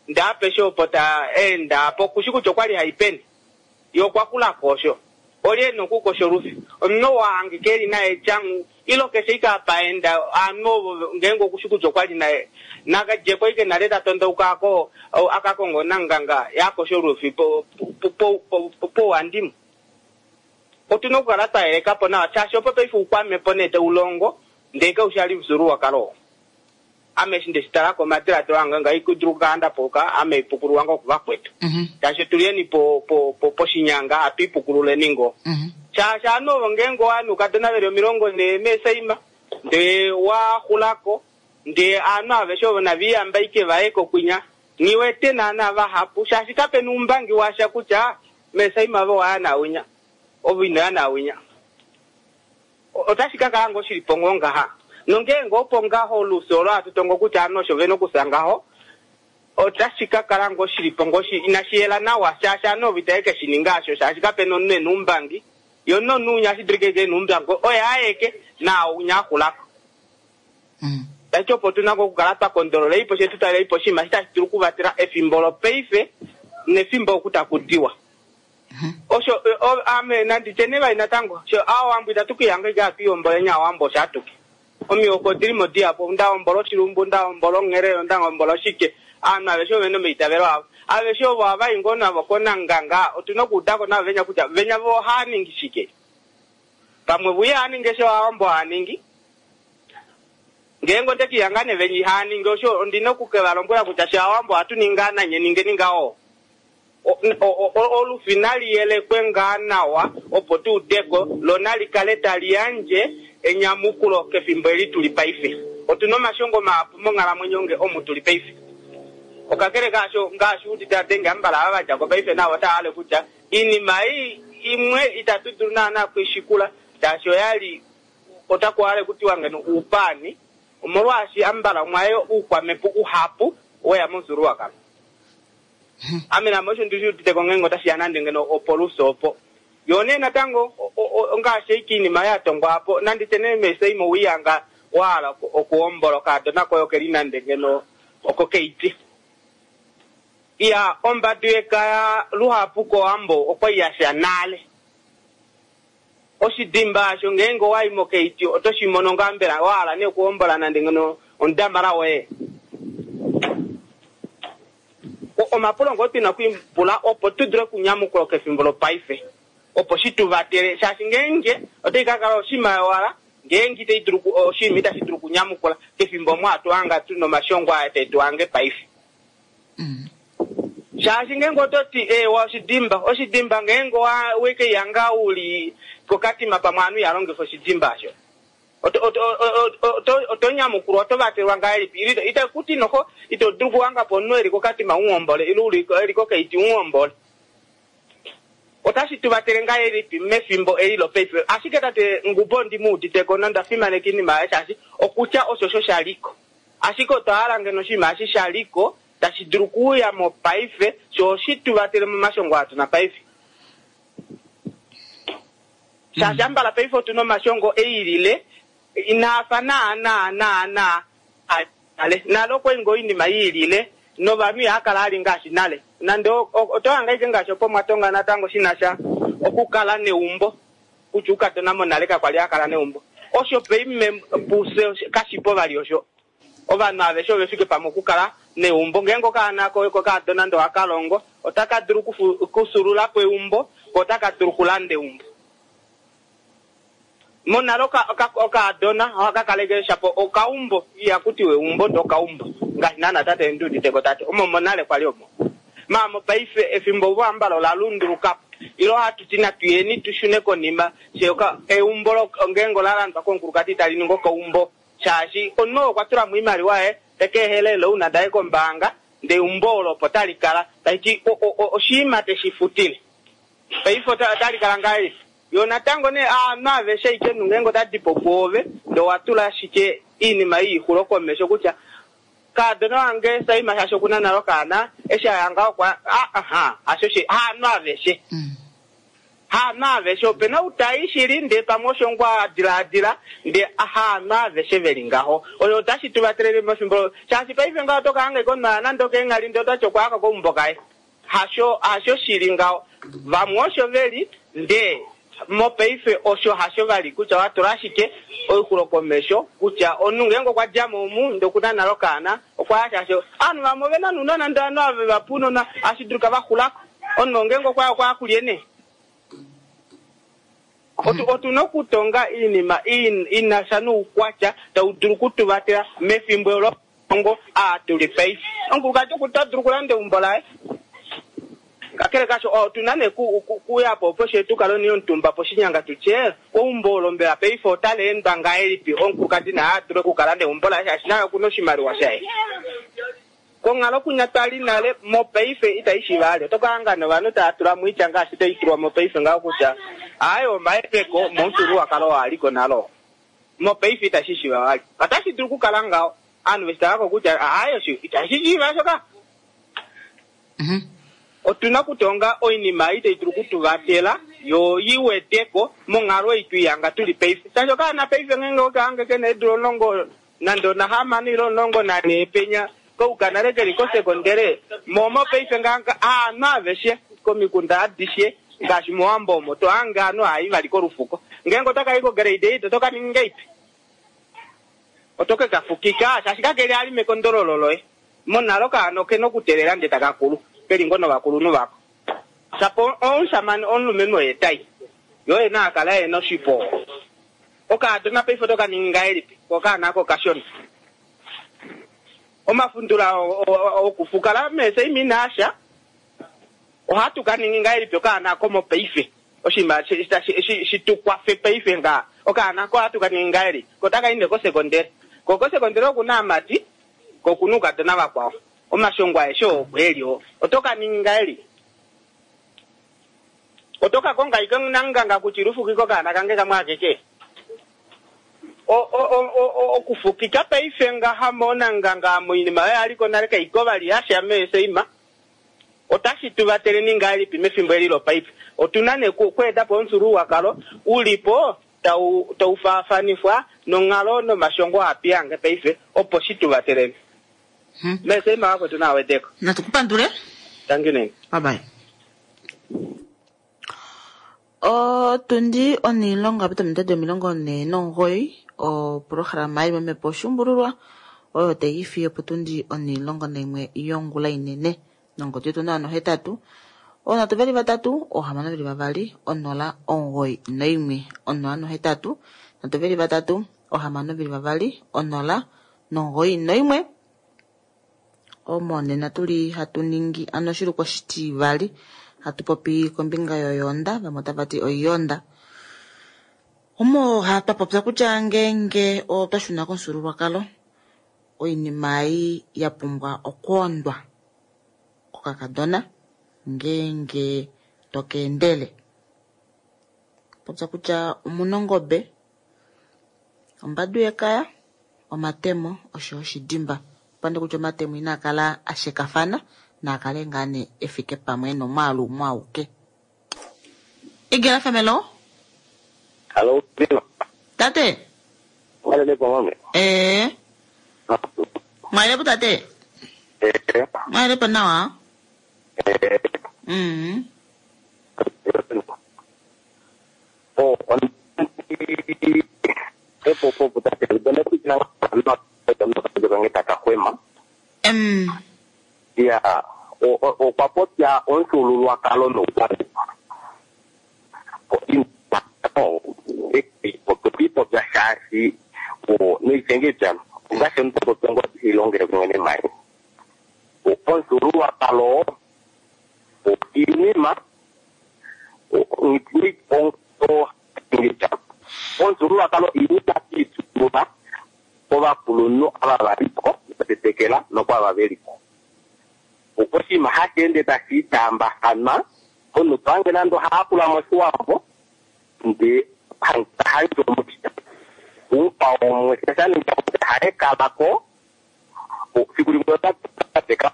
ndee apeshe opo ta enda apo kushi kutya okwali haipeni ye okwa kulako osho olye ena okukosha olufi omunhu wahangika eli naye tyangu ilo keshe ike apa enda ovanhu ovo ngeenge okushi kutya okwali naye nakadjeko ike nale tatondauka ako akakonga onanganga yakosha olufi po- po- po- po- pouhandimwe otuna okukala twayelekapo nawa shaashi opo paife uukwamepo nee taulongo ndee kaushali omufyuululwakalo oo ame eshi ndeshitalako omadiladilo ange ngaikudulu okukala ndapuka ame ipukululwa ngoo kuvakwetu shaashi tuliyeni po po po poshinyanga atu ipukululeni ngoo shaashi ovanhu ovo ngeenge owaya noukadona veli omilongo nhee meesaima ndee waxulako Ndee aanhu aveshe ovo naviyamba ike vaye kokwinya nghiwete naana vahapu shaashi kapena oumbangi washa kutya mesaima ove owaya nawinya ove inoya nawinya. Otashi ka kala ngoo shilipo ngoo ngaha. Nongeenge opo ngaho olufyo olo hatu tongo kutya ovanhu osho vena okufya ngaho, otashi ka kala ngoo shilipo ngoo shi inashi yela nawa shaashi ovanhu ovo itave ke shi ninga asho shaashi kapena omunhu ena oumbangi yo nomunhu unya ohashi dulika eke ena oumbangi oye aeke naaunya axulako. Tashiti opo tuna ngoo okukala twa kondolola ipo she tu tale ipo oshinima eshi tashi dulu okuvatela efimbo lopaife nefimbo oku taku diwa. Osho ame nanditye nee vali natango sho aawambo itatu kiihanga ike hatu ihombola nye aawambo osho atuke. Omihoko odili mo dihapu, ndahombola oshilumbu, ndahombola onghelelo, ndahombola oshike. Aanhu aveshe ovena omaitavelo avo. Aveshe ovo ohava i ngoo navo konanganga, otuna okuudako navo venya kutya venya vo ohava ningi shike. Pamwe vo ihava ningi eshi aawambo hava ningi. Ngeenge onde kiihanga nee venya ihava ningi osho, ondina oku ke va lombwela kutya she aawambo ohatu ningi ngaa nanye ningeni ngaho. Olufi nali yelekwe ngaa nawa opo tu udeko lo nali kale tali yandje enyamukulo kefimbo eli tuli paife. Otuna omashongo mahapu monghalamwenyo nge omu tuli paife. Okakele kaasho ngaashi udite adenge ambala ava vadja ko paife navo otava hale kutya iinima ei imwe itatu dulu naana okuishikula shaashi oyali otaku hale kutiwa ngeno uupaani omolwaashi ambala omwaye uukwamhepo uhapu weya momufyuululwakalo. Ame name osho ndishi udite ko ngeenge otashi ya nande ngeno opoluso opo. Yo nee natango ongaashi eiki iinima ya tongwa apo nanditye nee meseimo wiihanga wahala okuhombola okaadona koye okeli nande ngeno oko keiti. Iya ombadu yekaya luhapu kowambo okwali yasha nale. Oshidimba asho ngeenge owayi mokeiti oto shi mono ngaa mbela wahala nee okuhombola nande ngeno omudamala woye. Omapulo ngoo tuna okwiipula opo tu dule okunyamukula kefimbo lopaife. Opo shi tu vatele shaashi ngeenge otai ka kala oshinima yowala ngeenge itai dulu oshinima itashi dulu okunyamukula kefimbo omo hatu hanga tuna omashongo aya tae tu hange paife. Shaashi ngeenge ototi eewa oshidimba, oshidimba ngeenge wekeihanga uli kokatima pamwe ovanhu iha longifa oshidimba asho. Oto nyamukulwa oto vatelwa ngahelipi? Itakuti noho ito dulu okuhanga po omunhu eli kokatima umuhombole ile uli eli kokeiti umuhombole. Otashi tu vatele ngahelipi mefimbo eli lopaife? Ashike tate Ngubo ndi mu uditeko nonda fimaneka iinima yaye shaashi okutya osho sho shaliko. Ashike otwa hala ngeno oshinima eshi shaliko tashi dulu okuuya mopaife sho oshi tu vatele momashongo aa tuna paife. Shaashi ambala paife otuna omashongo eilile inaafa naana naana nale. Nale okwali ngoo oinima iilile novanhu ihava kala ali ngaashi nale. Nande oto hanga ike ngaashi opo mwatonga natango shinasha okukala neumbo kutya ukadona monale kakwali akala neumbo. Osho paime puse kashipo vali osho. Ovanhu aveshe ove fike pamwe okukala neumbo. Ngeenge okaana koye kokadona nande ohaka longo otaka dulu okusulula po eumbo ko otaka dulu okulanda eumbo. Monale okaadona ohaka kaleke shapo okaumbo ihakutiwa eumbo ndee okaumbo ngaashi naana tate ndi uditeko tate omo monale kwali omo. Maamo paife efimbo voambala ola lundulukapo ilo hatu ti natuyeni tushune konima she eumbo ngeenge ola landwa komukulukadi tali ningi okaumbo shaashi omunhu okwa tulamo oimaliwa yaye tekeehelele ouna daye kombaanga ndee eumbo olo opo tali kala tashiti oshinima teshi futile. Paife otali kala ngahelipi? Yo natango nee aanhu aveshe ike ngeenge otadi po pwoove ndee owatula ashike iinima yiixulo komesho kutya kaadona wange Saima shaashi okuna nale okaana eshi aya ngaho okwa aha hasho shi haanhu aveshe. Haanhu aveshe opena outai shili ndee pamwe osho ngoo adilaadila ndee haanhu aveshe veli ngaho. Oyo otashi tu vatelele mefimbo shaashi paife ngaho oto kahanga ike omunhu nande okeenghali ndee otati okwayaka keumbo kaye. Hasho hasho shili ngaho. Vamwe osho veli ndee mopaife osho hasho vali kutya watula ashike oixulo komesho kutya omunhu ngeenge okwa djamo omu ndee okuna nale okaana okwaya shaashi ovanhu vamwe ovena nounona ndee ovanhu ava vevapa ounona ohashi dulika vaxulako. Omunhu ngeenge okwaya okwaya kulye nee. Otuna okutonga iinima inasha noukwatya tau dulu okutuvatela mefimbo longo aa tuli paife. Omukulukadi ota dulu okulanda eumbo laye. Kakele kasho otuna nee ku- ku- kuya po opo she tukale omutumba poshinyanga tutye eumbo olo mbela paife otali endwa ngahelipi omukulukadi naye a dule okukala neumbo laye shaashi naye okuna oshimaliwa shaye. Konghalo kunya twali nale mopaife itai shiva ali. Oto ka hanga novanhu tava tula moitya ngaashi tai tulwa mopaife ngaho kutya aaye omahepeko momufyuululwakalo oo aliko nalo. Mopaife itashi shiva vali. Otashi dulu okukala ngaho ovanhu veshi talako kutya aaye osho itashi shiva shoka. Otuna okutonga oinima ei tai dulu okutuvatela yo iweteko monghalo ei tuihanga tuli paife. Shaashi okaana paife ngeenge okahange kena eedula omulongo nande onahamano ile omulongo nanhee penya kouka nale keli kosekondele mo mopaife ngaha aanhu aveshe komikunda adishe ngaashi mOwambo omo tohange aanhu haayi vali kolufuko. Ngeenge otakayi ko grade eight otoka ningi ngeipi? Oto ke kafukika shaashi kakeli ali mekondololo loye. Monale okaana okena okuteelela ndee taka kulu keli ngoo novakulunhu vako. Shapo omushamane omulumenhu oye tai yo ena akala ena oshipo. Okaadona paife otoka ningi ngahelipi okaana ako okashona. Omafundula okufukala meeseima inaasha ohatu ka ningi ngahelipi okaana ako mopaife oshinima shitukwafe paife nga okaana ako ohatu ka ningi ngahelipi ko otaka i nee kosekondele ko kosekondele okuna aamati ko okuna oukadona vakwao omashongo aeshe oo opo eli oo oto ka ningi ngahelipi oto ka konga ike namunganga kutya ilufukike okaana kange kamwe akeke okufukika paife ngaha moonanganga moinima oyo yaliko nale kaiko vali yasha meeseima otashi tuvateleni ngahelipi mefimbo eli lopaife. Otuna nee okweeta po omufyuululwakalo ulipo tau tau faafanifwa nonghalo nomashongo apiyange paife opo shi tuvateleni. Meeseima vakwetu nawedeko. Natukupandule. Thank you nene. Bye bye. Otundi onilongo apita ominute omilongo nhee nomugoyi oprograma yili momhepo oshuumbululwa oyo tai fiyo potundi onilongo naimwe yongula inene nongodi yetu nawa nohetatu oonhatu veli vatatu oohamano veli vavali onola omugoyi noimwe onola nohetatu nhatu veli vatatu oohamano veli vavali onola nomugoyi noimwe. Omo nena tuli hatu ningi ano oshilukwa oshitivali hatu popi kombinga yoyonda vamwe otava ti oiyonda. Omo twapopya kutya ngeenge otwa shuna komufyuululwakalo oinima ei ya pumbwa okwoondwa kokakadona ngeenge tokeendele. Popya kutya omuna ongobe, ombadu yekaya, omatemo osho oshidimba. Pande kutya omatemo inaa kala ashekafana naakale ngaa nee efike pamwe nomwaalu umwe auke. Igela F M Hello. Tate. Mwalelepo mame. Eh. Mwalelepo tate. Eh. Mwalelepo nawa. Eh. Mm. Oh, on epo po tate ndone kutina no no no Mm. Ya, okwa popya omufyuululwakalo noukwambepo. Okwiipopya shaashi noitengedja ongaashi omuntu popya ngo ilongele kumwe nemai. Omufyuululwakalo iinima omufyuululwakalo iinima iitulula kovakulunhu ava valiko vatetekela nokwava veliko. Oshinima hashi ende tashi itaambathana omuntu tohange nande ohayakula moshiwambo ndee handje omushita umukwawo umwe shaninga haye kalako siku limwe otateka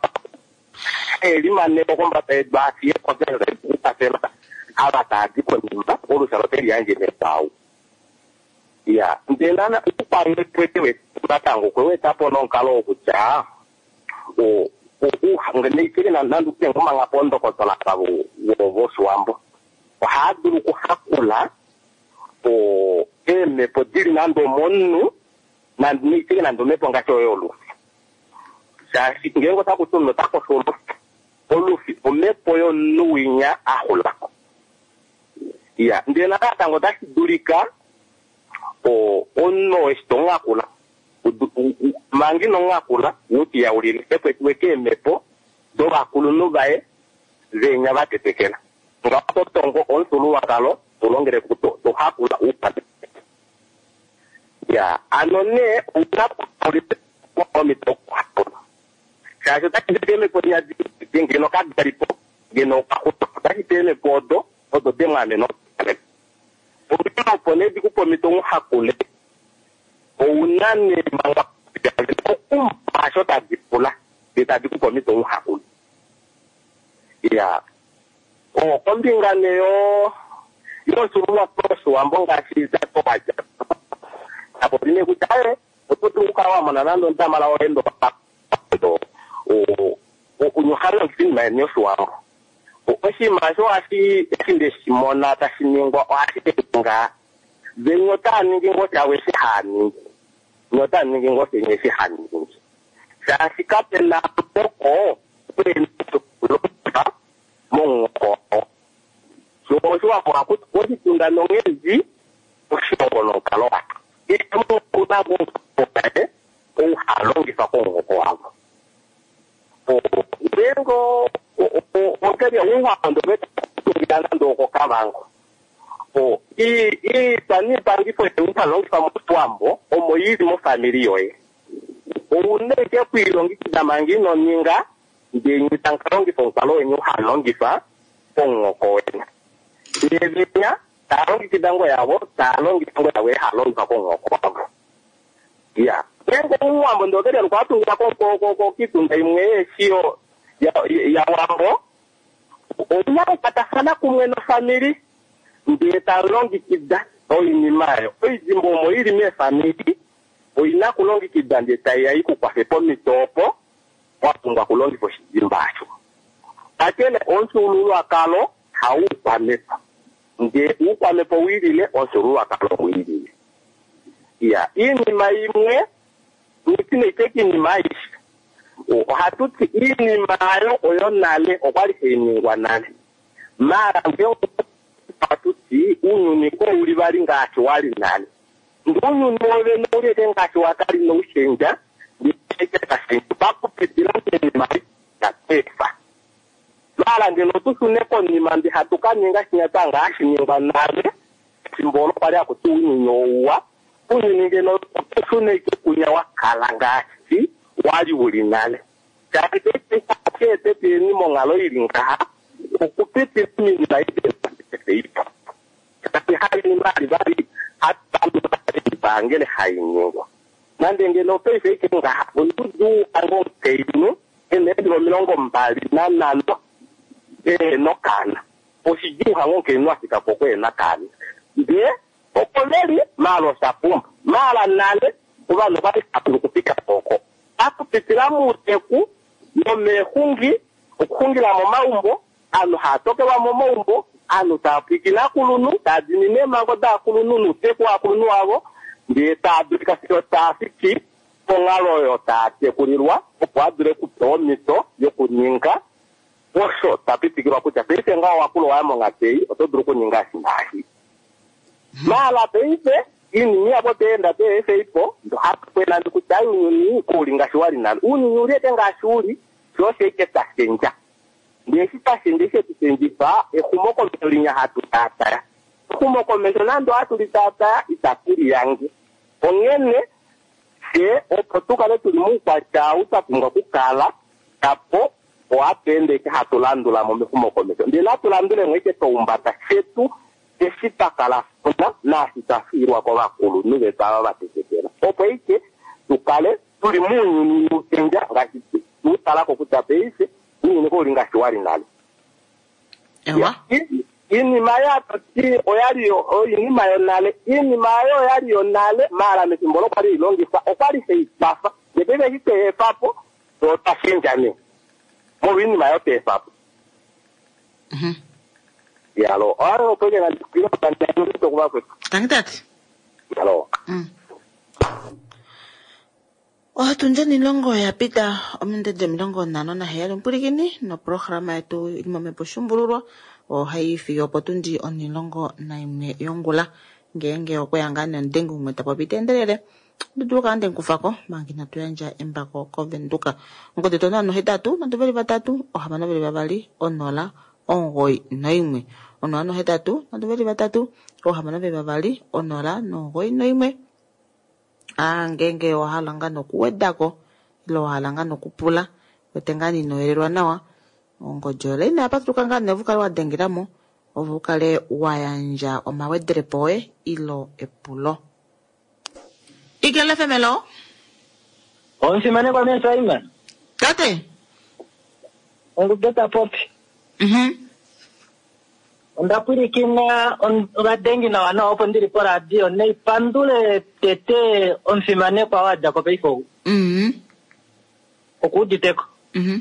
elimaneko kombanda yedu afiye kokwathela ava taya konima olusha loteli yandje mepau ya ndee nana ukwamwe natango kwewetapo nomukalo wokutya neikele nande omanga pondokotola voshiwambo ohaya dulu okuhakula eemhepo dili nande omomunhu neikele nande omhepo ngaashi oyo olufi shaashi ngeenge otakuti omunhu otakosho olufi olufi omhepo yomunhu winya axulako ya ndee natango otashi dulika omunhu eshi tomuhakula manga ino muhakula utiyaulile ekwetiwe keemhepo dovakulunhu vaye Venya va tetekela. Ngaho to tongo omufyuululwakalo to longele to, to hakula oukwamhepo. Ya, ano nee ouna omito okuhakula. Shaashi otashi ti eemhepo di ngeno kada li po, ngeno okwa xupa. Otashi ti eemhepo odo, odo de mu amena okuamena. Onghee opo nee di ku pe omhito u hakule, ouna nee manga okumpa osho tadi pula, ndee tadi ku pe omhito u hakule. Ya, o kombinga nee yo yomufyuululwakalo wOshiwambo ngaashi datowadja tapopi nee kutya aye oto dulu okukala wa mona nande omudamala woye ndo oha longifa oinima yeni yOshiwambo. Oshinima osho ohashi eshi nde shi mona tashi ningwa ohashi nga venya otaa ningi ngoo shavo eshi haa ningi, nye otaa ningi ngoo shenye eshi ha ningi, shaashi kape na muhoko kulongifa momuhoko wao. So mOshiwambo ohaku ti oshitunda nonghedi oshilongo nomukalo washo. Keshe omunhu oku na ngoo omuhoko waye ou ha longifa komuhoko wavo. Ngeenge okeli ouhando vetungila nande okOkavango, iitwa niipangifo yeni ha longifa mOshiwambo omo ili mofamili yoye, ouna ike okwiilongekida manga ino ninga, ndee nye tamu ka longifa omukalo weni ha longifa pomuhoko weni. Ndee venya taa longekida ngoo yavo, taa longifa ngoo yavo ha longifa komuhoko wavo. Ya, ngeenge omuwambo ndee okeli alukwa atungila kiitunda imwe yeeshi yawambo, ouna okukwatafana kumwe nofamili ndee talongekida oinima oyo. Oidimbo omo ili meefamili oina kulongekida ndee taiya ikukwafe pomhito opo wa pumbwa okulongifa oshidimba osho. Kakele omufyuululwakalo haukwamhepo, ndee uukwamhepo wiilile omufyuululwakalo wiilile. Ya, iinima imwe nitine iteki iinima aishe ohatu ti iinima ayo oyo nale okwali hai ningwa nale, maala ngee ohatu ti uunyuni ko uli vali ngaashi wali nale, ndee uunyuni wovene uli eke ngaashi wakali noushendja, ndee kashendja pakupitila moinima yatweefa. Maala ngeno tushune konima mbi hatu ka ninga shinya twa hashi ningwa nale efimbo olo kwali haku ti uunyuni ouwa, uunyuni ngeno otushune ike kunya wa kala ngaashi wali uli nale. Shaashi paife ete tuyeni monghalo ili ngaha okupitila moinima iipo. Shaashi hainima ali vali hatu hai ningwa. Nande ngeno paife ike ngaha onudu ango omukainhu ena eedula omilongo mbali nanhano ehena okaana. Oshidjuu hango omukainhu afika po okuhena okaana. Ndee opo veli maala osha pumba. Maala nale ovanhu okwali hava dulu okufika po oko. Pakupitila muuteku nomeexungi, okuxungila momaumbo, aanhu haa tokelwa momaumbo, aanhu taa pwiikine aakulunhu, taa dimine eemhango daakulunhu nouteku waakulunhu wavo, ndee taa dulika fiyo taa fiki ponghalo oyo taa tekulilwa, opo a dule okupewa omhito yokuninga osho ta pitikilwa kutya paife ngaho owakula owaya monghatu ei, oto dulu okuninga eshi naashi. Maala paife iinima ihapu oteenda teefe ipo, ohatu kwena kutya uunyuni kouli ngaashi wali nale. Uunyuni uli eke ngaashi uli, sho osho ike tashendja. Ndee eshi tashendja eshi etu shendjifa, exumokomesho linya hatu taataya. Exumokomesho nande ohatu li taataya, itatu liyange. Onghene fye opo tu kale tuli moukwatya ou twa pumbwa okukala, tapo ohatu ende ike hatu landula mo mexumokomesho. Ndee natu landulemo ike toumbada shetu eshi twa kala funa naashi twa fiilwa kovakulunhu vetu ava va tetekela. Opo ike tu kale tuli mounyuni ushendja ngaashi tu talako kutya paife uunyuni kouli ngaashi wali nale. Ewa. Iinima yatoti oyali oinima yonale, iinima ayo oyali yonale, maala mefimbo olo kwali ilongifwa okwali hai kwafa. Ndee paife eshi tweefa po otwa shendja nee molwa iinima ayo tweefa po. Yalo, oyo opo ke nandikilo kuva kwetu. Tangi tate. Yalo. Otundi omilongo ya pita omindede omilongo nhano naheyali omupulikini noprograma yetu ili momhepo shumbululwa ohai fiyo opo tundi omilongo naimwe yongula. Ngeenge okweya ngaa nomudengi umwe ta popi ta endelele Ndidulu kala ndemukufako manga inatu yandja embako koVenduka. Ongodi yetu onola nohetatu nhatu veli vatatu ohamano veli vavali onola omugoyi noimwe. Onola nohetatu nhatu veli vatatu ohamano veli vavali onola nomugoyi noimwe. Ah, ngeenge owa hala ngaa nokuwedako ile wa hala ngaa nokupula wete ngaa inoyelelwa nawa, ongodi oyo ina yapatuluka ngaa nee ove ukale wa dengelamo ove ukale wa yandja omawedelepo oye ilo epulo. Eagle F M, hello. Omusimanekwa mee Simon. Tate. Ongube ta popi. Mhm. Onda pwilikina ovadengi nawa nawa opo ndili poradio neipandule tete omusimanekwa wa dja ko paife ou. Mhm. Okuuditeko. Mhm.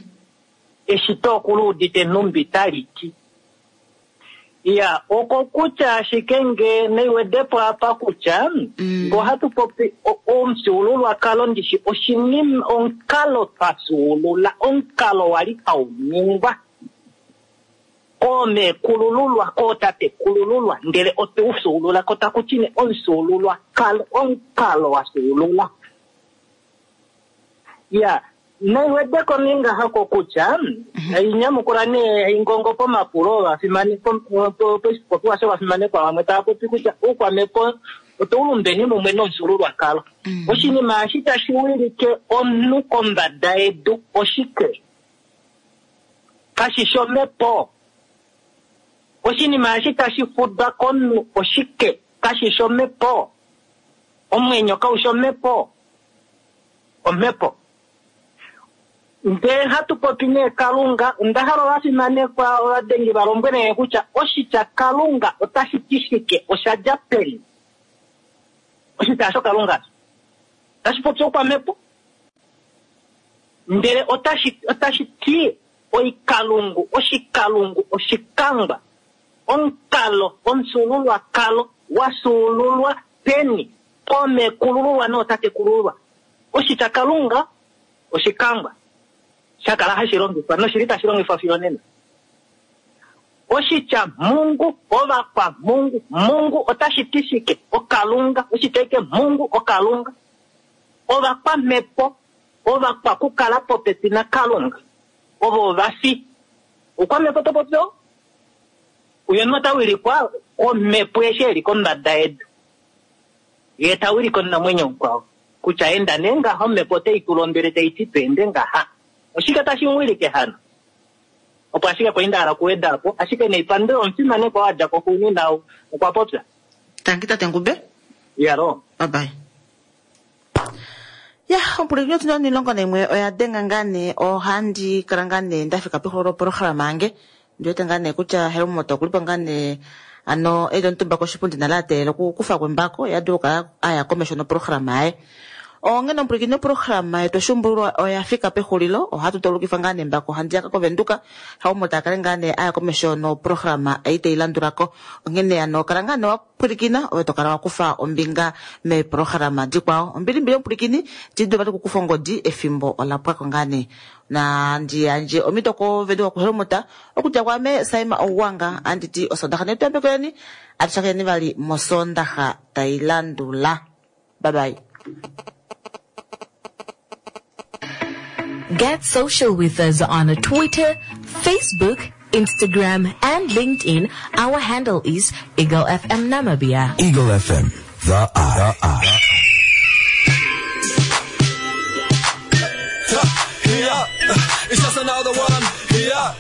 Eshito okuluudite nhumbi tali ti. Ya, oko kutya ashike nge neiwedepo apa kutya mm. ngo hatu popi omufyuululwakalo ndishi oshinima omukalo twa fyuulula omukalo wali hauningwa koomekulululwa kootatekulululwa ndele otwe u fyuulula ko taku ti ne omufyuululwakalo omukalo wa fyuulula. Ya, naiwedeko ninga hako kutya inyamukula nee ingongo pomapulo ovafimanekwa shovafimanekwa vamwe tava popi kutya oukwamhepo otau lumbeni mumwe nomufyuululwakalo. Oshinima eshi tashi wilike omunhu kombada yedu oshike? Kashi shi omhepo. Oshinima eshi tashi fudwa komunhu oshike? Kashi shi omhepo. Omwenyo kau shi omhepo. Omhepo. Ndee hatu popi nee Kalunga, onda hala ovafimanekwa ovadengi va lombwele kutya oshitya Kalunga otashi ti shike, osha dja peni? Oshitya osho Kalunga otashi popi oukwamhepo, ndele otashi otashi ti oikalungu, oshikalungu, oshikangwa, omukalo, omufyuululwakalo wa fyuululwa peni? Koomekulululwa nootatekulululwa. Oshitya Kalunga oshikangwa shakala hashi longifwa noshili tashi longifwa fiyo nena. Oshitya Mungu, ovakwa Mungu, Mungu otashi ti shike? Okalunga. Oshitya ike Mungu, Okalunga. Ovakwamhepo, ovakwa kukala popepi naKalunga, ovo ovafi. Oukwamhepo to popi oo? Uyo ota wilikwa komhepo eshi eli kombada yedu, ye ta wilike omunamwenyo mukwao kutya enda nee ngaha, omhepo otai tu londwele tai ti tu ende ngaha. Oshike tashi mu wilike hano? Opo ashike kwali nda hala okuweda po, ashike neipandule omufimanekwa wa dja ko xuunina okwa popya. Tangi tate Ngube. Yalo. Bye bye. Ya, ompulekini yetu omilongo naimwe oya denga ngaa nee, ohandi kala ngaa nee nda fika pexulilo loprograma yange. Ndi wete ngaa nee kutya Helmut okulipo ngaa nee ano eli omutumba koshipundi nale a teelela okukufa kwembako, ye a dule okukala aya komesho noprograma yaye. Onghene ompulekini yoprograma yetu oshuumbululwa oya fika pexulilo, ohatu tolukifa ngaa nee embako handiyaka koVenduka, Helmut akale ngaa nee aya komesho noprograma ei tai landulako. Onghene ano kala ngaa nee wa pwilikina ove to kala wa kufa ombinga meeprograma dikwao. Ombilimbili omupulikini tidulu vali okukufa ongodi efimbo ola pwako ngaa nee. Na ndi yandje omhito koVenduka kuHelmut okudja kwaame Saima Owanga anditi osondaxa netu yambekeleni atushakeni vali mosondaxa tai landula. Bye bye. Get social with us on Twitter, Facebook, Instagram, and LinkedIn. Our handle is Eagle F M Namibia. Eagle F M, the eye. The eye. Yeah, it's just another one. Yeah.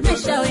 Nesha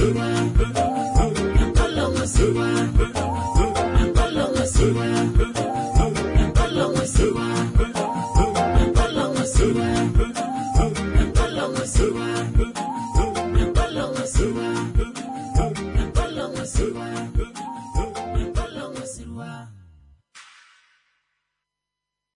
Thank you.